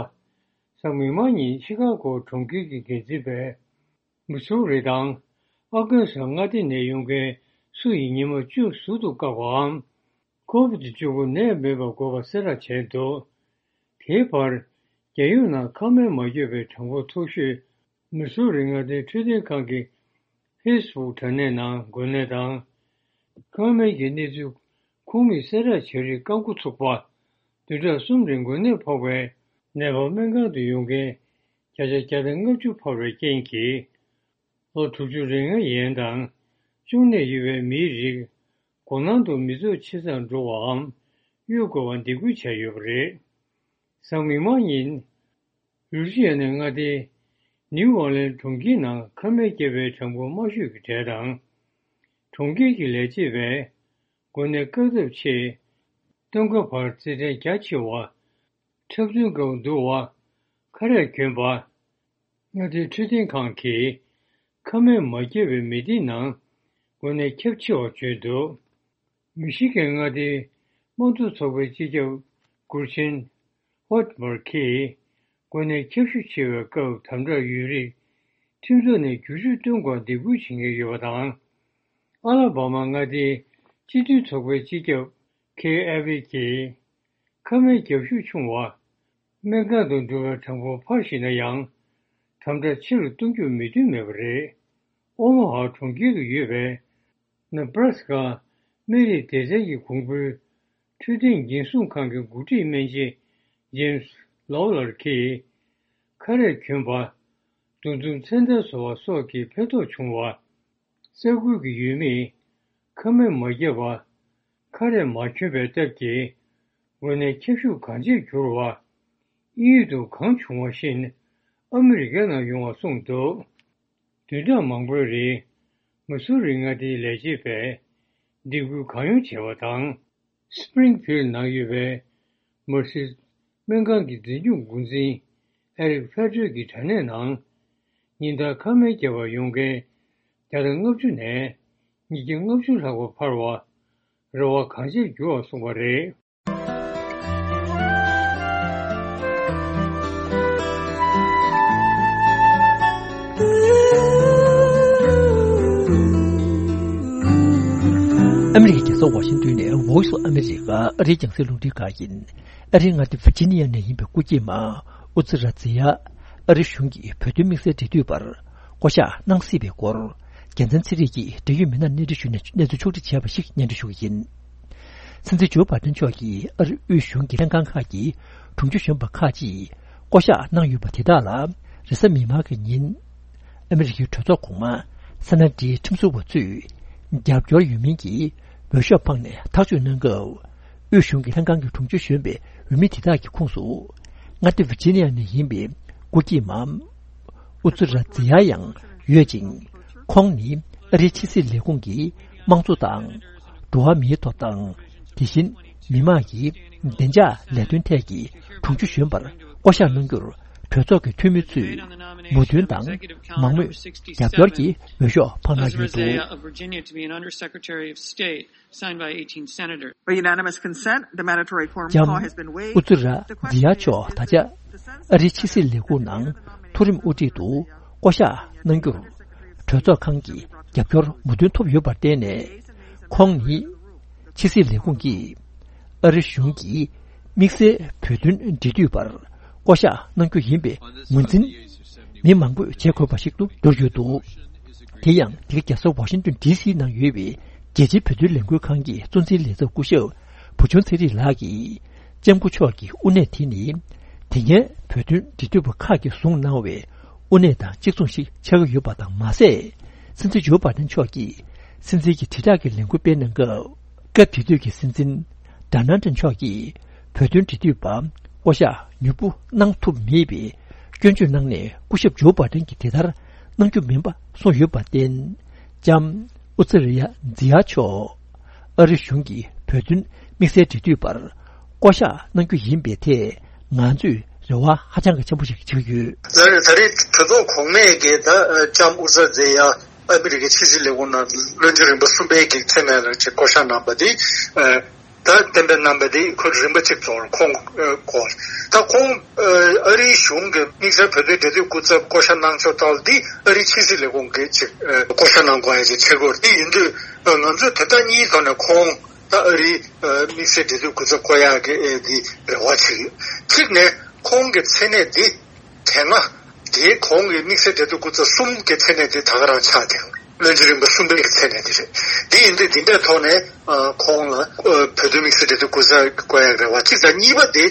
གཟའ་མིག་དམར་ཉིན་ཤི་ཀ་གོ་གྲོང་ཁྱེར་གྱི་འགན་འཛིན་པས། མི་སུ་རི་དང་ཨར་ཀན་སཱ་མངའ་སྡེ་ནས་ཡོང་མཁན་སུ་ཡིས་ཉི་མ་བཅུ་ཟུར་དུ་བཀག་པའམ། ཁོ་བིད་བཅུ་དགུ་ནད་མེད་པར་འགོས་པ་གསལ་བསྒྲགས་བྱས་འདུག་དེའི་བར། རྒྱལ་ཡོངས་ནང་ཁ་མིག་མ་བརྒྱབ་པའི་གྲངས་འབོར་མཐོ་ཤོས་མི་སུ་རི་མངའ་སྡེའི་འཕྲོད་བསྟེན་ཁང་གི་ཧྥེ་སི་བུག་དྲ་གནས་ནང་འགོས་ནད་དང་། ཁ་མིག་གི་གནས་ཚུལ་ཁོངས་མིས་གསལ་བསྒྲགས་བྱས་རིགས་རྐང་འཁོར་ཚུགས་པ། བདུན་ཕྲག་གསུམ་རིང་འགོས་ནད་ཕོག་པའི་ནད་པ་སྨན་ཁང་དུ་ཡོང་མཁན་བརྒྱ་ཆ་བརྒྱ་དང་ལྔ་བཅུ་འཕར་བའི་རྐྱེན་གྱིས། ལོ་དྲུག་ཅུ་རེ་ལྔ་ཡན་དང་གཅོང་ནད་ཡོད་པའི་མིའི་རིགས་མགོ་ནང་དུ་མི་ཚོགས་ཆེ་སར་འགྲོ་བའམ་གཡོལ་དགོས་པ་འདེད་སྐུལ་བྱས་ཡོད་པ་རེད། གཟའ་མིག་དམར་ཉིན། ལུའུ་ཤི་ཡ་ནའི་མངའ་སྡེའི་ནིའུ་ཨོར་ལེན་གྲོང་ཁྱེར་ནང་ཁ་མིག་བརྒྱབ་པའི་གྲངས་འབོར་དམའ་ཤོས་ཀྱི་གྲས་དང་། གྲོང་ཁྱེར་གྱི་ལས་བྱེད་པས་འགོས་ནད་བཀག་ཐབས་ཆེད། སྟོན་ཁ་བར་རྩེད་འགྲན་རྒྱ་ཆེ་བ། འཁྲབ་སྟོན་སྐབས་འདུ་བ། ཁ་རས་གྱོན་པ། མངའ་སྡེའི་འཕྲོད་བསྟེན་ཁང་གིས་ཁ་མིག་མ་བརྒྱབ་པའི་མི་སྡེའི་ནང་འགོས་ནད་ཁྱབ་ཆེ་བ་བརྗོད་འདུག་མི་ཤི་གན་མངའ་སྡེའི་དམངས་གཙོ་ཚོགས་པའི་སྤྱི་ཁྱབ་གུར་ཆེན་ཧོད་མར་གྱིས། འགོས་ནད་ཁྱབ་ཤུགས་ཆེ་བའི་སྐབས་དམ་དྲག་ཡོད་རིགས་ཁྲིམས་ཐོག་ནས་བསྒྱུར་བཅོས་གཏོང་དགོས་འདེད་སྐུལ་བྱེད་མཁན་ཡོད་པ་དང་། ཨ་ལ་བྷ་མ་མངའ་སྡེའི་སྤྱི་འཐུས་ཚོགས་པའི་སྤྱི་ཁྱབ་ཁེ་ཨེ་ཝི་གྱིས། ཁ་མིག་བརྒྱབ་ཤུགས་ཆུང་བ། སྨན་ཁང་དུ་འགྲོ་བའི་གྲངས་འབོར་འཕར་བཞིན་ན་ཡང་། དམ་དྲག་ཆེ་རུ་གཏོང་རྒྱུར་མོས་མཐུན་མེད་པ་རེད། ཨོ་མོ་ཧ་གྲོང་ཁྱེར་དུ་ཡོད་པའི་ནེ་བྷ་ར་སི་ཀ་སྨན་རིགས་སྡེ་ཚན་གྱི་གོང་བུའི་འཕྲོད་བསྟེན་འགན་སྲུང་ཁང་གི་འགོ་ཁྲིད་སྨན་ཆེན་ཇེམ་སི་ལོ་ལར་གྱིས། ཁ་རས་གྱོན་པ། འདུ་འཛོམས་མཚན་རྟགས་བཟོ་བ་སོགས་ཀྱིས་ཕན་ཐོགས་བྱུང་བ། ས་ཁུལ་གྱི་ཡུལ་མིས་ཁ་མིག་མ་བརྒྱབ་པ། ཁ་རས་མ་གྱོན་པའི་སྟབས་ཀྱིས་འགོས་ནད་ཁྱབ་ཤུགས་གང་ཆེར་གྱུར་བ། དབྱིན་ཡུལ་དུ་གང་བྱུང་བ་བཞིན་ཨ་མི་རི་ཀའི་ནང་ཡོང་བ་གསུངས་འདུག་བདུན་ཕྲག་མང་པོའི་རིང་མི་སུ་རི་མངའ་སྡེའི་ལས་བྱེད་པས་འདེད་སྐུལ་གང་ཡོང་བྱས་པ་དང་། སི་པི་རིང་ཕིལ་ནང་ཡོད་པའི་མར་སི་སྨན་ཁང་གི་འཛིན་སྐྱོང་འགོ་འཛིན་ཨེ་རིག་ཕེ་ཏྲེ་གི་དྲ་གནས་ནང་ཉིན་ལྟར་ཁ་མིག་བརྒྱབ་པར་ཡོང་མཁན་བརྒྱ་དང་ལྔ་བཅུ་ནས་ཉིས་བརྒྱ་ལྔ་བཅུ་ལྷག་པ་འཕར་བ། རེ་བ་གང་ཆེར་འགྱུར་བ་གསུངས་པ་རེད། ཨ་མི་རི་ཀའི་རྒྱལ་ས་ཝ་ཤིང་ཏོན་ནས་Voice of America ཨ་རིའི་རྒྱང་སྲིང་རླུང་འཕྲིན་ཁང་ཡིན། ཨ་རིའི་མངའ་སྡེ་ཝི་ཇི་ནི་ཡ་ནས་ཡིན་པའི་སྐུ་སྐྱེས་མ་ཨུ་ཛི་ར་ཛི་ཡ། ཨ་རི་གཞུང་གི་བོད་དོན་དམིགས་བསལ་འབྲེལ་མཐུད་པར་བསྐོ་གཞག་གནང་སྲིད་པའི་སྐོར། རྒྱལ་མཚན་ཚེ་རིང་གིས་འབྲེལ་ཡོད་མི་སྣར་གནས་འདྲི་ཞུས་ནས་གནས་ཚུལ་ཕྱོགས་སྒྲིག་བྱས་པ་ཞིག་སྙན་སྒྲོན་ཞུ་གི་ཡིན། སྲིད་འཛིན་ཇོ་བྷའི་ཌེན་མཆོག་གིས་ཨ་རི་དབུས་གཞུང་གི་ལྷན་ཁང་ཁག་གི་དྲུང་ཆེ་གཞོན་པ་ཁག་ཅིག་བསྐོ་གཞག་གནང་ཡོད་པ་དེ་དག་ལ། རེས་གཟའ་མིག་དམར་གྱི་ཉིན། ཨ་མི་རི་ཀའི་གྲོས་ཚོགས་གོང་མ་སེ་ན་ཏིའི་ཁྲིམས་བཟོ་བ་ཚོས་རྒྱབ་སྐྱོར་ཡོད་མིན་གྱི་འོས་ཤོག་འཕངས་ནས་ཐག་གཅོད་གནང་སྐབས། དབུས་གཞུང་གི་ལྷན་ཁང་གི་དྲུང་ཆེ་གཞོན་པའི་འོས་མི་དེ་དག་གི་ཁོངས་སུ། མངའ་སྡེ་ཝི་ཇི་ནི་ཡ་ནས་ཡིན་པའི་སྐུ་སྐྱེས་མ་ཨུ་ཛི་ར་ཛི་ཡ་ཡང་ཡོད་ཅིང་། ཁོང་ནི་ཨ་རིའི་ཕྱི་སྲིད་ལས་ཁུངས་ཀྱི་དམངས་གཙོ་དང་། འགྲོ་བ་མིའི་ཐོབ་ཐང་། དེ་བཞིན་མི་དམངས་ཀྱི་བདེ་འཇགས་ལས་དོན་ཐད་ཀྱི་དྲུང་ཆེ་གཞོན་པར་བསྐོ་གཞག་གནང་རྒྱུར། གྲོས་ཚོགས་ཀྱི་འཐུས་མི་ཚོས་མོས་མཐུན་དང་མང་མོས་རྒྱབ་སྐྱོར་གྱི་འོས་ཤོག་འཕངས་གནང་ཡོད་འདུག Signed by eighteen senators. By unanimous consent, the mandatory quorum ལྕམ་call has been waived. ཨུ་ཛི་ར་ཛི་ཡ་མཆོག་ད་ཆ་ཨ་རིའི་ཕྱི་སྲིད་ལས་ཁུངས་ནང་མཐོ་རིམ་དབུ་ཁྲིད་དུ་བསྐོ་གཞག་གནང་རྒྱུར་གྲོས་ཚོགས་ཁང་གི་རྒྱབ་སྐྱོར་མོས་མཐུན་ཐོབ་ཡོད་པར་བརྟེན་ནས། ཁོང་ནི་ཕྱི་སྲིད་ལས་ཁུངས་ཀྱིས་ཨ་རི་གཞུང་གི་ དམིགས་བསལ་བོད་དོན་འབྲེལ་མཐུད་པར་བསྐོ་བཞག་གནང་རྒྱུ་ཡིན་པའི་ངོས་འཛིན་མི་མང་པོས་བྱེད་དགོས་པ་ཞིག་ཏུ་གྱུར་ཡོད་འདུག་དེ་ཡང་འདི་ག་རྒྱལ་ས་ཝ་ཤིང་ཏོན་ཌི་སི་ནང་ཡོད་པའི་རྒྱལ་སྤྱིའི་བོད་དོན་ལས་འགུལ་ཁང་གི་གཙོ་འཛིན་ལས་ཚབ་སྐུ་ཞབས་བུ་ཆུང་ཚེ་རིང་ལགས་ཀྱིས། ལྕམ་སྐུ་མཆོག་གི་དབུ་གནས་དེ་ནི། དེ་སྔའི་བོད་དོན་འབྲེལ་མཐུད་པ་ཁག་གིས་བཟུང་གནང་བའི་དབུ་གནས་དང་གཅིག་མཚུངས་ཤིག་ཆགས་ཀྱི་ཡོད་པ་དང་མ་ཟད། སྲིད་འཛིན་ཇོ་བྷའི་ཌེན་མཆོག་གིས་སྲིད་འཛིན་གྱི་དྲིལ་བསྒྲགས་ཀྱི་ལས་འགུལ་སྤེལ་གནང་སྐབས། སྐབས་དེ་དུས་ཀྱི་སྲིད་འཛིན་ཌོ་ནལ་ཌི་མཆོག་གིས་བོད་དོན་འབྲེལ་མཐུད་པ་བསྐོ་བཞག་མྱུར་པོ་གནང་ཐུབ་མེད་པའི་སྐྱོན་བརྗོད་གནང་ནས། སྐུ་ཞབས་ཇོ་བྷའི་ཌེན་གྱིས་དེ་ལྟར་གནང་རྒྱུ་མིན་པ་གསུངས་ཡོད་པར་བརྟེན། ལྕམ་ཨུ་ཛི་རི་ཡ་ཛི་ཡ་མཆོག་ཨ་རི་གཞུང་གིས་བོད་དོན་དམིགས་བསལ་འབྲེལ་མཐུད་པར་བསྐོ་བཞག་གནང་རྒྱུ་ཡིན་པའི་ཐད། ང་ཚོས་རེ་བ་ཧ་ཅང་གི་ཆེན་པོ་ཞིག་བྱེད་ཀྱི་ཡོད། ད་ད་རེས་གྲོས་ཚོགས་གོང་མས་ཀྱིས་ད་ལྕམ་ཨུ་ཛི་རི་ཡ་ཛི་ཡ་ཨ་མི་རི་ཀའི་ཕྱི་སྲིད་ལས་ཁུངས་ནང་བློན་ཆེན་རིམ་པ་གསུམ་པའི་གི་མཚན་གནས་ལ་ཅིག་བསྐོ་བཞག་གནང་པ་དེ། ད་གཏན་འབེབས་གནང་བ་དེ་ཁོ་རིམ་པ་གཅིག་ཚོར་ཁོང་སྐོར། ད་ཁོང་ཨ་རིའི་གཞུང་གི་དམིགས་བསལ་བོད་དོན་འབྲེལ་མཐུད་སྐུ་ཚབ་བསྐོ་བཞག་གནང་ཕྱོགས་ཐོག་འདི་ཨ་རིའི་ཕྱི་སྲིད་ལས་ཁུངས་ཀྱིས་ཅིག་བསྐོ་བཞག་གནང་དགོས་ཡ་ཅིག་ཆགས་ཀྱི་ཡོད་རེད། དེ་ཡིན་དུས་ང་ཚོས་དོན་དག་གཉིས་ཐོག་ནས་ཁོང་ད་ཨ་རིའི་དམིགས་བསལ་འབྲེལ་མཐུད་སྐུ་ཚབ་བསྐོ་ཡག་གི་འདི་རེ་བ་བྱེད་ཀྱི་ཡོད། གཅིག་ནས་ཁོང་གི་མཚན་གནས་འདི་དེ་སྔ་དེའི་གོང་གི་དམིགས་བསལ་འབྲེལ་མཐུད་སྐུ་ཚབ་གསུམ་གྱི་མཚན་གནས་དེ་ད་ག་རང་ཆགས་བསྡད་ཡོད་རེད། བློན་ཆེན་རིམ་པ་གསུམ་པའི་མཚན་གནས་དེ་རེད། དེ་ཡིན་དུས་འདི་འདྲའི་ཐོག་ནས་ཁོང་ལ་བོད་དོན་དམིགས་བསལ་འབྲེལ་མཐུད་སྐུ་ཚབ་བསྐོ་ཡག་རེ་བ་གཅིག་དང་། གཉིས་པ་དེ་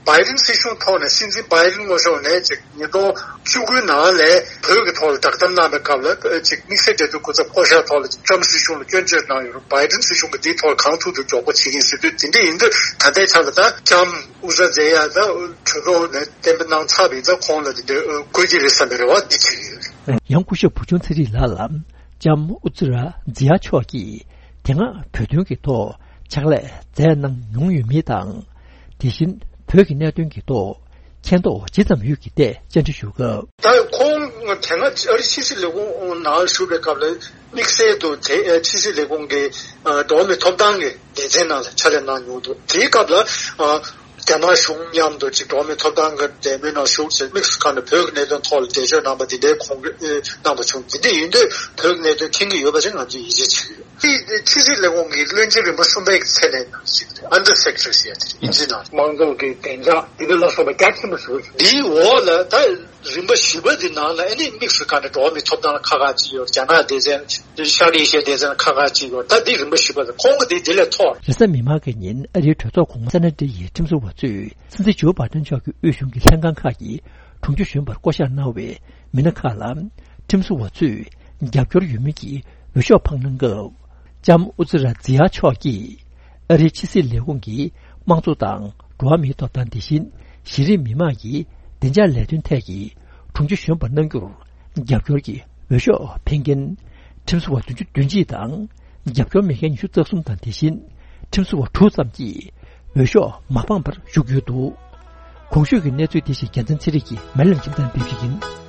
བྷའི་ཌེན་སྲིད་གཞུང་ཐོག་ནས་སྲིད་འཛིན་བྷའི་ཌེན་ངོ་ཤོག་ནས་ཅིག་ཉིས་སྟོང་བཅུ་དགུའི་ནང་ལ་བོད་ཀྱི་ཐོག་ལ་བསྒྲགས་གཏམ་གནང་བའི་སྐབས་ལ་ཅིག་དམིགས་བསལ་འབྲེལ་མཐུད་སྐུ་ཚབ་བསྐོ་བཞག་ཐོག་ལ་ཊྲམ་སྲིད་གཞུང་ལ་སྐྱོན་བརྗོད་གནང་ཡོད་རེད། བྷའི་ཌེན་སྲིད་གཞུང་གིས་དེའི་ཐོག་ལ་གང་ཐུབ་ཐུབ་མགྱོགས་པོ་བྱེད་ཀྱི་ཡིན་ཟེར་དུས། དེ་འདྲ་ཡིན་དུས་ད་ལྟའི་ཆ་ལ་ད་ལྕམ་ཨུ་ཛི་རི་ཡ་ཛི་ཡ་ད་གྲོས་ཚོགས་ནས་གཏན་འབེབས་གནང་ཚར་བ་ཡིན་ཙང་ཁོང་ལ་དེ་འདྲ་དགོས་ཀྱི་རེད་བསམ་པའི་རེ་བ་འདི་བྱེད་ཀྱི་ཡོད། ཡང་སྐུ་ཞབས་བུ་ཆུང་ཚེ་རིང་ལགས་ལ་ལྕམ་ཨུ་ཛི་རི་ཡ་ཛི་ཡ་མཆོག་གིས་དེ་སྔ་བོད་དོན་གྱི་ཐོག་ཕྱག་ལས་མཛད་གནང་མྱོང་ཡོད་མེད་དང་། དེ་བཞིན་བོད་ཀྱི་གནད་དོན་གྱི་ཐོག་མཁྱེན་རྟོགས་ཇི་ཙམ་ཡོད་ཀྱི་ཐད་བཅར་འདྲི་ཞུ་སྐབས། ད་ཁོང་དེ་སྔ་ཨ་རི་ཕྱི་སྲིད་ལས་ཁུངས་ནང་བཞུགས་པའི་སྐབས་ལ་དམིགས་བསལ་དུ་དེ་ཕྱི་སྲིད་ལས་ཁུངས་ཀྱི་འགྲོ་བ་མིའི་ཐོབ་ཐང་གི་སྡེ་ཚན་ནང་ལ་ཕྱག་ལས་གནང་མྱོང་འདུག་དེའི་སྐབས་ལ་རྒྱ་ནག་གཞུང་མཉམ་དུ་ཅིག་འགྲོ་བ་མིའི་ཐོབ་ཐང་གི་འབྲེལ་མོལ་ནང་ཞུགས་བྱས། དམིགས་སུ་བཀར་ནས་བོད་ཀྱི་གནད་དོན་ཐོག་ལ་འགྲེལ་བརྗོད་གནང་པ་འདི་འདྲའི་ཁོང་གིས་གནང་པ་བྱུང་། འདི་འདྲ་ཡིན་དུས་བོད་ཀྱི་གནད་དོན་མཁྱེན་གྱི་ཡོད་པ་ཞིག་ང་ཚོས་ཡིད་ཆེས་བྱེད་ཀྱི་ཡོད། དེ་ཕྱི་སྲིད་ལས་ཁུངས་ཀྱི་བློན་ཆེན་རིམ་པ་གསུམ་པའི་མཚན་གནས་ནང་ཞིག་རེད། Under Secretary ཟེར་ཡ་དེ་རེད། དབྱིན་ཇི་ནང་དམངས་གཙོ་གི་བདེ་འཇགས་དེ་འདྲ་ལ་སོགས་པ་རྒྱ་ཆེན་པོ་ཞིག་རེད། འདིའི་འོག་ལ་ད་རིམ་པ་བཞི་པ་འདི་ནང་ལ་ཨ་ནི་དམིགས་སུ་བཀར་ནས་འགྲོ་བ་མིའི་ཐོབ་ཐང་ལ་ཁག་ཁག་ཅིག་ཡོད། རྒྱ་ནག་སྡེ་ཚན། ཤར་ཨེ་ཤི་ཡའི་སྡེ་ཚན་ལ་ཁག་ཁག་ཅིག་ཡོད། ད་འདི་རིམ་པ་བཞི་པ་རེད། ཁོང་གི་འདི་འདི་ལས་མཐོ། རེས་གཟའ་མིག་དམར་གྱི་ཉིན་ཨ་རིའི་གྲོས་ཚོགས་གོང་མ་སེ་ན་ཏི་ཡི་ཁྲིམས་བཟོ་བ་ཚོས་སྲིད་འཛིན་ཇོ་བྷའི་ཏན་མཆོག་གི་དབུས་གཞུང་གི་ལྷན་ཁང་ཁག་གི་དྲུང་ཆེ་གཞོན་པར་བསྐོ་གཞག་གནང་བའི་མི་སྣ་ཁག་ལ་ཁྲིམས་བཟོ་བ་ཚོས་རྒྱབ་སྐྱོར་ཡོད་མིན་གྱི་འོས་ཤོག་འཕངས་གནང་སྐབས། ལྕམ་ཨུ་ཛི་ར་ཛི་ཡ་མཆོག་གིས་ཨ་རིའི་ཕྱི་སྲིད་ལས་ཁུངས་ཀྱི་དམངས་གཙོ་དང་འགྲོ་བ་མིའི་ཐོབ་ཐང་དེ་བཞིན་གཞི་རིམ་མི་མང་གི་བདེ་འཇགས་ལས་དོན་ཐད་ཀྱི་དྲུང་ཆེ་གཞོན་པ་གནང་རྒྱུར་རྒྱབ་སྐྱོར་གྱི་འོས་ཤོག་འཕེན་མཁན་ཁྲིམས་བཟོ་བ་བདུན་ཅུ་དོན་གཅིག་དང་། རྒྱབ་སྐྱོར་མེད་མཁན་ཉི་ཤུ་རྩ་གསུམ་དང་། དེ་བཞིན་ཁྲིམས་བཟོ་བ་དྲུག་ཙམ་གྱིས་འོས་ཤོག་མ་འཕངས་པར་བཞུགས་ཡོད་འདུག་གོང་ཞུས་ཀྱི་གནས་ཚུལ་དེ་བཞིན་རྒྱལ་མཚན་ཚེ་རིང་གིས་མལ་ལམ་ཁྱིམ་ཚང་ཕེབས་ཤིག་ཡིན།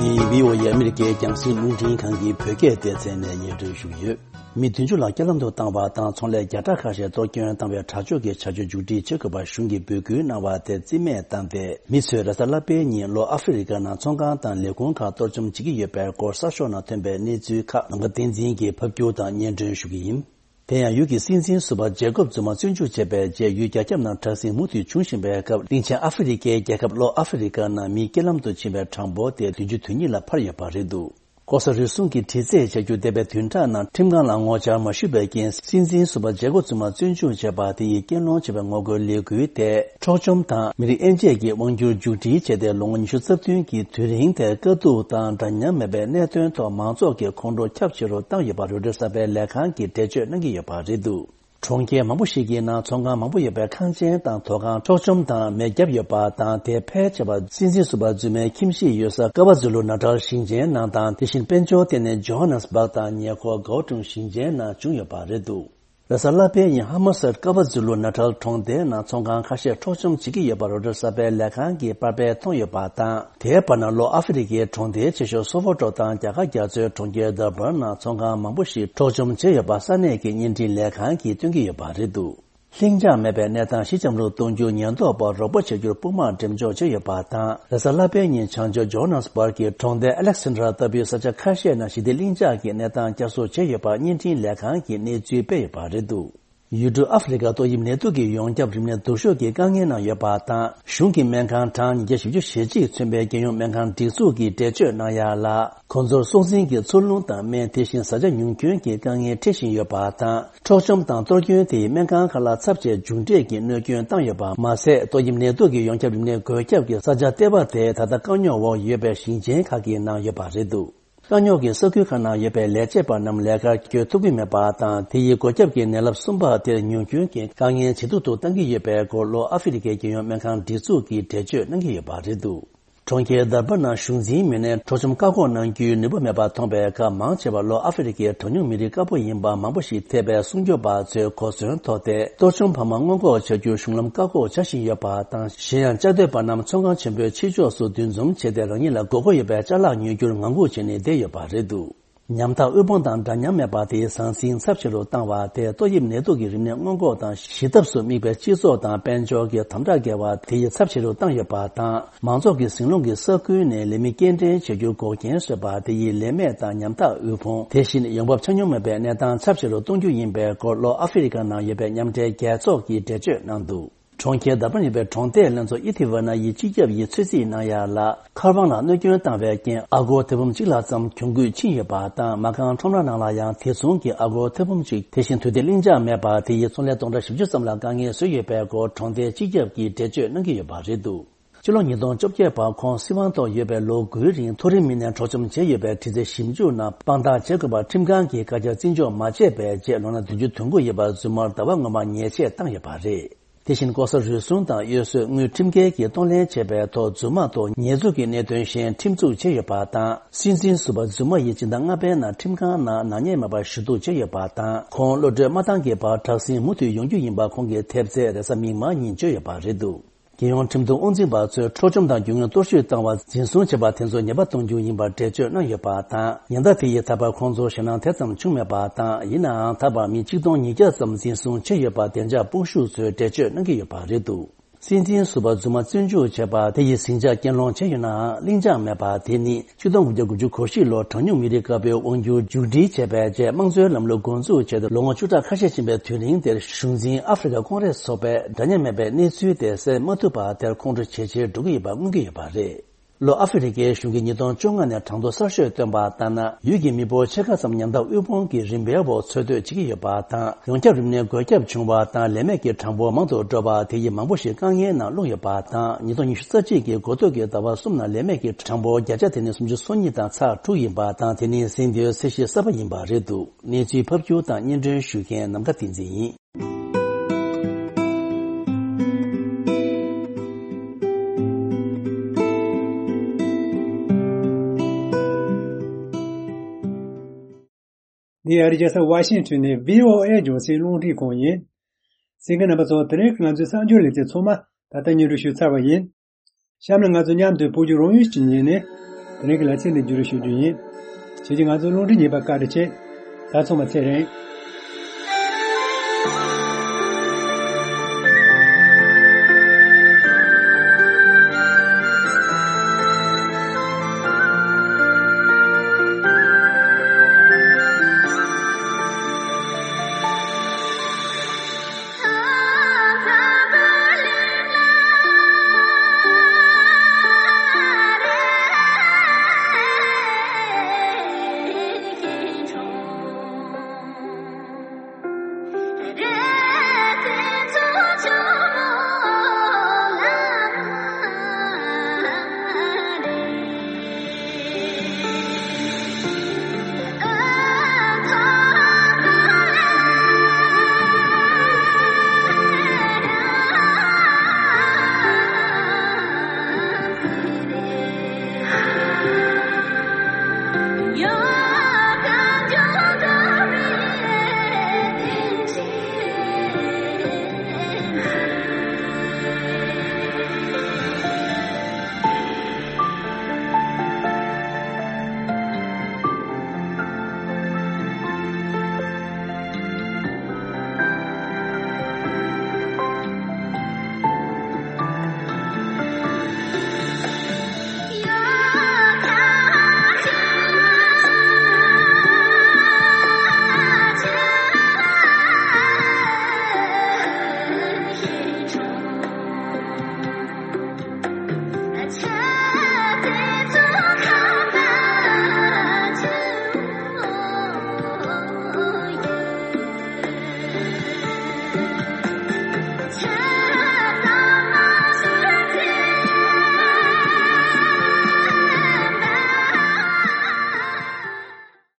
འདི་བྷི་ཨོ་ཨེ་ཨ་མི་རི་ཀའི་རྒྱང་སྲིང་རླུང་འཕྲིན་ཁང་གི་བོད་སྐད་སྡེ་ཚན་ནས་སྙན་སྒྲོན་ཞུ་གི་ཡོད། མི་བདུན་ཅུ་ལ་རྐྱེན་ལམ་དུ་བཏང་བ་དང་། ཚོང་ལས་བརྒྱ་ཕྲག་ཁ་ཤས་གཏོར་སྐྱོན་བཏང་བའི་དྲག་སྤྱོད་ཀྱི་བྱ་སྤྱོད་མཇུག་སྒྲིལ་བྱེད་དགོས་པར་གཞུང་གིས་འབོད་སྐུལ་གནང་བ་དེ་རྩིས་མེད་བཏང་སྟེ། མི་ཚོས་རེས་གཟའ་ལྷག་པའི་ཉིན་ལྷོ་ཨ་ཧྥེ་རི་ཀ་ནང་ཚོང་ཁང་དང་ལས་ཁུངས་ཁག་གཏོར་བཅོམ་བྱེད་ཀྱི་ཡོད་པའི་སྐོར་གསར་ཤོག་ནང་ཐོན་པའི་གནས་ཚུལ་ཁག་ནམ་མཁའ་བསྟན་འཛིན་གྱིས་ཕབ་སྒྱུར་དང་སྙན་སྒྲོན་ཞུ་གི་ཡིན། དེ་ཡང་ཡུལ་གྱི་སྲིད་འཛིན་ཟུར་པ་ཇེ་ཀོབ་ཛུ་མ་བཙོན་འཇུག་བྱས་པའི་རྗེས། ཡུལ་རྒྱ་ཁྱབ་ནང་དྲག་ཟིང་མུ་མཐུད་འབྱུང་བཞིན་པའི་སྐབས། གླིང་ཆེན་ཨ་ཧྥེ་རི་ཀའི་རྒྱལ་ཁབ་ལྷོ་ཨ་ཧྥེ་རི་ཀ་ནང་མིའི་རྐྱེན་ལམ་དུ་ཕྱིན་པའི་གྲངས་འབོར་དེ་བདུན་ཅུ་དོན་གཉིས་ལ་འཕར་ཡོད་པ་རེད་འདུག་ལྐོག་ཟ་རུལ་སུངས་ཀྱི་དྲི་རྩད་བྱ་རྒྱུ་འདས་པའི་བདུན་ཕྲག་ནང་ཁྲིམས་ཁང་ལ་ངོ་བཅར་མ་ཞུས་པའི་རྐྱེན། སྲིད་འཛིན་ཟུར་པ་ཇེ་ཀོབ་ཛུ་མ་བཙོན་འཇུག་བྱས་པ་དེ་ཡིས་རྐྱེན་སློང་བྱས་པའི་ངོ་རྒོལ་ལས་འགུལ་དེ་འཕྲོག་བཅོམ་དང་མི་རིགས་དབྱེ་འབྱེད་ཀྱི་དབང་སྒྱུར་མཇུག་སྒྲིལ་བྱས་ཏེ། ལོ་ངོ་ཉི་ཤུ་རྩ་བདུན་གྱི་དུས་རིང་དེར་དཀའ་སྡུག་དང་འདྲ་མཉམ་མེད་པའི་གནད་དོན་ཐོག་མང་ཚོགས་ཀྱི་ཁོང་ཁྲོ་ཁྱབ་ཆེ་རུ་བཏང་ཡོད་པ་རོའི་ཊར་གསར་པའི་ལས་ཁང་གིས་འགྲེལ་བརྗོད་གནང་གི་ཡོད་པ་རེད་འདུག་གྲོང་ཁྱེར་མང་པོ་ཞིག་གི་ནང་ཚོང་ཁང་མང་པོ་ཡོད་པའི་ཁང་ཆེན་དང་ཐོག་ཁང་འཕྲོག་བཅོམ་དང་མེ་བརྒྱབ་ཡོད་པ་དང་། དེ་ཕལ་ཆེ་བ་སྲིད་འཛིན་ཟུར་པ་རྫུན་མའི་ཁྱིམ་གཞིས་ཡོད་ས་ཀ་ཝ་ཛུ་ལུ་ན་ཊལ་ཞིང་ཆེན་ནང་དང་། དེ་བཞིན་དཔལ་འབྱོར་ལྟེ་གནས་ཇོ་ཧ་ནེ་སི་སྦག་དང་ཉེ་འཁོར་གའོ་ཀྲུང་ཞིང་ཆེན་ནང་བྱུང་ཡོད་པ་རེད་འདུག་རེས་གཟའ་ལྷག་པའི་ཉིན་ཧ་མ་སད་ཀ་ཝ་ཛུ་ལུ་ན་ཊལ་གྲོང་སྡེའི་ནང་ཚོང་ཁང་ཁ་ཤས་འཕྲོག་བཅོམ་བྱེད་ཀྱི་ཡོད་པ་རོའི་ཊར་གསར་པའི་ལས་ཁང་གིས་པར་སྤེལ་མཐོང་ཡོད་པ་དང་། དེའི་བར་ན་ལྷོ་ཨ་ཧྥེ་རི་ཀའི་གྲོང་སྡེ་ཆེ་ཤོས་སོ་ཝོ་ཊོ་དང་རྒྱ་གར་རྒྱ་མཚོའི་གྲོང་ཁྱེར་དར་བར་ནང་ཚོང་ཁང་མང་པོ་ཞིག་འཕྲོག་བཅོམ་བྱས་ཡོད་པ་ས་གནས་ཀྱི་བརྙན་འཕྲིན་ལས་ཁང་གིས་སྟོན་གྱི་ཡོད་པ་རེད་འདུག་ལྷིང་འཇགས་མེད་པའི་གནས་སྟངས་ཞི་འཇམ་རུ་གཏོང་རྒྱུར་ཉེན་རྟོག་པ་རོགས་པ་བྱ་རྒྱུར་དཔུང་དམག་འགྲེམས་འཇོག་བྱས་ཡོད་པ་དང་། རེས་གཟའ་ལྷག་པའི་ཉིན་བྱང་ཕྱོགས་ཇོ་ཧན་ནེ་སི་སྦར་གྱི་གྲོང་རྡལ་ཨ་ལེག་སན་ཌ་ར་ལྟ་བུའི་ས་ཆ་ཁ་ཤས་ནང་ཞི་བདེ་ལྷིང་འཇགས་ཀྱི་གནས་སྟངས་བསྐྱར་གསོ་བྱས་ཡོད་པ་བརྙན་འཕྲིན་ལས་ཁང་གིས་གནས་ཚུལ་སྤེལ་ཡོད་པ་རེད་འདུག་ཡུལ་གྲུ་ཨ་ཧྥེ་རི་ཁ་ཏོག་དབྱིབས་ནད་དུག་གིས་ཡོངས་ཁྱབ་རིམས་ནད་སྡུག་ཤོས་ཀྱི་དཀའ་ངལ་ནང་ཡོད་པ་དང་། གཞུང་གིས་སྨན་ཁང་གྲངས་ཉིས་བརྒྱ་བཞི་བཅུ་ཞེ་གཅིག་མཚོན་པའི་རྒྱལ་ཡོངས་སྨན་ཁང་སྒྲིག་འཛུགས་ཀྱིས་འགྲེལ་བརྗོད་གནང་ཡ་ལ། ཁོང་ཚོར་སྲོག་འཛིན་གྱི་འཚོ་རླུང་དང་སྨན། དེ་བཞིན་བཟའ་བཅའ་ཉུང་སྐྱོན་གྱི་དཀའ་ངལ་འཕྲད་བཞིན་ཡོད་པ་དང་། འཕྲོག་བཅོམ་དང་གཏོར་སྐྱོན་དེས་སྨན་ཁང་ཁག་ལ་ཚབས་ཆེ་མཇུག་འབྲས་ཀྱི་གནོད་སྐྱོན་བཏང་ཡོད་པ་མ་ཟད། ཏོག་དབྱིབས་ནད་དུག་གི་ཡོངས་ཁྱབ་རིམས་ནད་འགོས་ཁྱབ་ཀྱི་ས་ཆ་ལྟེ་བ་དེ་ད་ལྟ་དཀའ་རྙོག་འོག་ཡོད་པའི་ཞིང་ཆེན་ཁག་གི་ནང་ཡོད་པ་རེད་འདུག་དཀའ་རྙོག་གི་ས་ཁུལ་ཁག་ནང་ཡོད་པའི་ལས་བྱེད་པ་རྣམས་ལས་ཀར་བསྐྱོད་ཐུབ་ཀྱི་མེད་པ་དང་། དེ་ཡིས་འགོས་ཁྱབ་ཀྱི་ནད་རླབས་གསུམ་པ་དེར་ཉུང་སྐྱོན་གྱི་དཀའ་ངལ་ཇེ་སྡུག་ཏུ་གཏང་གི་ཡོད་པའི་སྐོར་ལྷོ་ཨ་ཧྥེ་རི་ཁའི་རྒྱལ་ཡོངས་སྨན་ཁང་སྒྲིག་འཛུགས་ཀྱིས་འགྲེལ་བརྗོད་གནང་གི་ཡོད་པ་རེད་འདུག་གྲོང་ཁྱེར་དར་པ་ནང་གཞུང་འཛིན་མི་སྣས་འཕྲོག་བཅོམ་བཀག་འགོག་གནང་རྒྱུའི་ནུས་པ་མེད་པར་མཐོང་བའི་སྐབས། མང་ཆེ་བ་ལྷོ་ཨ་ཧྥེ་རི་ཁའི་གྲངས་ཉུང་མི་རིགས་དཀར་པོ་ཡིན་པ་མང་པོ་ཞིག་ཐེ་བའི་སྲུང་སྐྱོབ་པ་ཚོས་གོ་མཚོན་ཐོགས་ཏེ། གཏོར་བཅོམ་འཕར་མ་སྔོན་འགོག་བྱ་རྒྱུར་གཞུང་ལམ་བཀག་འགོག་བྱ་བཞིན་ཡོད་པ་དང་། གཞན་ཡང་བཅའ་སྡོད་པ་རྣམས་ཚོང་ཁང་ཆེན་པོའི་ཕྱི་ཕྱོགས་སུ་འདུ་འཛོམས་བྱས་ཏེ། རང་ཉིད་ལ་དགོས་མཁོ་ཡོད་པའི་ཅ་ལག་ཉོ་རྒྱུར་ངང་སྒུག་བྱས་ནས་བསྡད་ཡོད་པ་རེད་འདུག་ཉམ་ཐག་དབུལ་ཕོངས་དང་འདྲ་མཉམ་མེད་པ་དེའི་ཟང་ཟིང་ཚབས་ཆེ་རུ་བཏང་བ་དེས་ཏོག་དབྱིབས་ནད་དུག་གི་རིམས་ནད་སྔོན་འགོག་དང་ཞི་ཐབས་སུ་དམིགས་པའི་སྤྱི་ཚོགས་དང་དཔལ་འབྱོར་གྱི་དམ་དྲག་འགལ་བ་དེ་ཡིས་ཚབས་ཆེ་རུ་བཏང་ཡོད་པ་དང་། མང་ཚོགས་ཀྱིས་ཟིང་སློང་གི་ས་ཁུལ་ནས་ལས་མི་སྐྱེལ་འདྲེན་བྱེད་རྒྱུར་འགོག་རྐྱེན་བཟོས་པ་དེ་ཡིས་ལས་མེད་དང་ཉམ་ཐག་དབུལ་ཕོངས། དེ་བཞིན་ཡོང་འབབ་ཆ་སྙོམས་མེད་པའི་གནས་སྟངས་ཚབས་ཆེ་རུ་གཏོང་རྒྱུ་ཡིན་པའི་སྐོར་ལྷོ་ཨ་ཧྥེ་རི་ཁ་ནང་ཡོད་པའི་མཉམ་འབྲེལ་རྒྱལ་ཚོགས་ཀྱིས་འགྲེལ་བརྗོད་གནང་འདུག་གྲོང་ཁྱེར་དར་པ་ནས་པའི་གྲོང་སྡེའི་ལྷན་ཚོགས་ཨི་ཐི་ཝ་ན་ཡི་སྤྱི་ཁྱབ་ཡིས་ཚོད་རྩིས་གནང་ཡ་ལ། མཁར་དབང་ལ་གནོད་སྐྱོན་བཏང་བའི་རྐྱེན་ཨ་སྒོར་ཐེར་འབུམ་གཅིག་ལྷག་ཙམ་གྱོང་གུད་ཕྱིན་ཡོད་པ་དང་། མ་རྐང་ཁྲོམ་ར་ནང་ལ་ཡང་དེ་མཚུངས་ཀྱི་ཨ་སྒོར་ཐེར་འབུམ་གཅིག་དེ་བཞིན་དུས་བདེ་ལྷིང་འཇགས་མེད་པ་དེ་ཡིས་ཚོང་ལས་སྟོང་ཕྲག་བཞི་བཅུ་ཙམ་ལ་དཀའ་ངལ་བཟོས་ཡོད་པའི་སྐོར་གྲོང་སྡེའི་སྤྱི་ཁྱབ་ཀྱིས་འགྲེལ་བརྗོད་གནང་གི་ཡོད་པ་རེད་འདུག་ཕྱི་ལོ་ཉིས་སྟོང་བཅོ་བརྒྱད་བར་ཁོང་སྲིད་དབང་ཐོག་ཡོད་པའི་ལོ་དགུའི་རིང་མཐོ་རིམ་མི་སྣས་འཕྲོག་བཅོམ་བྱས་ཡོད་པའི་དྲི་རྩད་ཞིབ་འཇུག་ནང་དཔང་རྟགས་བྱེད་དགོས་པར་ཁྲིམས་ཁང་གིས་བཀའ་རྒྱ་བརྩི་འཇོག་མ་བྱས་པའི་རྗེས། ལོ་ན་བདུན་ཅུ་དོན་དགུ་ཡོད་པར་རྫུན་མར་ཟླ་བ་སྔོན་མ་ཉེས་ཆད་བཏང་ཡོད་པ་རེད། དེ་བཞིན་ལྐོག་ཟ་རུལ་སུངས་དང་གཡོ་ཟོལ་དངུལ་ཁྲིམས་འགལ་གྱིས་གཏོང་ལེན་བྱས་པའི་ཐོག་རྫུན་མ་ཐོག་ཉེས་འཛུགས་ཀྱི་གནད་དོན་གཞན་ཁྲིམས་འཛུགས་བྱས་ཡོད་པ་དང་། སྲིད་འཛིན་ཟུར་པ་རྫུན་མ་ཡིས་སྤྱི་ཟླ་ལྔ་པའི་ནང་ཁྲིམས་ཁང་ནང་ནག་ཉེས་མེད་པར་ཞུ་གཏུག་བྱས་ཡོད་པ་དང་། ཁོང་གློད་གྲོལ་མ་བཏང་གི་བར་དྲག་ཟིང་མུ་མཐུད་ཡོང་རྒྱུ་ཡིན་པ་ཁོང་གི་ཐེབས་རྩས་རེས་གཟའ་མིག་དམར་ཉིན་བརྗོད་ཡོད་པ་རེད་འདུག་རྒྱལ་ཡོངས་ཁྲིམས་མཐུན་དབང་འཛིན་པ་ཚོས་འཕྲོག་བཅོམ་དང་རྒྱུ་དངོས་གཏོར་བཤིག་བཏང་བ་འཛིན་བཟུང་བྱས་པ་དེ་ཚོ་ཉེས་པ་གཏོང་རྒྱུ་ཡིན་པར་འགྲེལ་བརྗོད་གནང་ཡོད་པ་དང་། ཉེན་བརྡ་དེ་ཡིས་ད་བར་ཁོང་ཚོར་ཞེད་སྣང་དེ་ཙམ་བྱུང་མེད་པ་དང་། ཡིན་ནའང་ད་བར་མི་ཆིག་སྟོང་ཉིས་བརྒྱ་ཙམ་འཛིན་བཟུང་བྱས་ཡོད་པ་བདེ་འཇགས་དཔུང་ཤུགས་ཚོས་འགྲེལ་བརྗོད་གནང་གི་ཡོད་པ་རེད་འདུག་སྲིད་འཛིན་ཟུར་པ་རྫུན་མ་བཙོན་འཇུག་བྱས་པ་དེ་ཡིས་ཟིང་ཆ་རྐྱེན་སློང་བྱས་ཡོད་ནའང་། ལྷིང་འཇགས་མེད་པ་དེ་ནི་ཆིག་སྟོང་དགུ་བརྒྱ་དགུ་བཅུ་གོ་བཞི་ལོར་གྲངས་ཉུང་མི་རིགས་དཀར་པོའི་དབང་སྒྱུར་མཇུག་སྒྲིལ་བྱས་པའི་རྗེས། དམངས་གཙོའི་ལམ་ལུགས་འགོ་འཛུགས་བྱས་ཏེ་ལོ་ངོ་བཅུ་ཕྲག་ཁ་ཤས་ཕྱིན་པའི་དུས་རིང་དེར། གཞུང་འཛིན་ཨ་ཧྥེ་རི་ཁ་ཀོང་རེས་ཚོགས་པས་འདྲ་མཉམ་མེད་པའི་གནས་ཚུལ་དེ་སེལ་མ་ཐུབ་པ་དེར་ཁོང་ཁྲོ་ཇེ་ཆེར་འགྲོ་གི་ཡོད་པ་མངོན་གྱི་ཡོད་པ་རེད། ལྷོ་ཨ་ཧྥེ་རི་ཁའི་གཞུང་གིས་ཉིས་སྟོང་བཅོ་ལྔ་ནས་གྲངས་ཐོ་གསར་ཤོས་བཏོན་པ་ལྟར་ན། ཡུལ་གྱི་མི་འབོར་ཕྱེད་ཀ་ཙམ་ཉམ་ཐག་དབུལ་ཕོངས་ཀྱི་རིམ་པའི་འོག་འཚོ་སྡོད་བྱེད་ཀྱི་ཡོད་པ་དང་། ཡོངས་ཁྱབ་རིམས་ནད་འགོས་ཁྱབ་བྱུང་བ་དང་ལས་མེད་ཀྱི་གྲངས་འབོར་མང་དུ་འགྲོ་བ་དེ་ཡིས་མང་པོ་ཞིག་དཀའ་ངལ་ནང་ལྷུང་ཡོད་པ་དང་། ཉིས་སྟོང་ཉི་ཤུ་རྩ་གཅིག་གི་འགོ་སྟོད་ཀྱི་ཟླ་བ་གསུམ་ནང་ལས་མེད་ཀྱི་གྲངས་འབོར་བརྒྱ་ཆ་དེ་ནི་སུམ་ཅུ་སོ་གཉིས་དང་ཚེག་དྲུག་ཡིན་པ་དང་། དེ་ནི་ཟིན་དུས་ཚད་གཞི་གསར་པ་ཡིན་པ་རེད་འདུག་གནས་ཚུལ་ཕབ་སྒྱུར་དང་སྙན་སྒྲོན་ཞུ་མཁན་ནམ་མཁའ་བསྟན་འཛིན་ཡིན། འདི་ཨ་རིའི་རྒྱལ་ས་ཝ་ཤིང་ཊོན་ནས་བྷི་ཨོ་ཨེ་རྒྱང་སྲིང་རླུང་འཕྲིན་ཁང་ཡིན། གསན་མཁན་རྣམ་པ་ཚོ། དེ་རིང་གི་ང་ཚོའི་གསར་འགྱུར་ལེ་ཚན་ཚང་མ་ད་ལྟ་སྙན་སྒྲོན་ཞུས་ཚར་བ་ཡིན། གཤམ་ལ་ང་ཚོ་མཉམ་དུ་བོད་ཀྱི་རང་ཡུལ་གྱི་ཉིན་ནས་དེ་རིང་གི་ལེ་ཚན་འདི་བརྒྱུད་རིམ་ཞུ་རྒྱུ་ཡིན། ཁྱེད་ཀྱིས་ང་ཚོའི་རླུང་འཕྲིན་ཉན་པར་བཀའ་དྲིན་ཆེ། ད་ཚང་མ་ཚེ་རིང་།